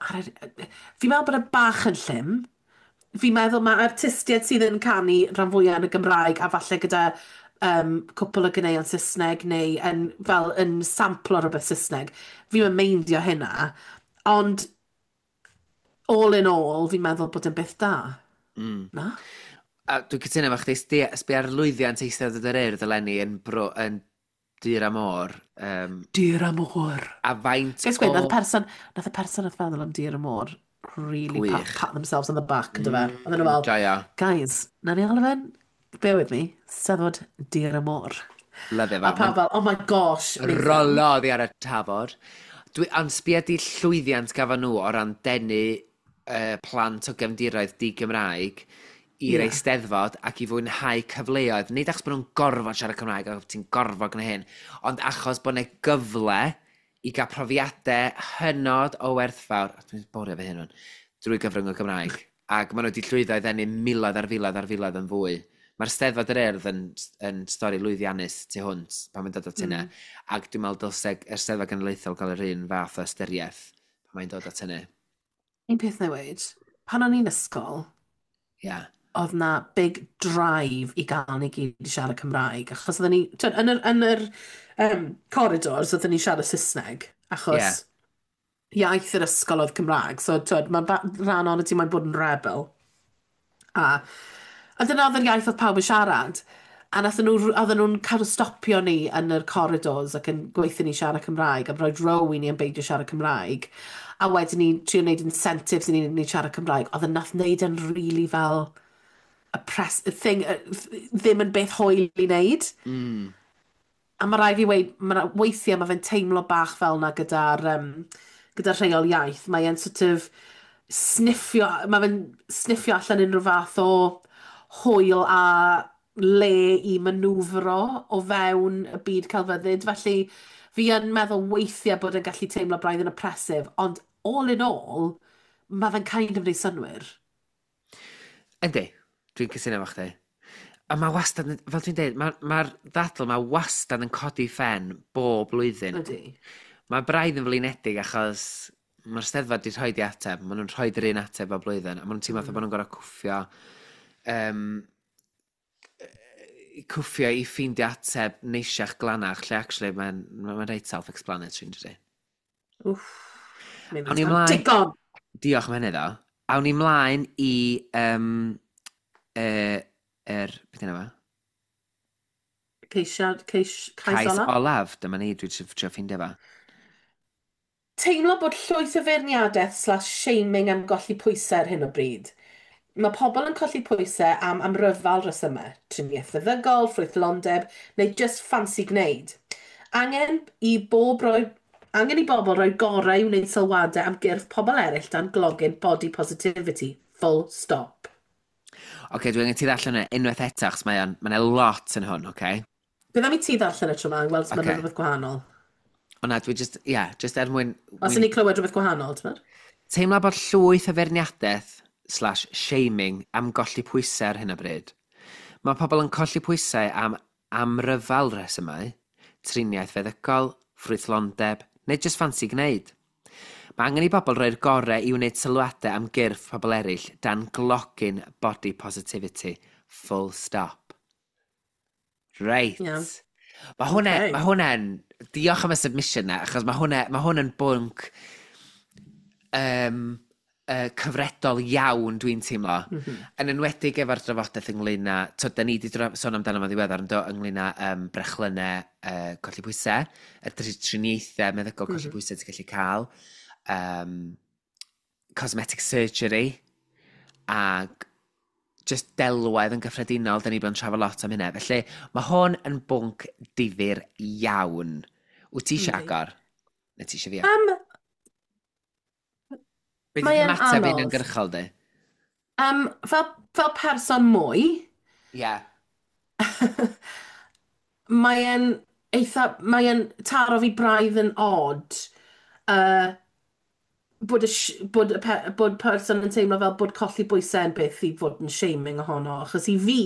Ar yr, fi'n meddwl bod e bach yn llym. Fi'n meddwl mae artistiaid sydd yn canu rhan fwyaf yn y Gymraeg a falle gyda um, cwpl o ganeuon Saesneg neu yn, fel yn samplo rhywbeth Saesneg. Fi'n yn meindio hynna. Ond all in all, fi'n meddwl bod yn beth da. Mm. Na? A dwi'n cytuno efo chdi, sdi- sbia ar lwyddiant Eisteddfod yr Urdd eleni yn, bro, yn Dur a Môr. Um, Dur a Môr. A faint Guys, gweud, o... nath y person, nath y person nath feddwl am Dur a Môr really pat, Gwych. pat themselves on the back, mm, fe? Oedden nhw fel, Joio. "Guys, na ni alw fe'n, bear with me, Steddfod Dur a Môr." Lyfio fo. A pawb fel, "Oh my gosh, amazing." Rolo oddi ar y tafod. Dwi, ond sbia di llwyddiant gafon nhw o ran denu uh, plant o gefndiroedd di-Gymraeg i'r Yeah. Eisteddfod ac i fwynhau cyfleoedd. Nid achos bod nhw'n gorfod siarad Cymraeg ac ti'n gorfod gwneud hyn, ond achos bod yna gyfle i gael profiadau hynod o werthfawr, a dwi'n borio fy hyn o'n, drwy gyfrwng y Gymraeg. Ac maen nhw wedi llwyddo i ddenu miloedd ar filoedd ar filoedd yn fwy. Mae'r Steddfod yr Urdd yn, yn stori lwyddiannus tu hwnt pan mae'n dod at hynny. Mm. Ac dwi'n meddwl dylse yr Steddfod Genedlaethol gael yr un fath o ystyriaeth pan mae'n dod at hynny. Un peth newid, pan o'n i'n ysgol, Ia. Yeah. oedd na big drive i gael ni gyd i siarad Cymraeg. Achos oedden ni, twyd, yn yr, yn yr um, corridors, oedden ni siarad Saesneg. Achos Ie. iaith yr ysgol oedd Cymraeg. So, twyd, mae rhan o'n ti mae'n bod yn rebel. A, a dyna oedd yr iaith oedd pawb yn siarad. A nathon nhw, oedden nhw'n cael stopio ni yn yr corridors ac yn gweithio ni siarad Cymraeg a rhoi row i ni yn beidio siarad Cymraeg. A wedyn ni'n trio wneud incentives i ni, ni siarad Cymraeg. Oedd yn nath wneud yn really fel a press, a thing, uh, ddim yn beth hwyl i wneud. Mm. A mae rhaid fi weud, ma' weithiau mae fe'n teimlo bach fel 'na gyda'r um, gyda rheol iaith. Mae e'n sort of sniffio, mae fe'n sniffio allan unrhyw fath o hwyl a le i manwfro o fewn y byd celfyddyd. Felly fi yn meddwl weithiau bod yn gallu teimlo braidd yn oppressive, ond all in all, mae fe'n kind of neud synnwyr. Yndi, dwi'n cytuno efo chdi. A mae wastad, yn- fel dwi'n dweud, mae'r ma ddadl mae wastad yn codi ffen bob blwyddyn. Ydy. Mae braidd yn flinedig achos mae'r Steddfod wedi rhoi i ateb, maen nhw'n rhoi yr un ateb o blwyddyn, a maen nhw'n teimlo mm. bod nhw'n gorfod cwffio, um, cwffio i ffeindio ateb neisiach glanach, lle actually mae'n ma, ma reit self-explanatory, yn dydi? Wff. Awn ni ymlaen. Digon! Diolch am hynny ddo. Awn ni mlaen i um, uh, er, beth yna fo? Ceisiad, ceis, cais Cais olaf? olaf. Dyma ni, dwi'n trio trio ffeindio fo. Teimlo bod llwyth o feirniadaeth slash shaming am golli pwysau ar hyn o bryd. Mae pobl yn colli pwysau am amryfal resymau, triniaeth feddygol, ffrwythlondeb, neu just ffansi gwneud. Angen i bob roi, angen i bobl roi gorau i wneud sylwadau am gyrff pobl eraill dan glogyn body positivity. Full stop. Oce, okay, dwi'n angen ti ddarllen yna unwaith eto, achos mae o'n, mae'n lot yn hwn, oce? Okay? Bydd am i ti ddarllen y tro yma, weld os mae'n Ocê. rhywbeth gwahanol. O na, dwi just, ie, yeah, just er mwyn... Os mwyn i ni clywed rhywbeth gwahanol, ti'n meddwl? Teimlo bod llwyth o feirniadaeth slash shaming am golli pwysau ar hyn o bryd. Mae pobl yn colli pwysau am amryfal resymau, triniaeth feddygol, ffrwythlondeb, neu jyst ffansi gwneud. Mae angen i bobl roi'r gorau i wneud sylwadau am gyrff pobl eraill dan glogyn body positivity. Full stop. Reit. Iawn. Mae hwnna, Ocê. mae hwnna'n... Diolch am y submission na, achos mae hwnna, mae hwn yn bwnc um, uh, cyfredol iawn dwi'n teimlo. Mm -hmm. Yn enwedig efo'r drafodaeth ynglyn â... To, da ni wedi sôn amdano fo'n ddiweddar yn do, ynglyn â um, brechlynnau uh, colli pwysau, y tri- triniaethau meddygol colli mm -hmm. pwysau ti'n gallu cael, um, cosmetic surgery, ac just delwedd yn gyffredinol, da ni bod yn trafod lot am hynna. Felly, mae hwn yn bwnc difyr iawn. Wyt ti eisiau Yndi. agor? Neu ti eisiau fi? Um, Be mae di e'n ymateb anodd. uniongyrchol di? um, fel, fel person mwy, Ie. Yeah. mae e'n eitha, mae e'n taro fi braidd yn odd uh, bod, y, sh- bod, y pe, bod person yn teimlo fel bod colli bwysau yn beth i fod yn shaming ohono. Achos i fi,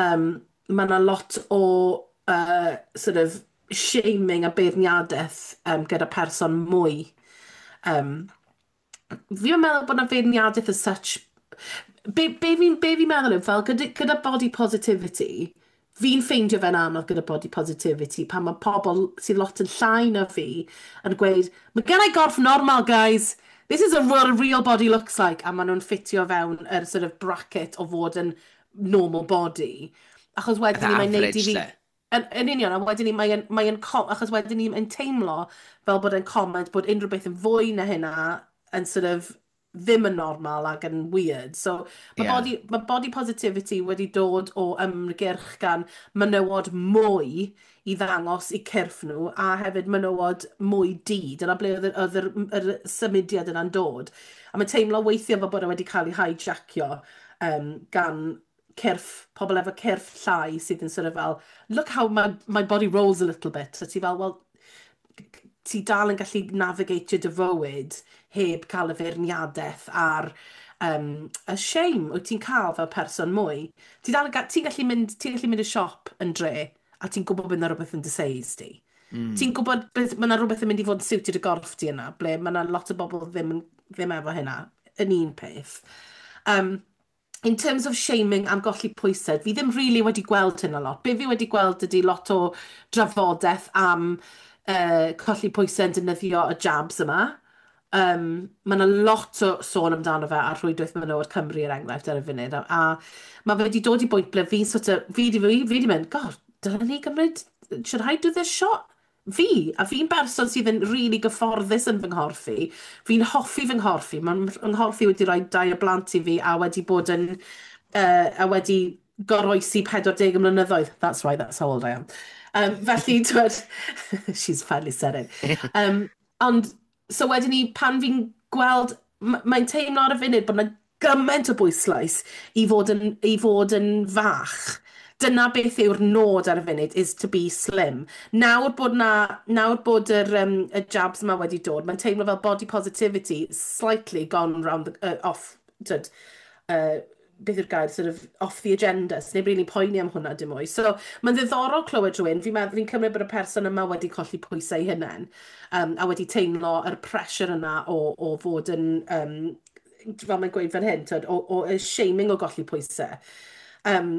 um, mae yna lot o uh, sort of shaming a beirniadaeth um, gyda person mwy. Um, fi'n meddwl bod yna feirniadaeth as such. Be, be fi'n be fi meddwl yw, fel gyda, gyda body positivity, fi'n ffeindio fe'n anodd gyda body positivity pan mae pobl sydd lot yn llai na fi yn gweud, "Mae gen i gorff normal, guys. This is a, what a real body looks like." A maen nhw'n ffitio fewn yr sort of bracket o fod yn normal body. Achos wedyn ni mae'n neud i average, fi lle. Yn, yn union, a wedyn ni mae'n mae achos wedyn ni mae'n teimlo fel bod e'n comment bod unrhyw beth yn fwy na hynna yn sort of ddim yn normal ac yn weird. So mae Ie. body, ma body positivity wedi dod o ymgyrch gan menywod mwy i ddangos i cyrff nhw a hefyd menywod mwy du. Dyna ble oedd yr, oedd yr, yr symudiad yna'n dod. A mae'n teimlo weithiau fel bod e wedi cael ei hijackio um, gan cyrff, pobl efo cyrff llai sydd yn sort of fel, "Look how my, my body rolls a little bit." So ti fel, well, ti dal yn gallu navigate dy fywyd heb cael y feirniadaeth a'r um, y shame wyt ti'n cael fel person mwy. Ti dal yn ti'n gallu mynd, ti'n gallu mynd i siop yn dre a ti'n gwybod bod yna rhywbeth yn dy seis di. Mm. Ti'n gwybod beth, mae yna rhywbeth yn mynd i fod yn siwtio dy gorff ti yna, ble mae yna lot o bobl ddim, ddim efo hynna, yn un peth. Um, in terms of shaming am golli pwysau, fi ddim really wedi gweld hynna lot. Be fi wedi gweld ydy lot o drafodaeth am uh, colli pwysau yn defnyddio y jabs yma. Um, mae yna lot o sôn amdano fe ar rhwydwaith menywod Cymru, er enghraifft, ar y funud. A, a mae fe wedi dod i bwynt ble fi sort of, fi di, fi, fi di mynd, "God, dylen ni gymryd, should I do this shot?" Fi, a fi'n berson sydd yn really gyfforddus yn fy nghorff i. Fi'n hoffi fy nghorff i. Mae'n nghorff i wedi rhoi dau o blant i fi a wedi bod yn, uh, a wedi goroesi pedwar deg mlynyddoedd. That's right, that's how old I am. Um, felly, twyd, she's finally said it. Um, ond, so wedyn ni, pan fi'n gweld, mae'n teimlo ar y funud bod yna gymaint o bwyslais i fod yn, i fod yn fach. Dyna beth yw'r nod ar y funud, is to be slim. Nawr bod, na, nawr bod yr, um, y jabs yma wedi dod, mae'n teimlo fel body positivity slightly gone round the, uh, off, tyd, uh, beth yw'r gair, sort of off the agenda. So neb really poeni am hwnna dim mwy. So mae'n ddiddorol clywed rhywun, fi'n meddwl, fi'n cymryd bod y person yma wedi colli pwysau ei hunain um, a wedi teimlo yr pressure yna o, o fod yn, um, fel mae'n gweud fan hyn, tyd, o, o y shaming o golli pwysau. Um,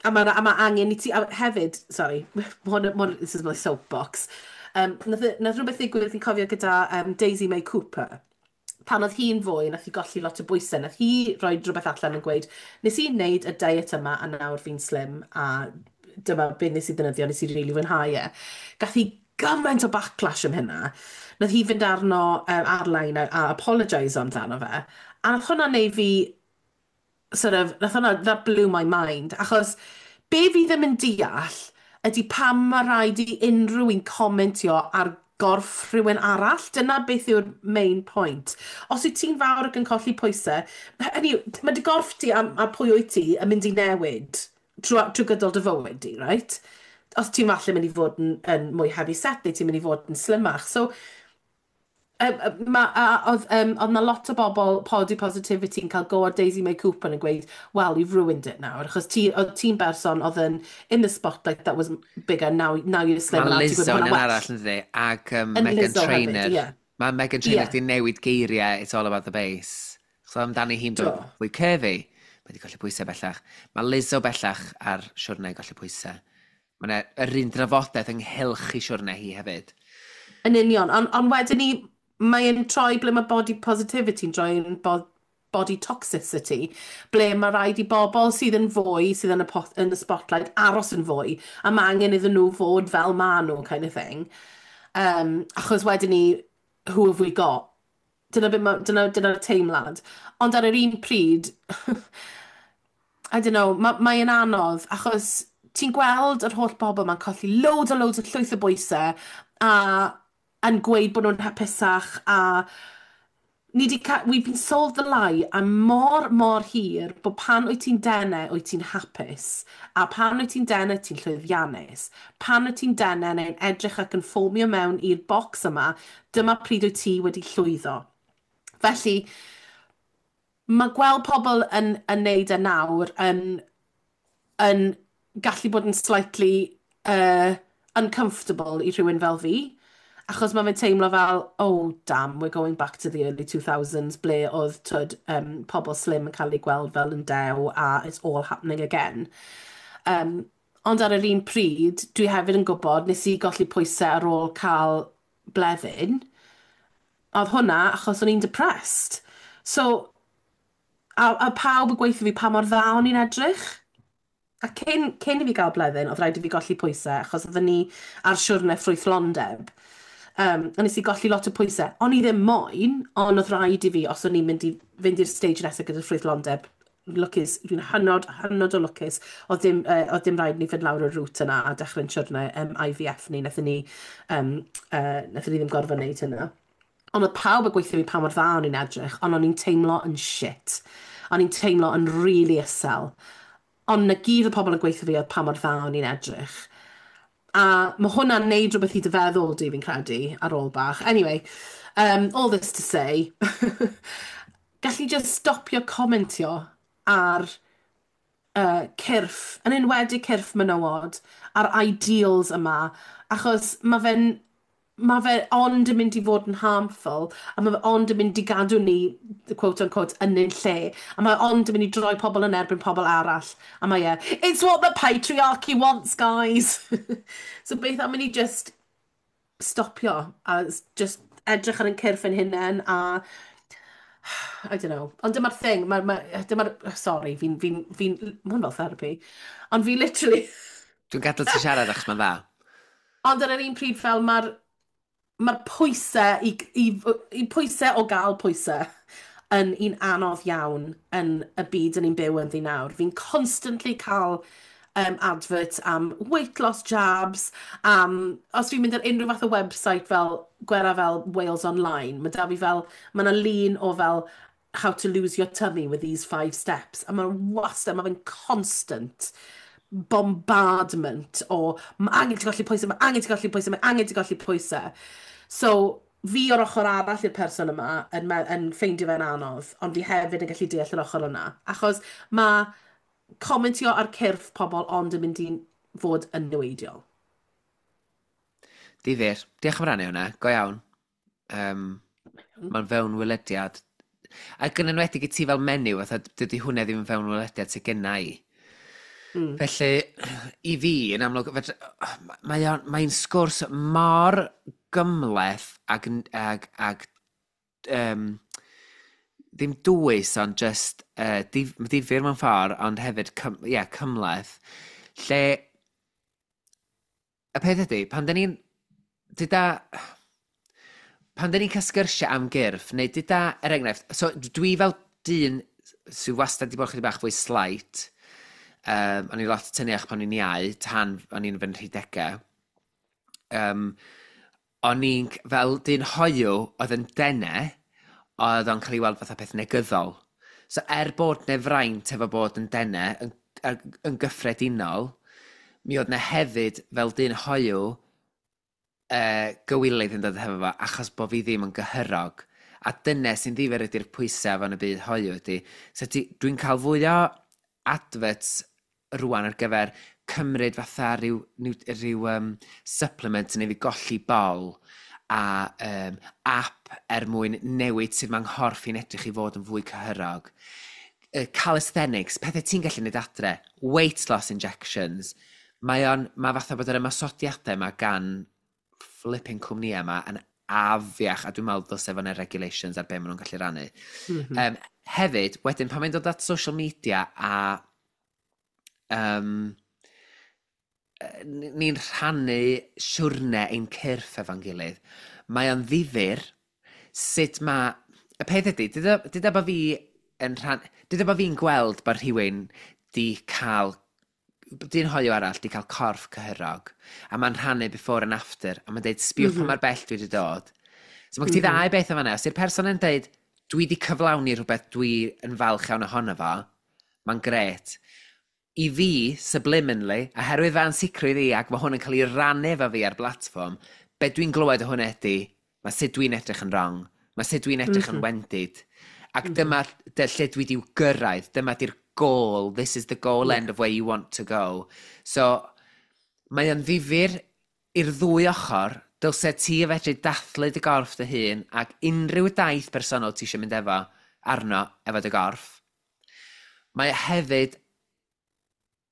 a mae a ma angen i ti, a hefyd, sorry, hwn, hwn, this is my soapbox. Um, nath, nath rhywbeth ddigwydd, fi'n cofio, gyda um, Daisy May Cooper. Pan oedd hi'n fwy, nath hi golli lot o bwysau, nath hi roi rhywbeth allan yn gweud, "Nes i wneud y diet yma a nawr fi'n slim a dyma beth nes i ddefnyddio, nes i rili fwynhau e." Gath hi gymaint o backlash am hynna. Nath hi fynd arno um, ar-lein a, a apologise amdano fe. A nath hwnna neud fi sort of, nath hwnna, that blew my mind. Achos be fi ddim yn deall ydy pam mae rhaid i unrhyw un comentio ar gorff rhywun arall. Dyna beth yw'r main point. Os wyt ti'n fawr ac yn colli pwysau, hynny yw, mae dy gorff ti a, a pwy wyt ti yn mynd i newid trwy, trwy gydol dy fywyd di, right? Os ti'n falle mynd i fod yn, yn mwy heavy set neu ti'n mynd i fod yn slimach. So, Um, ma, a, oedd, um, oedd 'na lot o bobl body positivity yn cael go ar Daisy May Cooper yn gweud, "Well, you've ruined it now." Achos ti, oedd ti'n berson oedd yn in the spotlight that was bigger, now, now you're slim. Mae Lizzo yn un arall yn ddi, ac um, Megan Lizzo Trainor. Hefyd, yeah. Mae Megan Trainor yeah. di newid geiriau "It's all about the bass." So amdani hi'n dod fwy curvy. Mae wedi colli pwysau bellach. Mae Lizzo bellach ar siwrne golli pwysau. Mae yr un drafodaeth ynghylch i siwrne hi hefyd. Yn union, ond on wedyn ni, mae'n troi ble mae body positivity yn troi yn body toxicity, ble mae rhaid i bobl sydd yn fwy, sydd yn y, pot, yn y spotlight, aros yn fwy, a mae angen iddyn nhw fod fel ma nhw, kind of thing. Um, achos wedyn ni, who have we got? Dyna, be ma, dyna, dyna'r teimlad. Ond ar yr un pryd, I don't know, mae'n mae anodd, achos ti'n gweld yr holl bobl ma'n colli loads a loads o llwyth o bwysau, a yn gweud bod nhw'n hapusach a ni di ca we've been sold the lie am mor, mor hir bod pan wyt ti'n denau, wyt ti'n hapus. A pan wyt ti'n denau, ti'n llwyddiannus. Pan wyt ti'n denau neu'n edrych ac yn fformio mewn i'r bocs yma, dyma pryd wyt ti wedi llwyddo. Felly, mae gweld pobl yn, yn neud e nawr yn, yn gallu bod yn slightly uh, uncomfortable i rhywun fel fi. Achos mae fe'n teimlo fel, "Oh damn, we're going back to the early two thousands" ble oedd, twyd, um, pobl slim yn cael eu gweld fel yn dew a it's all happening again. Um, ond ar yr un pryd, dwi hefyd yn gwybod, nes i golli pwysau ar ôl cael Bleddyn. Oedd hwnna achos o'n i'n depressed. So, a, a pawb yn gweithio fi pa mor dda o'n i'n edrych. A cyn, cyn i fi gael Bleddyn, oedd rhaid i fi golli pwysau, achos oedden ni ar siwrne ffrwythlondeb. Um, a nes i golli lot o pwysau. O'n i ddim moyn, ond oedd rhaid i fi, os o'n i'n mynd i fynd i'r stage nesaf gyda ffrwythlondeb. Lwcus, dwi'n hynod, hynod o lwcus. Oedd dim, uh, oedd dim rhaid ni fynd lawr y route yna a dechrau'n siwrne um, I V F ni. Nethon ni, um, uh, nethon ni ddim gorfod wneud hynna. Ond oedd pawb yn gweithio fi pa mor dda o'n i'n edrych, ond o'n i'n teimlo yn shit. O'n i'n teimlo yn really isel. Ond na gyd o pobl yn gweithio fi oedd pa mor dda o'n i'n edrych. A mae hwnna'n neud rhywbeth i dy feddwl di, fi'n credu, ar ôl bach. Anyway, um, all this to say, gallu just stopio comentio ar uh, cyrff, yn enwedig cyrff menywod, a'r ideals yma, achos mae fe'n mae fe ond yn mynd i fod yn harmful, a mae fe ond yn mynd i gadw ni, quote unquote, yn un lle, a mae ond yn mynd i droi pobl yn erbyn pobl arall. A mae e, "It's what the patriarchy wants, guys!" So beth am i ni just stopio, a just edrych ar ein cyrff yn hunain, a I don't know. Ond dyma'r thing, ma, ma, dyma'r, sorry, fi'n, fi'n, fi'n, ma hwn fel therapy. Ond fi literally Dwi'n gadael ti siarad achos mae'n dda. Ond ar yr un pryd fel mae'r mae'r pwysau i, i, i pwysau o gael pwysau yn un anodd iawn yn y byd yn ni'n byw ynddi nawr. Fi'n constantly cael um, adverts am weight loss jabs, am, os fi'n mynd ar unrhyw fath o website fel, gwera fel Wales Online, mae da fi fel, mae yna lun o fel "how to lose your tummy with these five steps". A mae'n wastad, mae fe'n constant bombardment o "mae angen ti golli pwysau, mae angen ti golli pwysau, mae angen ti golli pwysau". So, fi o'r ochr arall i'r person yma yn, me- yn ffeindio fe'n anodd, ond fi hefyd yn gallu deall yr ochr yna. Achos mae comentio ar cyrff pobl ond yn mynd i fod yn niweidiol. Difyr. Diolch am rannu hwnna. Go iawn. Um, Mae'n fewn welediad. Ac yn enwedig i ti fel menyw, fatha, dydy hwnna ddim yn fewn welediad sydd genna i. Mm. Felly, i fi, yn amlwg, fedra- mae o'n- mae'n sgwrs mor gymhleth ag, ag, ag um, ddim dwys, ond just uh, dif, difyr mewn ffordd, ond hefyd cym, yeah, cymhleth, lle y peth ydy, pan dyn ni'n, dyda, pan dyn ni'n cael sgyrsiau am gyrff, neu dyda, er enghraifft, so dwi fel dyn sydd wastad wedi bod chydig bach fwy slight, um, o'n i lot tyniach pan o'n i'n iau, tan o'n i'n fy nhridegau. Um, o'n i'n, fel dyn hoyw oedd yn dene, oedd o'n cael ei weld fatha peth negyddol. So er bod 'na fraint efo bod yn dene, yn, yn, yn gyffredinol, mi oedd 'na hefyd fel dyn hoyw uh, gywilydd yn dod hefo fo, achos bod fi ddim yn gyhyrog. A dyna sy'n ddifyr ydy'r pwysau fan y byd hoyw ydy. So ti, dwi'n cael fwy o adverts rwan ar gyfer cymryd fatha rhyw, rhyw, rhyw um, supplement neu fi golli bol a um, app er mwyn newid sut mae'n nghorff i'n edrych i fod yn fwy cyhyrog. Uh, calisthenics, pethau ti'n gallu neud adre, weight loss injections. Mae o'n, mae fatha bod yr ymosodiadau yma gan flipping cwmnïau yma yn afiach, a dwi'n meddwl dylse fo 'na regulations ar be maen nhw'n gallu rannu. Mm -hmm. um, hefyd, wedyn pan mae'n dod at social media a um, ni'n rhannu siwrne ein cyrff efo'n gilydd, mae o'n ddifyr sut mae. Y peth ydy, dyda bod fi yn rhan... Dyda bod fi'n gweld bod rhywun di cael dyn hoyw arall di cael corff cyhyrog, a mae'n rhannu before and after, a mae'n deud, "Sbiwch mm -hmm. pa mor bell dwi wedi dod." So mae mm -hmm. ti mhm. ddau beth yma. Os yw'r person yn deud, "Dwi wedi cyflawni rhywbeth dwi yn falch iawn ohono fo," mae'n gret. I fi, subliminally, oherwydd fy ansicrwydd i, ac mae hwn yn cael ei rannu efo fi ar blatfform, be dwi'n glywed o hwnna ydy, mae sut dwi'n edrych yn wrong, mae sut dwi'n edrych mm -hmm. yn mhm. wendid. Ac mm -hmm. dyma dy, lle dwi wedi gyrraedd, dyma di'r goal, this is the goal yeah. end of where you want to go. So, mae o'n ddifyr i'r ddwy ochr, dylse ti fedru dathlu dy gorff dy hun ac unrhyw daith personol ti eisiau mynd efo arno efo dy gorff. Mae hefyd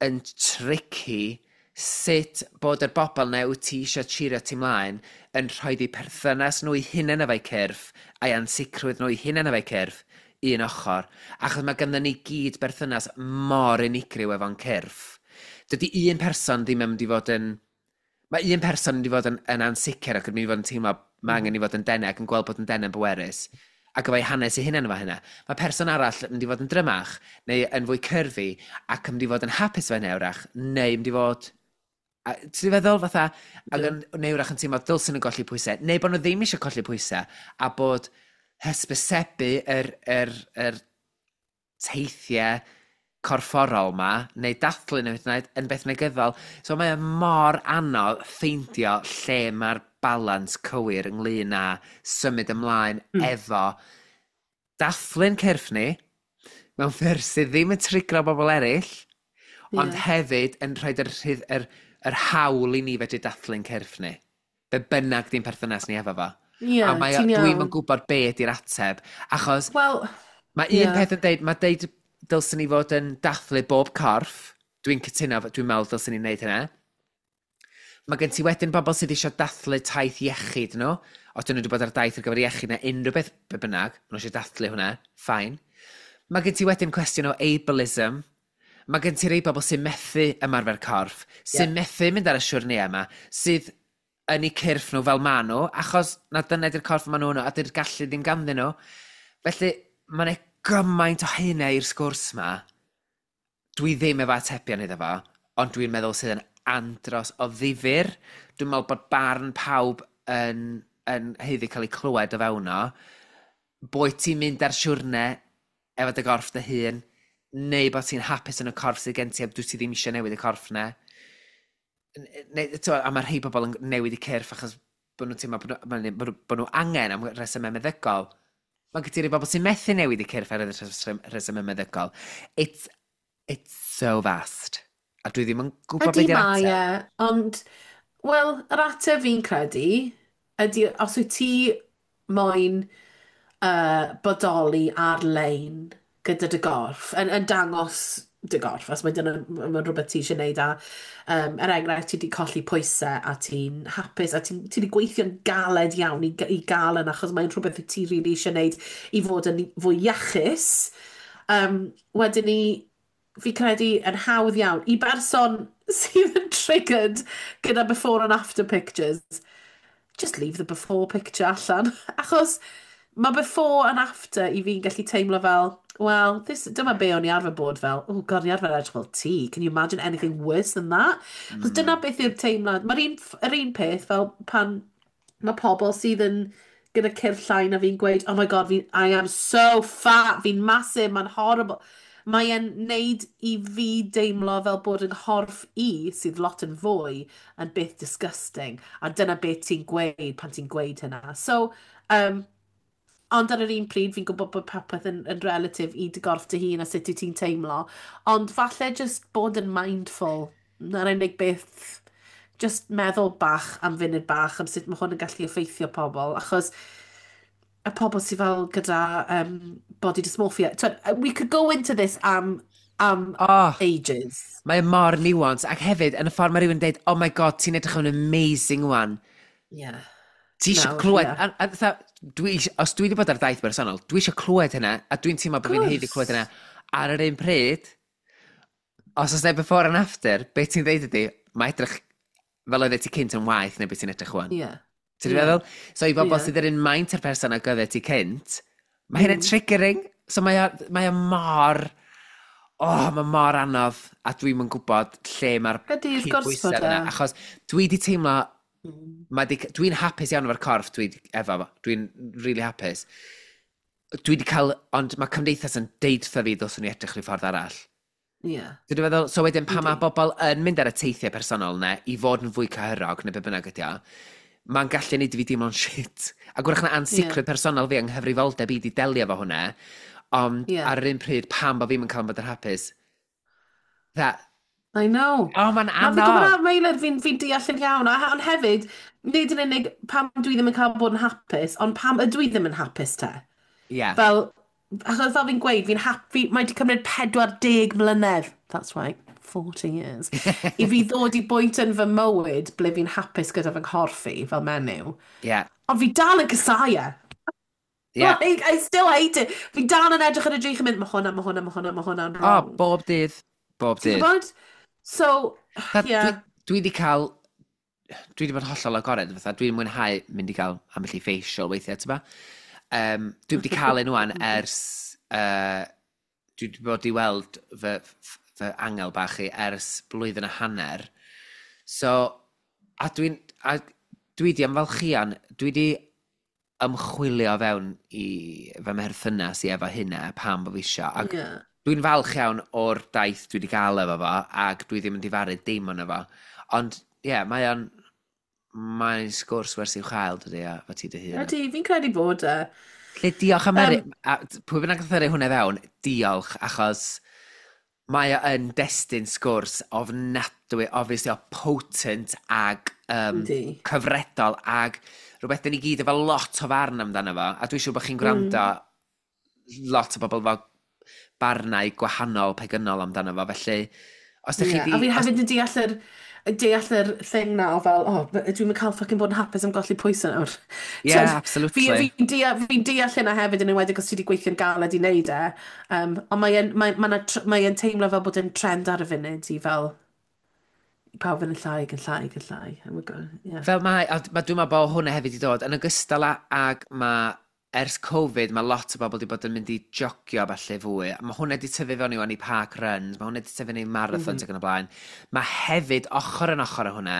yn tricky sut bod yr bobl na wyt ti eisiau cheerio ti mlaen yn rhoi di perthynas nhw i hunain efo'u cyrff a'i ansicrwydd nhw i hunain efo'u cyrff un ochr. Achos mae ganddo ni gyd berthynas mor unigryw efo'n cyrff. Dydy un person ddim yn mynd i fod yn... Mae un person yn mynd i fod yn, yn ansicr ac yn mynd i fod yn teimlo mae angen i fod yn denau ac yn gweld bod yn denau'n bwerus ac efo'i hanes ei hunain efo hynna. Mae person arall yn mynd i fod yn drymach neu yn fwy curvy ac yn mynd i fod yn hapus efo hynna wrach, neu mynd i fod. A ti'n feddwl fatha, ac yn, neu wrach yn teimlo dylsyn nhw'n golli pwysau, neu bod nhw ddim eisiau colli pwysau, a bod hysbysebu yr, yr, yr Teithiau corfforol ma, neu dathlu nhw hyd yn oed, yn beth negyddol. So mae o mor anodd ffeindio lle mae'r balans cywir ynglyn â symud ymlaen Mm. efo dathlu'n cyrff ni, mewn ffyrdd sydd ddim yn trigro bobl eraill, ond Yeah. hefyd yn rhoi yr, rhydd- yr, yr hawl i ni fedru dathlu'n cyrff ni. Be bynnag di'n perthynas ni efo fo. Yeah, A mae o- ti'n dwi'm iawn. yn gwybod be ydy'r ateb, achos Wel, mae un Ie. peth yn deud, mae deud dylswn ni fod yn dathlu bob corff. Dwi'n cytuno, dwi'n meddwl dylswn ni wneud hynna. Mae gen ti wedyn bobl sydd eisiau dathlu taith iechyd nhw. Os dyn nhw wedi bod ar daith ar gyfer iechyd neu unrhyw beth be bynnag, maen nhw eisiau dathlu hwnna, fine. Mae gen ti wedyn cwestiwn o ableism. Mae gen ti rei bobl sy'n methu ymarfer corff, sy'n Ie. methu mynd ar y siwrne yma, sydd yn eu cyrff nhw fel ma nhw, achos na dyna ydy'r corff ma nhw nhw, a dy'r gallu ddim ganddyn nhw. Felly, mae'n gymaint o hynna i'r sgwrs ma. Dwi ddim efo atebion iddo fo, ond dwi'n meddwl sydd yn andros o ddifyr. Dwi'n meddwl bod barn pawb yn, yn haeddu cael ei clywed o fewn o. Boed ti'n mynd ar siwrne efo dy gorff dy hun, neu bod ti'n hapus yn y corff sydd gen ti a dwi ti ddim eisiau newid y corff na. Neu, t'mo, a mae rhai bobl yn newid eu cyrff achos bod nhw'n teimlo bod nhw, bod nhw, bod nhw angen am resymau meddygol. Mae gen ti rhai bobl sy'n methu newid eu cyrff ar y rhesymau meddygol. It's, it's so vast. A dwi ddim yn gwybod Ydy beth yw'r mae ateb. e, ond, wel, yr ateb fi'n credu ydy os wyt ti moyn uh, bodoli ar-lein gyda dy gorff, yn, yn dangos dy gorff, os mae dyna mae rhywbeth ti eisiau gwneud a um, er enghraifft ti wedi colli pwysau a ti'n hapus a ti'n ti wedi gweithio'n galed iawn i, i gael yna achos mae'n rhywbeth wyt ti rili eisiau gwneud i fod yn fwy iachus. Um, wedyn ni, fi credu yn hawdd iawn i berson sydd yn triggered gyda before and after pictures, just leave the before picture allan. Achos mae before and after i fi'n gallu teimlo fel, well, this, dyma be o'n i arfer bod fel, oh God, o'n i arfer edrych fel ti. Can you imagine anything worse than that? Achos dyna beth yw'r teimlad. Mae'r un, yr un peth fel pan mae pobl sydd yn gyda cyrff llai na fi'n gweud, "Oh my God, fi, I am so fat, fi'n massive, mae'n horrible." Mae e'n neud i fi deimlo fel bod yng nghorff i, sydd lot yn fwy, yn beth disgusting. A dyna beth ti'n gweud pan ti'n gweud hynna. So, um, ond ar yr un pryd, fi'n gwybod bod popeth yn, yn relative i dy gorff dy hun a sut wyt ti'n teimlo. Ond falle just bod yn mindful. Na'r unig beth, just meddwl bach am funud bach am sut mae hwn yn gallu effeithio pobl. Achos y pobl sydd fel gyda um, body dysmorphia. Twyd, we could go into this am, am Oh, ages. Mae mor nuance. Ac hefyd, yn y ffordd mae rhywun dweud, "Oh my God, ti'n edrych yn amazing wan." Yeah. Ti eisiau Nawr, clywed, ie. a, a, fatha, dwi, isio- os dwi wedi bod ar daith bersonol, dwi eisiau clywed hynna, a dwi'n teimlo bod fi'n haeddu clywed hynna. Ar yr un pryd, os oes 'na before and after, beth ti'n dweud ydy, mae edrych fel oedd ti cynt yn waeth neu beth ti'n edrych wan. Yeah. Ti'n Ie. feddwl? So i bobl Ie. sydd yr un maint ar person ag oedd ti cynt, mae hynny'n Mm. triggering. So mae o, mae o mor... Oh, mae mor anodd, a dwi'm yn gwybod lle mae'r Ydy, wrth gwrs cydbwysedd bod e. yna. Achos dwi di teimlo Mm. mae di, dwi'n hapus iawn efo'r corff dwi di- efo, fo. Dwi'n really hapus. Dwi di cael, ond mae cymdeithas yn deud wrtho fi ddylswn i edrych rhyw ffordd arall. Yeah. Dwi'n meddwl, so wedyn pan mae Yndi. bobl yn mynd ar y teithiau personol na i fod yn fwy cyhyrog neu be bynnag ydi o, mae'n gallu neud i fi deimlo'n shit. A gwrach na ansicrwydd Ie. personol fi yng nghyfrifoldeb i di delio efo hwnna, ond Ie. ar yr un pryd pam bod fi'n cael bod yn hapus. That, I know. Oh, mae'n Na, fi'n gwybod anodd. na, Meilir, fi'n fi deall yn iawn. A, ond hefyd, nid yn unig pam dwi ddim yn cael bod yn hapus, ond pam ydw i ddim yn hapus te? Ie. Yeah. Fel, achos fel fi'n gweud, fi'n happy, mae wedi cymryd pedwar deg mlynedd, that's right, forty years, i fi ddod i bwynt yn fy mywyd ble fi'n hapus gyda fy nghorff i fel menyw. Ie. Ond fi dal yn casáu e. Ie. Like, I still hate it. Fi dal yn edrych ar y drych yn mynd, "Mae hwnna, mae hwnna, mae hwnna, mae hwnna'n O, wrong." bob dydd. Bob Ti'n dydd. gwybod? So, Fatha, yeah. Dwi, dwi di cael... Dwi di bod yn hollol agored, fatha, dwi'n mwynhau mynd i gael ambell i facial weithiau, ti'n ba? Um, dwi wedi cael un wan ers... Uh, dwi wedi bod i weld fy, fy angel bach i ers blwyddyn a hanner. So, a dwi'n... A dwi di ymfalchian, dwi di Ymchwilio fewn i fy mherthynas i efo hynna, pam bod fi isio. Ac Yeah. dwi'n falch iawn o'r daith dwi wedi gael efo fo, ac dwi ddim yn difaru dim ond efo. Ond, ie, yeah, mae o'n... Mae'n sgwrs werth i'w chael, dydy, a fo ti dy hun. Ydy, fi'n credu bod e. Lle diolch am um, Um, a pwy bynnag nath yrru hwnna fewn, diolch, achos mae o yn destun sgwrs ofnadwy, obviously o potent ag um, Yndi. cyfredol ag rhywbeth dyn ni gyd efo lot o farn amdano fo, a dwi'n siŵr bod chi'n gwrando mm. lot o bobl efo barnau gwahanol, pegynol amdano fo, felly os ydych Yeah. chi A di fi Os, hefyd yn deall yr, deall yr thing na o fel, oh, dwi'n cael fucking bod yn hapus am golli pwysau nawr. Yeah, T'wod, absolutely. Fi, fi'n deall, fi deall hynna hefyd yn enwedig os ti wedi gweithio'n galed i wneud e. Um, ond mae'n mae, mae, mae, mae teimlo fel bod yn trend ar y funud i fel i pawb yn llai ac yn llai ac yn llai. And we're go, yeah. Fel mae, a ma, dwi'n meddwl bod hwnna hefyd i dod, yn ogystal â, ag mae, ers Covid, mae lot o bobl wedi bod yn mynd i jogio falle fwy. Mae hwnna wedi tyfu fewn i wan i park runs, mae hwnna wedi tyfu fewn i marathons mm -hmm. ac yn y blaen. Mae hefyd, ochr yn ochr â hwnna,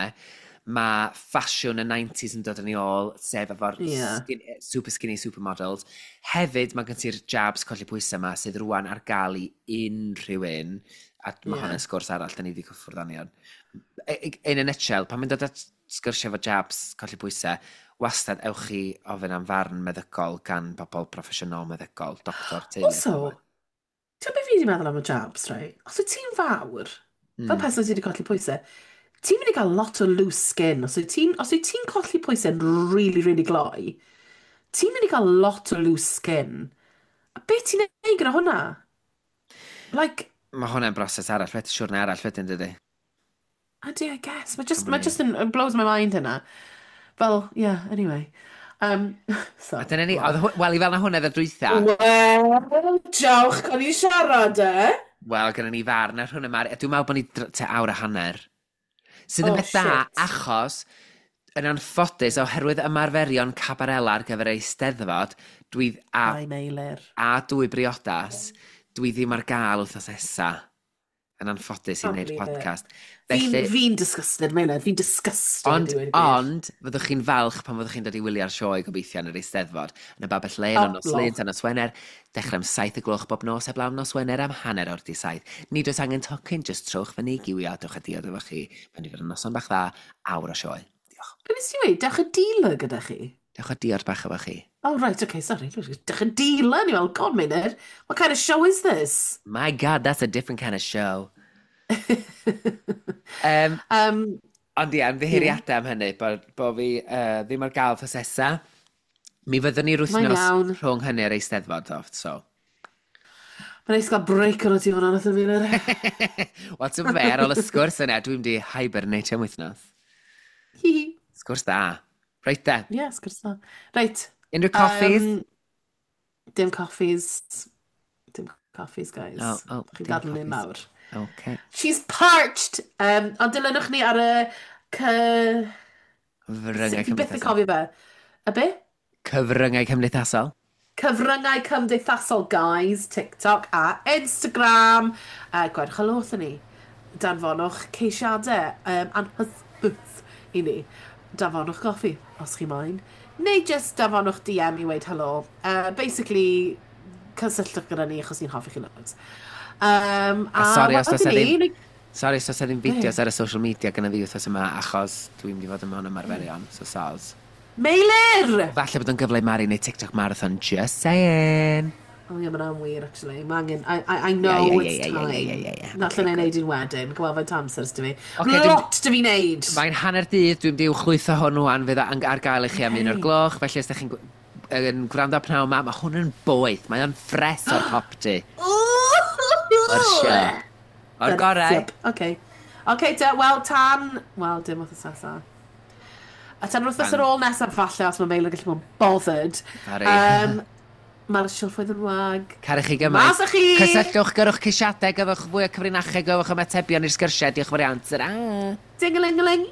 mae ffasiwn y nineties yn dod yn ei ôl, sef efo'r Yeah. skin, super skinny supermodels. Hefyd, mae gen ti'r jabs colli pwysau yma sydd rwan ar gael i unrhyw un, a mae Yeah. hwnna'n sgwrs arall, da ni wedi cyffwrdd arni. Ond in a nutshell, pan mae'n dod at sgyrsiau efo jabs colli pwysau, wastad ewch chi ofyn am farn meddygol gan bobl proffesiynol meddygol, doctor, teulu. Also, ti'n beth fi wedi meddwl am y jabs, right? Os wyt ti'n fawr, mm. fel person sydd wedi colli pwysau, ti'n mynd i gael lot o loose skin. Os wyt ti'n os wyt ti'n colli pwysau'n really, really gloi, ti'n mynd i gael lot o loose skin. A beth ti'n neud gyda hwnna? Like, Mae hwnna'n broses arall, wedyn siwrne arall wedyn, dydy. Ydy, I guess. Mae just, mae just yn, it blows my mind hynna. Fel, yeah, anyway. Um, so, A dyna ni, wel. oedd hw- wel, i fel na hwnna dda dwytha, Wel, diolch, o'n i siarad e. Wel, gyda ni farn ar hwnna, Mari, a dwi'n meddwl bod ni dr- te awr a hanner. Sydd yn Oh, beth da, shit. Achos, yn anffodus, oherwydd ymarferion cabarela ar gyfer Eisteddfod, dwi, a, Ai, Meilir. A dwy briodas, dwi ddim ar gael wythnos nesa. Yn anffodus i Can't wneud believe it. podcast. Fi'n Felly, fi disgusted, Meilir. Fi'n disgusted. Ond, I ddweud y gwir. Ond, fyddwch chi'n falch pan fyddwch chi'n dod i wylio'r sioe gobeithio yn yr Eisteddfod. Yn y Babell Lên, o nos Oh, Lun tan nos Wener, dechrau am saith y gloch bob nos, heblaw am nos Wener am hanner o'r di saith. Nid oes angen tocyn, just trowch fyny i giwio, dewch a diod efo chi. Mae'n i fod yn noson bach dda, awr o sioe. Diolch. Be nes ti weud? Dewch y dealer gyda chi? Dewch a diod bach efo chi. Oh, right, okay, sorry. Dewch y dealer? Ni fel, God, Meilir. What kind of show is this? My God, that's a different kind of show. um, Um, ond ie, ymddiheuriadau am hynny, bod, bo fi uh, ddim ar gael wythnos nesa. Mi fyddwn ni'r Mae'n wythnos iawn. rhwng hynny ar Eisteddfod, though, so. Mae'n neis gael break o'n ti hwnna, nath o Meilir. Wel, ti'n fe, ar ôl y sgwrs yna, dwi'n mynd i hibernate am wythnos. Hi hi. Sgwrs da. Reit de. Ie, sgwrs da. Reit. Unrhyw coffees? Um, dim coffees. Dim coffees, guys. Oh, oh, Chi'n dim gadw ni'n coffees. mawr. Okay. She's parched! Um, ond dilynwch ni ar y cy Cyfryngau Fi byth yn cymdeithasol. cofio fe. Y be? Cyfryngau cymdeithasol. Cyfryngau cymdeithasol, guys. TikTok a Instagram. Uh, Gwedwch helo wrthyn ni. Danfonwch ceisiadau um, anhysbys i ni. Danfonwch goffi, os chi moyn. Neu just danfonwch D M i weud helo. Uh, basically, cysylltwch gyda ni achos ni'n hoffi chi loads. Um, A sori os oes wedyn 'na ddim ni- Sori os oes 'na ddim fideos ar y social media gyda fi wythnos yma, achos dwi'n mynd i fod yn mewn ymarferion, so soz. Meilir! Falle bod yn gyfle i Mari neu TikTok marathon, just saying. Oh ie, mae'n wir, actually. Mae angen. I, I, I know Yeah, yeah, it's yeah, yeah, time. yeah, yeah, yeah, yeah. Na Okay, allan ei good. wneud un wedyn. Gweld faint amser ys fi. Ocê, dwi'n- Lot dy fi wneud! Mae'n hanner dydd, dwi'n mynd i uwchlwytho hwn rwan, fydd o ar gael i chi am un o'r gloch, felly os ydych chi'n gw- yn gwrando pnawn yma, mae hwn yn boeth, mae o'n ffres o'r popty. O'r siop. O'r gorau. Yep, okay. Okay, de, wel, tan. Wel, dim wythnos nesaf. A tan wythnos Tan. ar ôl nesaf, falle, os mae Meilir gallu bod yn bothered. Sorry. Um, Mae'r silffoedd yn wag. Caru chi gymaint. Mas â chi! Cysylltwch, gyrwch ceisiadau, gyfwch fwy o cyfrinachau, gyfwch ymatebion i'r sgyrsiau. Diolch yn fawr iawn. Ta-ra! Ding-a-ling-a-ling!